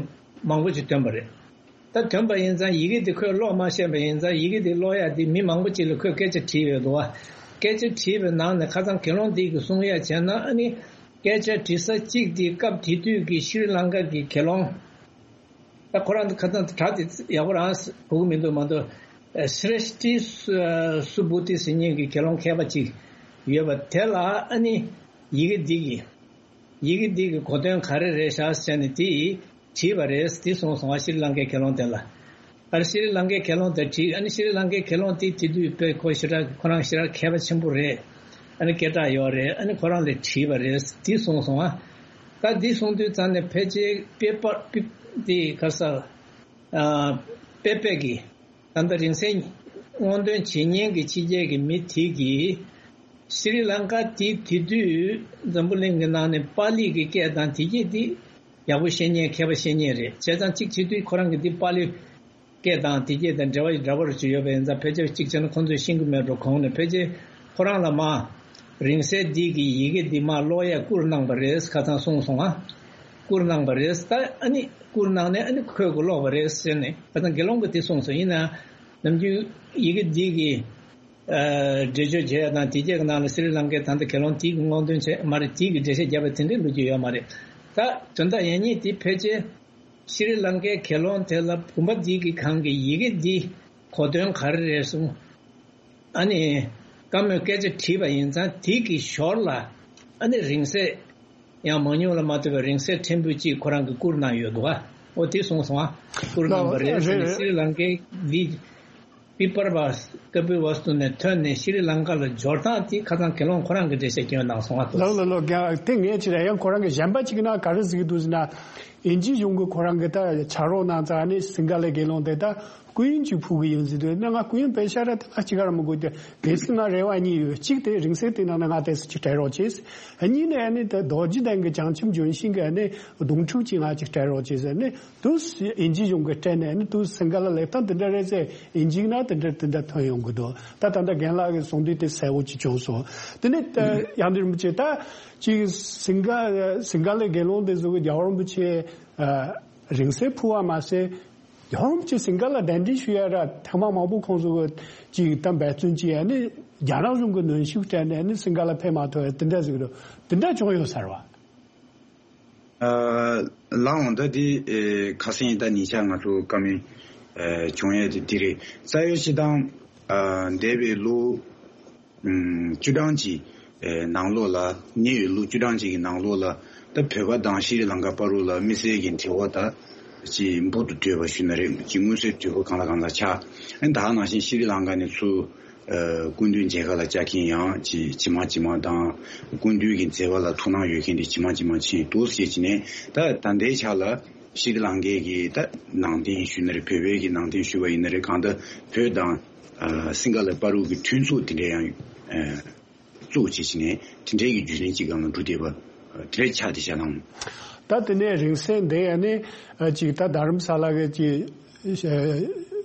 མང་པོ་ཞིག་ཐོན་པ་རེད། ད་ཐོན་པ་ཡིན་ཙང་ཡི་གེ་འདི་ཁོས་ཀློག་མ་ཤེས་པ་ཡིན་ཙང་། ཡི་གེ་འདི་ཀློག་ཡ་འདི་མི་མང་པོ་ཅིག་ལ་ཁོས་སྐད་ཆ་དྲིས་ཡོད་འདུག་བ། སྐད་ཆ་དྲིས་པའི་ནང་ནས་ཁ་སང་དགེ་སློང་འདི་གིས་གསུང་ཡ་བྱས་ན། ཨ་ནི་སྐད་ཆ་དྲི་ས་གཅིག་འདི་སྐབས་དེ་དུས་ཀྱི་ཤྲི་ལང་ཀ་གི་དགེ་སློང་། ད་ཁོ་རང་ཁ་སང་དྲ་དེ་ཡག་པོ་རང་གོ་གི་མི་འདུག་མ་གཏོགས། ཨ་སྲེ་ཤྟི་སུ་སུ་བུ་ཏི་ཟེར་མཁན་གྱི་དགེ་སློང་མཁས་པ་གཅིག་ཡོད་པ་དེ་ལ། ཨ་ནི་ཡི་གེ་འདི་གི་ཡི་གེ་འདི་གི་གོ་དོན་ག་རེ་རེད་ཤག་ཟེར་ནས་དེ་དྲིས་པ་རེད། དེ་གསུངས་སོང་བ། ཤྲི་ལང་ཀའི་དགེ་སློང་དེ་ལ། ཨ་ནི་ཤྲི་ལང་ཀའི་དགེ་སློང་དེ་དྲིས། ཨ་ནི་ཤྲི་ལང་ཀའི་དགེ་སློང་དེ་དེ་དུས་དཔེ་ཁོ་ཞེ་དྲག་ཁོ་རང་ཞེ་དྲག་མཁས་པ་ཆེན་པོ་རེད། ཨ་ནི་སྐད་གྲགས་ཡོད་རེད། ཨ་ནི་ཁོ་རང་ལ་དྲིས་པ་རེད། དེ་གསུངས་སོང་བ། ད་འདི་གསུང་དུས་ཙམ་ནས་ཕལ་ཆེར་པེ་པར་པི་དེ་ག་ས་ཨ་པེ་པེ་གི་ད་ལྟ་རིང་བསྲེལ་སྔོག་འདོན་བྱེད་མཁན་གྱི་ཕྱི་རྒྱལ་གྱི་མི་དེ་གིས་ཤྲི་ལང་ཀ་དེ་དེ་དུས་འཛམ་བུ་གླིང་གི་ནང་ནས་པཱ་ལི་གི་སྐད་དང་དེ་སྐད་དེ་ཡག་པོ་ཤེས་མཁན་མཁས་པ་ཤེས་མཁན་རེད། བྱས་ཙང་གཅིག་བྱེད་དུས་ཁོ་རང་གི་དེ་པཱ་ལི་སྐད་དང་དེ་སྐད་དང་འབྲེལ་བ་འདྲ་པོ་ཅིག་ཡོད་པ་ཡིན་ཙང་། ཕལ་ཆེར་གཅིག་བྱས་ན་ཁོང་ཚོས་ཤེས་ཀྱི་མེད་འགྲོ། གོང་ནས་ཕལ་ཆེར་ཁོ་རང་ལ་མ་རིང་བསྲེལ་འདི་གི་ཡི་གེ་འདི་མ་ཀློག་ཡ་བསྐུར་གནང་པ་རེད། ཁ་སང་གསུངས་སོང་ཨ། བསྐུར་གནང་པ་རེད། ད་ཨ་ནི་བསྐུར་གནང་ནས་ཨ་ནི་ཁོས་གོ་ཀློག་པ་རེད་ཟེར་ནས། ཁ་སང་དགེ་སློང་གིས་དེ་གསུངས་སོང་། ཡིན་ན་ནམ་རྒྱུན་ཡི་གེ་འདི་གི་ཨ་འགྲེལ་བརྗོད་བྱས་ཡ་དང་དེ་སྐད་ཀྱི་ནང་ལ་སི་རི་ལང་ཀའི་ད་ལྟ་དགེ་སློང་དེ་གི་སྔོག་འདོན་བྱས་མ་རེད། དེ་གི་འགྲེལ་བཤད་བརྒྱབ་པ་དེ་འདྲའི་ལོ་རྒྱུས་ཡོད་མ་རེད། ད་དོན་དག་ཡང་སྙིང་དེ་ཕལ་ཆེར་ཤྲི་ལང་ཀའི་དགེ་སློང་དེ་ལ་བུམ་པ་འདི་གི་སྒང་གི་ཡི་གེ་འདི་གོ་དོན་ག་རེ་རེད་གསུངས། ཨ་ནི་བཀའ་མོལ་སྐད་ཆ་དྲིས་པ་ཡིན་ཙང་། དེ་གི་ཞོར་ལ་ཨ་ནི་རིང་བསྲེལ་ཡང་མང་ཉུང་ལ་མ་ལྟོས་པའི་རིང་བསྲེལ་ཕྲན་བུ་གཅིག་ཁོ་རང་གིས་བསྐུར་གནང་ཡོད་འདུག་ག་འོ་དེ་གསུངས་སོང་ཨ། བསྐུར་གནང་པ་རེད་ཟེར་ནས། ཤྲི་ལང་ཀའི་འདི་པི་པར་བ་ཀ་པི་ཝ་སྟུ་ནས་ཐོན་ནས་ཤྲི་ལང་ཀ་ལ་འབྱོར་སྟངས་དེ་ཁ་སང་དགེ་སློང་ཁོ་རང་གིས་འགྲེལ་བཤད་སྐྱོན་གནང་སོང་ཨ། ལགས་ལགས་ལགས། དེ་ངས་ཅི་རེད། ཡང་ཁོ་རང་གི་གཞན་པ་གཅིག་ན་ག་རེ་ཟེར་གྱི་འདུག་ཟེར་ན། དབྱིན་ཇིའི་གཞུང་གིས་ཁོ་རང་གི་ད་ཕྱག་རོགས་གནང་ཙང་ནི་སིང་ག་ལའི་དགེ་སློང་དེ་ད་སྐུ་དབྱིན་ཅིག་ཕུལ་གི་ཡིན་ཟེར་དུས་ནི། ང་སྐུ་དབྱིན་དཔེ་ཤ་ར་དེ་ང་གཅིག་ག་ར་མི་དགོས་ཏེ། གལ་སྲིད་ང་རེ་བ་གཉིས་ཡོད། གཅིག་དེ་རིང་བསྲེལ་དེ་ནང་ནས་ང་དེ་ཚོ་ཅིག་སྤྲད་རོགས་བྱས། གཉིས་ནས་ནི་ད་རྡོ་རྗེ་གདན་གྱི་བྱང་ཆུབ་ལྗོན་ཤིང་གི་ནི་སྡོང་ཕྲུག་ཅིག་ང་ཅིག་སྤྲད་རོགས་བྱས་ཟེར་ནི། དུ་དབྱིན་ཇིའི་གཞུང་གིས་སྤྲད་ནས་ནི་དུ་སིང་ག་ལ་ལེབ་སྟངས་དེ་འདྲ་རེད་ཟེར། དབྱིན་ཇི་ན་དེ་འདྲ་དེ་འདྲ་ཐོན་ཡོང་གི་འདུག་ད་ད་ལྟ་རྒན་ལགས་ཀྱིས་གསུངས་དུས་དེ་གསལ་བོ་ཅིག་བྱུང་སོང་། དེ་ནས་ད་ཡང་དེ་རིན་པོ་ཆེ་ད་ཅིག་སིང་ག་སིང་ག་ལའི་དགེ་སློང་དེ་ཚོ་གིས་རྒྱལ་བ་རིན་པོ་ཆེ་ཨ་རིང་བསྲེལ་ཕུལ་བ་མ་ཟད། རྒྱལ་བ་རིན་པོ་ཆེ་སིང་ག་ལ་གདན་འདྲེན་ཞུ་ཡ་ར་ཐེངས་མ་མང་པོ་ཁོང་ཚོ་གིས་ཅིག་ད་འབད་བརྩོན་བྱས་ཡ་ནི་རྒྱ་ནག་གཞུང་གིས་གནོན་ཤུགས་སྤྲད་ནས་ནི་སིང་ག་ལ་ཕེབས་མ་ཐུབ་ཡ་དེ་འདྲ་ཟིག་རེད། དེ་འདྲ་བྱུང་ཡོད་ས་རེད་བ། ཨ་ལགས་འོང་། ད་དེ་ཨེ་ཁ་སང་ད་ཉེ་ཆར་ང་ཚོ་བཀའ་མོལ་ཨེ་བྱུང་ཡས་དེ་དེ་རེད། རྩ་བའི་སྤྱིར་བཏང་ཨ་འདས་པའི་ལོ་ཨམ་བཅུ་གྲངས་ཀྱི་ཨེ་ནང་ལོགས་ལ། ཉེ་བའི་ལོ་བཅུ་གྲངས་ཀྱི་ནང་ལོགས་ལ་ད་བོད་པ་དང་ཤྲི་ལང་ཀ་བར་ལ་དམིགས་བསལ་གྱི་འབྲེལ་བ་ད་ཅིག་འབུར་དུ་བཏོད་པ་ཞུ་ན་རེད། ཅིག་མངོན་གསལ་དོད་པོ་གང་ལ་གང་ལ་ཆགས། ཨ་ནི་ད་ག་ནང་བཞིན་ཤྲི་ལང་ཀ་ནས་ཚུར་ཨ་སྐུ་མདུན་མཇལ་ཁ་ལ་བཅར་མཁན་ཡང་ཅིག་ཇི་མ་ཇི་མ་དང་། སྐུ་མདུན་གྱི་མཛད་པ་ལ་ཐུགས་སྣང་ཡོད་མཁན་དེ་ཇི་མ་ཇི་མ་ཕྱིན་འདུག་ཟེར་བྱས་ནས། ད་ད་ལྟའི་ཆ་ལ་ཤྲི་ལང་ཀའི་གི་ད་ནང་བསྟན་ཞུ་ན་རེད། བོད་པའི་གི་ནང་བསྟན་ཞུ་བ་ཡིན་ན་རེད། གང་ལྟར་བོད་དང་ཨ་སིང་ག་ལ་བར་དུ་གི་མཐུན་ཚོགས་དེ་འདྲ་ཡང་ཨ་བཙུགས་བྱས་བྱས་ནས་དེ་འདྲའི་གི་བརྒྱུད་རིམ་ཅིག་སྒང་ལ་འགྲོ་བསྡད་པ་དེ་འདྲ་ཆགས་བསྡད་ཤག་ལགས། ད་དེ་ནས་རིང་བསྲེལ་འདི་ཡ་ནི་ཨ་ཅིག་ད་རྡ་རམ་ས་ལ་གི་ཅིག་ཨ་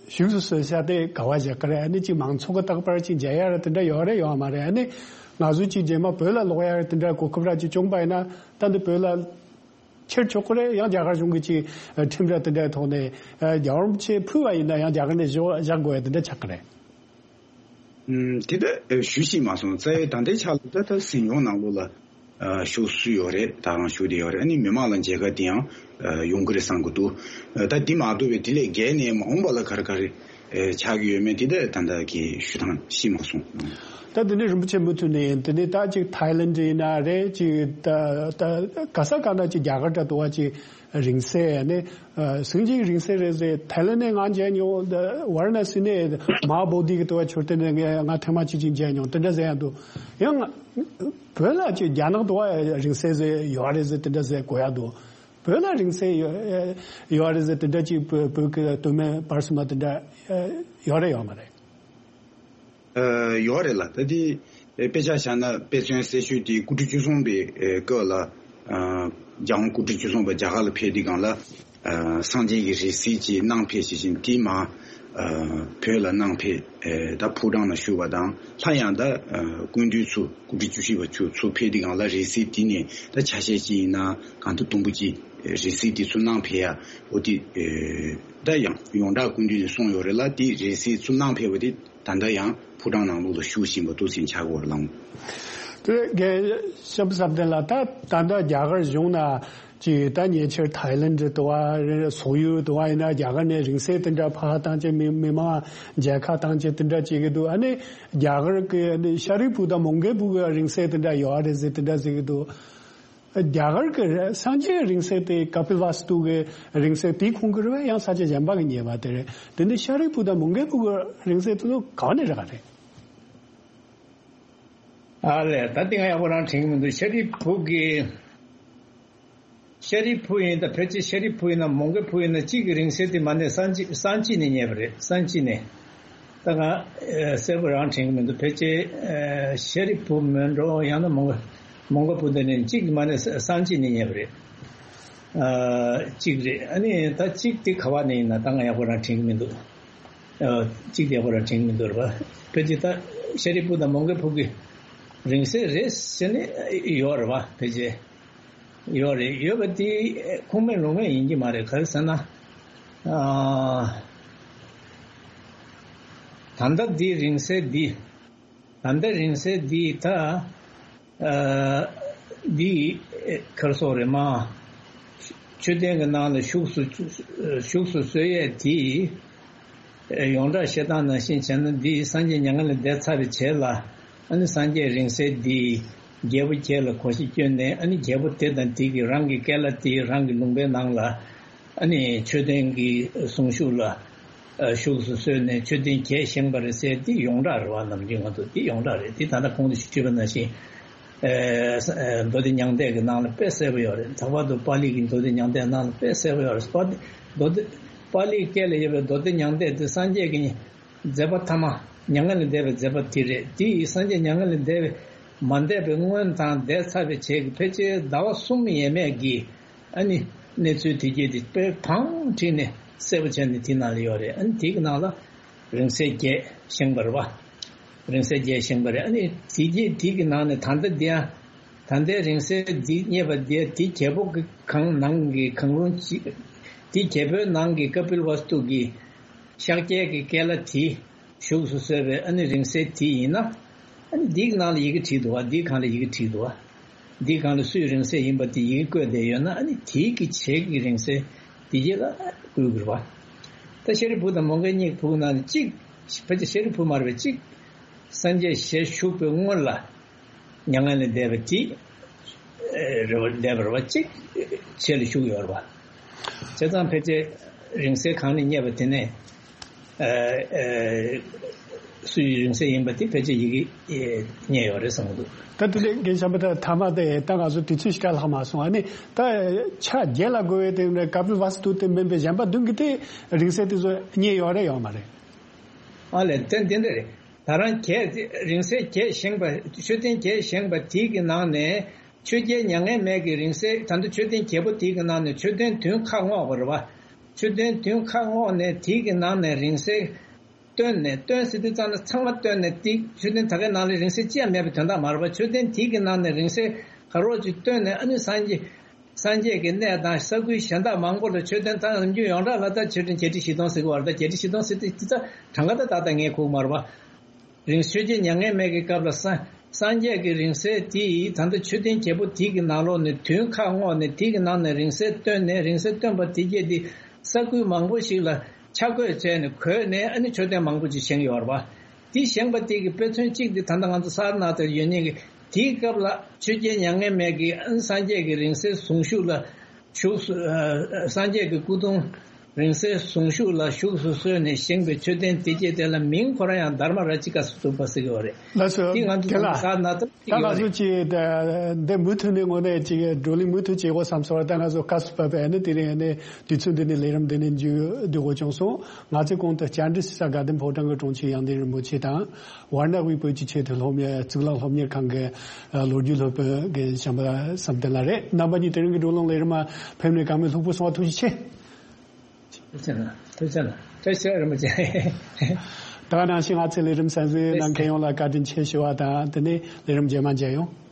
བཞུགས་སུ་གསོལ་ས་དེ་ག་བ་བཞག་གི་རེད། ཨ་ནི་ཅིག་མང་ཚོགས་ཀྱིས་རྟག་པར་ཅིག་མཇལ་ཡ་ར་དེ་འདྲ་ཡོད་རེད་ཡོད་མ་རེད། ཨ་ནི་ང་ཚོ་ཅིག་རྗེས་མ་བོད་ལ་ལོག་ཡ་ར་དེ་འདྲ་གོ་སྐབས་ར་ཅིག་བྱུང་པ་ཡིན་ན། ད་འདི་བོད་ལ་ཁྱེར་ཆོག་གི་རེད། ཡང་རྒྱ་གར་གཞུང་གིས་ཅིག་ཨ་ཁྲིམས་ར་དེ་འདྲའི་ཐོག་ནས་ཨ་རྒྱལ་བ་རིན་པོ་ཆེ་ཕུལ་བ་ཡིན་ན་ཡང་རྒྱ་གར་ནས་བཞག་བཞག་དགོས་ཡ་དེ་འདྲ་ཆགས་ཀྱི་རེད། ཨུམ། དེ་ལྟར་ཞུ་ཤེས་མ་སོང་། རྩ་བའི་ད་ལྟའི་ཆ་ལ་ད་ལྟ་གཟིམ་དཔོན་ནང་ལོགས་ལ་ཨ་བཞུགས་སུ་ཡོད་རེད། ད་རང་བཞུགས་བསྡད་ཡོད་རེད། ཨ་ནི་མི་མང་ལ་མཇལ་ཁ་དེ་ཡང་ཨ་ཡོང་གི་རེད་བསམ་གྱི་འདུག་ཨ་ད་དེ་མ་གཏོགས་པའི་དེ་ལས་བརྒལ་ནས་མ་འོངས་པ་ལ་ག་རེ་ག་རེ་ཨ་ཆགས་ཀྱི་ཡོད་མེད་དེ་ད་ད་ལྟ་གི་ཞུ་སྟངས་ཤེས་མ་སོང་། ད་དེ་ནས་རིན་པོ་ཆེ་མུ་མཐུད་ནས་ཡིན། དེ་ནས་ད་ཅིག་ཐའི་ལེན་ཌི་ཡིན་ན་རེད། ཅིག་ད་ད་ག་ས་ག་ན་ཅིག་རྒྱ་གར་འདྲ་འདུག་བ། ཅིག་རིང་བསྲེལ་ནི་ཨ་སངས་རྒྱས་ཀྱི་རིང་བསྲེལ་རེད་ཟེར། ཐའི་ལེན་ནས་ང་མཇལ་མྱོང་། ཝཱ་ར་ཎ་སི་ནས་མ་ཧཱ་བོ་དྷི་གི་དུ་བ་མཆོད་རྟེན་ནས་ང་ང་ཐེངས་མ་གཅིག་ཅིག་མཇལ་མྱོང་། དེ་འདྲ་ཟེར་ཡ་འདུག་ཡང་བོད་ལ་ཅིག་རྒྱ་ནག་དུ་བ་རིང་བསྲེལ་ཟེར་ཡོད་རེད་ཟེར། དེ་འདྲ་ཟེར་གོ་ཡ་འདུག་བོད་ལ་རིང་བསྲེལ་ཡོད་ཡོད་རེད་ཟེར། དེ་འདྲ་ཅིག་བོད་བོད་ཀྱི་སྟོད་སྨད་བར་གསུམ་མ་དེ་འདྲ་ཡོད་རེད་ཡོད་མ་རེད། ཨ་ཡོད་རེད་ལགས། ད་དེ་དཔེ་ཆ་བཞག་ན་དཔེ་མཚོན་གསལ་ཤོས་དེ་སྐུ་ཕྲེང་བཅུ་གསུམ་པའི་སྐབས་ལ་ཨ་རྒྱལ་དབང་སྐུ་ཕྲེང་བཅུ་གསུམ་པ་རྒྱ་གར་ལ་ཕེབས་དུས་སྒང་ལ་ཨ་སངས་རྒྱས་ཀྱི་རིང་བསྲེལ་ཅིག་གནང་ཕེབས་ཤེས་བཞིན། དེ་མ་ བོད་ལ་གནང་ཕེབས་ད་ཕོ་བྲང་ནང་བཞུགས་པ་དང་། སླར་ཡང་ད་སྐུ་མདུན་ཚོ་སྐུ་ཕྲེང་བཅུ་བཞི་པ་ཚོ་ཚོ་ཕེབས་དུས་སྒང་ལ་རིང་བསྲེལ་དེ་ནས་ད་ཆ་ཤས་ཅིག་ཡིན་ན་གང་ལྟར་དུམ་བུ་ཅིག་རིང་བསྲེལ་དེ་ཚོ་གནང་ཕེབས་ཡ། འོ་དེ་ད་ཡང་ཡོངས་གྲགས་སྐུ་མདུན་ནས་གསུངས་ཡོད་རེད་ལ། དེ་རིང་བསྲེལ་ཚོ་གནང་ཕེབས་པ་དེ་ད་ལྟ་ཡང་ཕོ་བྲང་ནང་ལོགས་ལ་བཞུགས་བཞིན་པ་འདུག་ཟེར་ཆགས་ཀྱི་ཡོད་རེད་ལགས། དེ་རྒན་ཤམ་བསམ་གཏན་ལགས། ད་ད་ལྟ་རྒྱ་གར་གཞུང་ན་ཅིག་ད་ཉེ་ཆར་ཐའི་ལེན་ཌི་དུ་བ་སོག་ཡུལ་དུ་བ་ཡིན་ན་རྒྱ་གར་ནས་རིང་བསྲེལ་དེ་འདྲ་ཕར་བཏང་བྱས་མི་མི་མང་མཇལ་ཁ་བཏང་བྱས་དེ་འདྲ་བྱེད་ཀྱི་འདུག་ཨ་ནི་རྒྱ་གར་གི་ཨ་ནི་ཤཱ་རིའི་བུ་དང་མོའུ་འགལ་བུ་གི་རིང་བསྲེལ་དེ་འདྲ་ཡོད་རེད་ཟེར་དེ་འདྲ་ཟེར་གྱི་འདུག་རྒྱ་གར་གི་སངས་རྒྱས་རིང་བསྲེལ་དེ་ཀ་པིལ་ཝ་སྟུ་གི་རིང་བསྲེལ་དེ་ཁོང་གི་རེད་པས། ཡང་ས་ཆ་གཞན་པ་གི་རྙེད་པ་དེ་རེད། དེ་ནི་ཤཱ་རིའི་བུ་དང་མོའུ་འགལ་བུ་གི་རིང་བསྲེལ་དེ་ཚོ་ག་ནས་རག་རེད། ཨ་ལས། ད་དེ་ང་ཡག་པོ་རང་དྲན་གྱི་མི་འདུག་ཤཱ་རིའི་བུ་གི། ཤཱ་རིའི་བུ་ཡིན་ད་ཕལ་ཆེར་ཤཱ་རིའི་བུ་ཡིན་ན་མོའུ་འགལ་བུ་ཡིན་ན་གཅིག་གི་རིང་བསྲེལ་དེ་མ་ནས་སང་ཕྱི་སང་ཕྱི་ནས་རྙེད་པ་རེད། སང་ཕྱི་ནས། ད་ང་ཨེ་གསལ་པོ་རང་དྲན་གྱི་མི་འདུག་ཕལ་ཆེར་ཨེ་ཤཱ་རིའི་བུ་མིན་འགྲོ། ཡང་ན་མོའུ་འགལ་མོའུ་འགལ་བུ་འདི་ནས་གཅིག་གི་མ་ནས་སང་ཕྱི་ནས་རྙེད་པ་རེད། ཨ་གཅིག་རེད། ཨ་ནི་ད་གཅིག་དེ་ག་བ་ནས་ཡིན་ན་ད་ང་ཡག་པོ་རང་དྲན་གྱི་མི་འདུག་ཨ་གཅིག་དེ་ཡག་པོ་རང་དྲན་གྱི་མི་འདུག་རེད་པ། ཕལ་ཆེར་ད་ཤཱ་རིའི་བུ་དང་མོའུ་འགལ་བུ་གི་རིང་བསྲེལ་རེད་ཟེར་ནས་ཡོད་རེད་པ། ཕལ་ཆེར་ཡོད་རེད། ཡོད་པ་དེ་ཁུངས་མེད་ལུང་མེད་ཡིན་གྱི་མ་རེད། ག་རེ་ཟེར་ན། ཨ་ད་ལྟ་འདི་རིང་བསྲེལ་འདི། ད་ལྟ་རིང་བསྲེལ་འདི་ད། ཨ་འདི་ག་རེ་ཟེར་དགོས་རེད་མ། མཆོད་རྟེན་གྱི་ནང་ལ་བཞུགས་སུ་བཞུགས་སུ་གསོལ་ཡས་དེ། ཡོངས་གྲགས་བཤད་སྟངས་ནང་བཞིན་བྱས་ན་འདི་སངས་རྒྱས་མྱ་ངན་ལས་འདས་ཚར་བའི་རྗེས་ལ། ཨ་ནི་སངས་རྒྱས་རིང་བསྲེལ་འདི་རྒྱལ་པོ་བརྒྱད་ལ་གོ་ཤེས་བསྐྱོན་ནས། ཨ་ནི་རྒྱལ་པོ་དེ་དང་དེ་གིས་རང་གི་སྐྱེས་ལ་དེ་རང་གི་ལུང་པའི་ནང་ལ། ཨ་ནི་མཆོད་རྟེན་གྱི་གཟུངས་གཞུག་ལ་ཨ་བཞུགས་སུ་གསོལ་ནས་མཆོད་རྟེན་བརྒྱད་བཞེངས་པ་རེད་ཟེར། འདི་ཡོངས་གྲགས་རེད་པ། ནམ་རྒྱུན་ང་ཚོ་འདི་ཡོངས་གྲགས་རེད། འདི་ད་ལྟ་གོང་དུ་ཞུས་པ་ནང་བཞིན། ཨ་མདོ་སྡེ་མྱང་འདས་ཀྱི་ནང་ལ་དཔེ་གསལ་པོ་ཡོད་རེད། ལྷག་པར་དུ་པཱ་ལི་གི་མདོ་སྡེ་མྱང་འདས་ནང་ལ་དཔེ་གསལ་པོ་ཡོད་རེད། པཱ་ལི་མདོ་སྡེ་པཱ་ལིའི་སྐད་ལ་ཡོད་པའི་མདོ་སྡེ་མྱང་འདས་དེ་སངས་རྒྱས་ཀྱི་མཛད་པ་ཐ་མ། མྱ་ངན་ལས་འདས་པའི་མཛད་པ་དེ་རེད། དེ་ཡིས་སངས་རྒྱས་མྱ་ངན་ལས་འདས་པའི་མ་འདས་པའི་སྔོན་དང་འདས་ཚར་བའི་རྗེས་ཀྱི་ཕལ་ཆེར་ཟླ་བ་གསུམ་ཡས་མས་ཀྱི། ཨ་ནི་གནས་ཚུལ་དེ་གྱད་དེ་དཔེ་བང་བསྒྲིགས་ནས་གསལ་པོ་བྱས་ནས་དེ་ནང་ལ་ཡོད་རེད། ཨ་ནི་དེ་གི་ནང་ལ་རིང་བསྲེལ་བརྒྱད་བཞེངས་པ་རེད་པ། རིང་བསྲེལ་བརྒྱད་བཞེངས་པ་རེད། ཨ་ནི་དེ་གྱད་དེ་གི་ནང་ནས་ད་ལྟ་འདི་ཡང་ད་ལྟའི་རིང་བསྲེལ་འདི་རྙེད་པ་འདི་དེ་རྒྱལ་པོ་གི་གང་ནང་གི་གང་རུང་ཅིག་དེ་རྒྱལ་པོའི་ནང་གི་ཀ་པིལ་ཝ་སྟུ་གི་ཤཱཀྱའི་གི་སྐྱེས་ལ་དེ་བཞུགས་སུ་གསོལ་བའི་ཨ་ནི་རིང་བསྲེལ་དེ་ཡིན་ན། ཨ་ནི་འདིའི་ནང་ལ་ཡི་གེ་བྲིས་འདུག་པ། འདིའི་སྒང་ལ་ཡི་གེ་བྲིས་འདུག་པ། འདིའི་སྒང་ལ་སུའི་རིང་བསྲེལ་ཡིན་པ་དེ་ཡི་གེ་བཀོད་བསྡད་ཡོད་ན། ཨ་ནི་དེའི་གི་བྱེད་ཀྱི་རིང་བསྲེལ་འདི་གྱད་ལ་བཀོད་དགོས་པ། ད་ཤཱ་རིའི་བུ་དང་མོའུ་འགལ་གཉིས་བུ་ནང་ནས་གཅིག་ཕལ་ཆེར་ཤཱ་རིའི་བུ་མ་རེད་པ། གཅིག་སངས་རྒྱས་ཞལ་བཞུགས་པའི་སྔོན་ལ་མྱ་ངན་ལས་འདས་པ་དེ་རེད་པ། འདས་པ་རེད་པ། གཅིག་རྗེས་ལ་བཞུགས་ཡོད་རེད་པ། བྱས་ཙང་ཕལ་ཆེར་རིང་བསྲེལ་གང་ནས་རྙེད་པ་དེ་ནས། ཨ་ཨ་སུའི་རིང་བསྲེལ་ཡིན་པ་དེ་ཕལ་ཆེར་ཡི་གེ་ཨེ་རྙེད་ཡོད་རེད་བསམ་གྱི་འདུག་ད་དེ་ནས་རྒན་ཤམ་བུ་ཐ་མ་དེ་ད་ང་ཚོ་དུས་ཚོད་ཞེ་དྲག་ལྷག་མ་སོང་། ཨ་ནི་ད་ཕྱག་བརྒྱད་ལ་བགོ་བའི་སྟེང་ནས་ཀ་པིལ་ཝ་སྟུ་དེ་མིན་པའི་གཞན་པ་བདུན་གྱི་དེ་རིང་བསྲེལ་དེ་ཚོ་རྙེད་ཡོད་རེད་ཡོད་མ་རེད། ཨ་ལས། དེ་འདི་འདྲ་རེད། ད་རང་བརྒྱད་དེ་རིང་བསྲེལ་བརྒྱད་བཞེངས་པ། མཆོད་རྟེན་བརྒྱད་བཞེངས་པ་དེ་གི་ནང་ནས། ཆོས་རྒྱལ་མྱ་ངན་མེད་ཀྱི་རིང་བསྲེལ། ད་ལྟ་མཆོད་རྟེན་བརྒྱད་པོ་དེ་གི་ནང་ནས་མཆོད་རྟེན་བདུན་ཁ་བསྔོགས་པ་རེད་པ། མཆོད་རྟེན་བདུན་ཁ་བསྔོགས་ནས་དེ་གི་ནང་ནས་རིང་བསྲེལ་བཏོན་ནས། བཏོན་ཟེར་དུས་ཙམ་ལ་ཚང་མ་བཏོན་ནས། དེ་མཆོད་རྟེན་ད་གའི་ནང་ལ་རིང་བསྲེལ་ཅི་ཡང་མེད་པའི་དོན་དག་མ་རེད་པ། མཆོད་རྟེན་དེ་གི་ནང་ནས་རིང་བསྲེལ་ག་རོགས་ཅིག་བཏོན་ནས། ཨ་ནི་སངས་རྒྱས་སངས་རྒྱས་ཀྱི་གནས་དང་ས་ཁུལ་གཞན་དག་མང་པོ་ལ་མཆོད་རྟེན་དང་། ནམ་རྒྱུན་ཡོངས་གྲགས་ལ་ད་མཆོད་རྟེན་བརྒྱད་ཁྲི་བཞི་སྟོང་ཟེར་གྱི་ཡོད་རེད། ད་བརྒྱད་ཁྲི་བཞི་སྟོང་ཟེར་དུས་ཙམ་གྲངས་ཀ་ད་ད་ལྟ་ངས་གོ་གི་མ་རེད་པ། རིང་ཆོས་རྒྱལ་མྱ་ངན་མེད་ཀྱི་སྐབས་ལ་སངས་སངས་རྒྱས་ཀྱི་རིང་བསྲེལ་དེ་ད་ལྟ་མཆོད་རྟེན་བརྒྱད་པོ་དེ་གི་ནང་ལོགས་ནས་བདུན་ཁ་བསྔོགས་ནས། དེ་གི་ནང་ནས་རིང་བསྲེལ་བཏོན་ནས། རིང་བསྲེལ་བཏོན་པ་དེ་གྱད་དེ་ས་ཁུལ་མང་པོ་ཞིག་ལ་ཆ་བགོས་བྱས་ནས་བགོས་ནས། ཨ་ནི་མཆོད་རྟེན་མང་པོ་ཅིག་བཞེངས་ཡོད་རེད་པ། དེ་བཞེངས་པ་དེ་གི་དཔེ་མཚོན་གཅིག་དེ་ད་ལྟ་ང་ཚོ་སཱ་ར་ནཱ་ཐར་ཡོད་མཁན་གྱི། དེའི་སྐབས་ལ་ཆོས་རྒྱལ་མྱ་ངན་མེད་ཀྱིས་ཨ་ནི་སངས་རྒྱས་ཀྱི་རིང་བསྲེལ་གཟུངས་གཞུག་ལ་བཞུགས་སུ། ཨ་སངས་རྒྱས་ཀྱི་སྐུ་གདུང་རིང་བསྲེལ་གཟུངས་གཞུག་ལ་བཞུགས་སུ་གསོལ་ནས་བཞེངས་པའི་མཆོད་རྟེན་དེ་གྱད་དེ་ལ་མིང་ཁོ་རང་ཡང་དྷརྨ་རཱ་ཇི་ཀ་སྟུ་པ་ཟེར་གྱི་ཡོད་རེད། ལགས་སོ། དེ་ང་ཚོ་རྒན་ལགས། སཱ་ར་ནཱ་ཐར་ད་ང་ཚོ་ཅིག་འདི་མུ་མཐུད་ནས་དངོས་གནས་ཅིག་བགྲོ་གླེང་མུ་མཐུད་བྱེད་དགོས་བསམ་སོང་བ། ད་ང་ཚོ་སྐབས་སུ་བབས་པའི་ཨ་ནི་དེ་རིང་ཨ་ནི་དུས་ཚོད་འདི་ནས་ལས་རིམ་འདི་ནས་མཇུག་བསྡུ་དགོས་བྱུང་སོང་། ང་ཚོས་གོང་དུ་བཅར་འདྲི་ཞུ་ས་དགའ་ལྡན་ཕོ་བྲང་གི་དྲུང་ཆེ་དབྱངས་ལྡན་རིན་པོ་ཆེ་དང་། ཝཱ་ར་ཎ་ཝི་བོད་ཀྱི་ཆེས་མཐོའི་སློབ་གཉེར་གཙུག་ལག་སློབ་གཉེར་ཁང་གི་ལོ་རྒྱུས་སློབ་དཔོན་རྒན་བྱམས་པ་བསམ་གཏན་ལགས་རེད། རྣམ་པ་གཉིས་དེ་རིང་གི་བགྲོ་གླེང་ལས་རིམ་མ་ཕེབས་ནས་གང་མོས་ལྷུག་པོ་སོང་བ་ཐུགས་རྗེ་ཆེ། ཐུགས་རྗེ་གནང་། ཐུགས་རྗེ་གནང་། ཨེ་ཤེས་རིན་པོ་ཆེ། ད་ག་ནང་བཞིན་ང་ཚོའི་ལས་རིམ་གསན་གཟིགས་གནང་མཁན་ཡོངས་ལ་བཀའ་དྲིན་ཆེ་ཞུ་བ་དང་དེ་ནས་ལས་རིམ་རྗེས་མ་མཇལ་ཡོང་།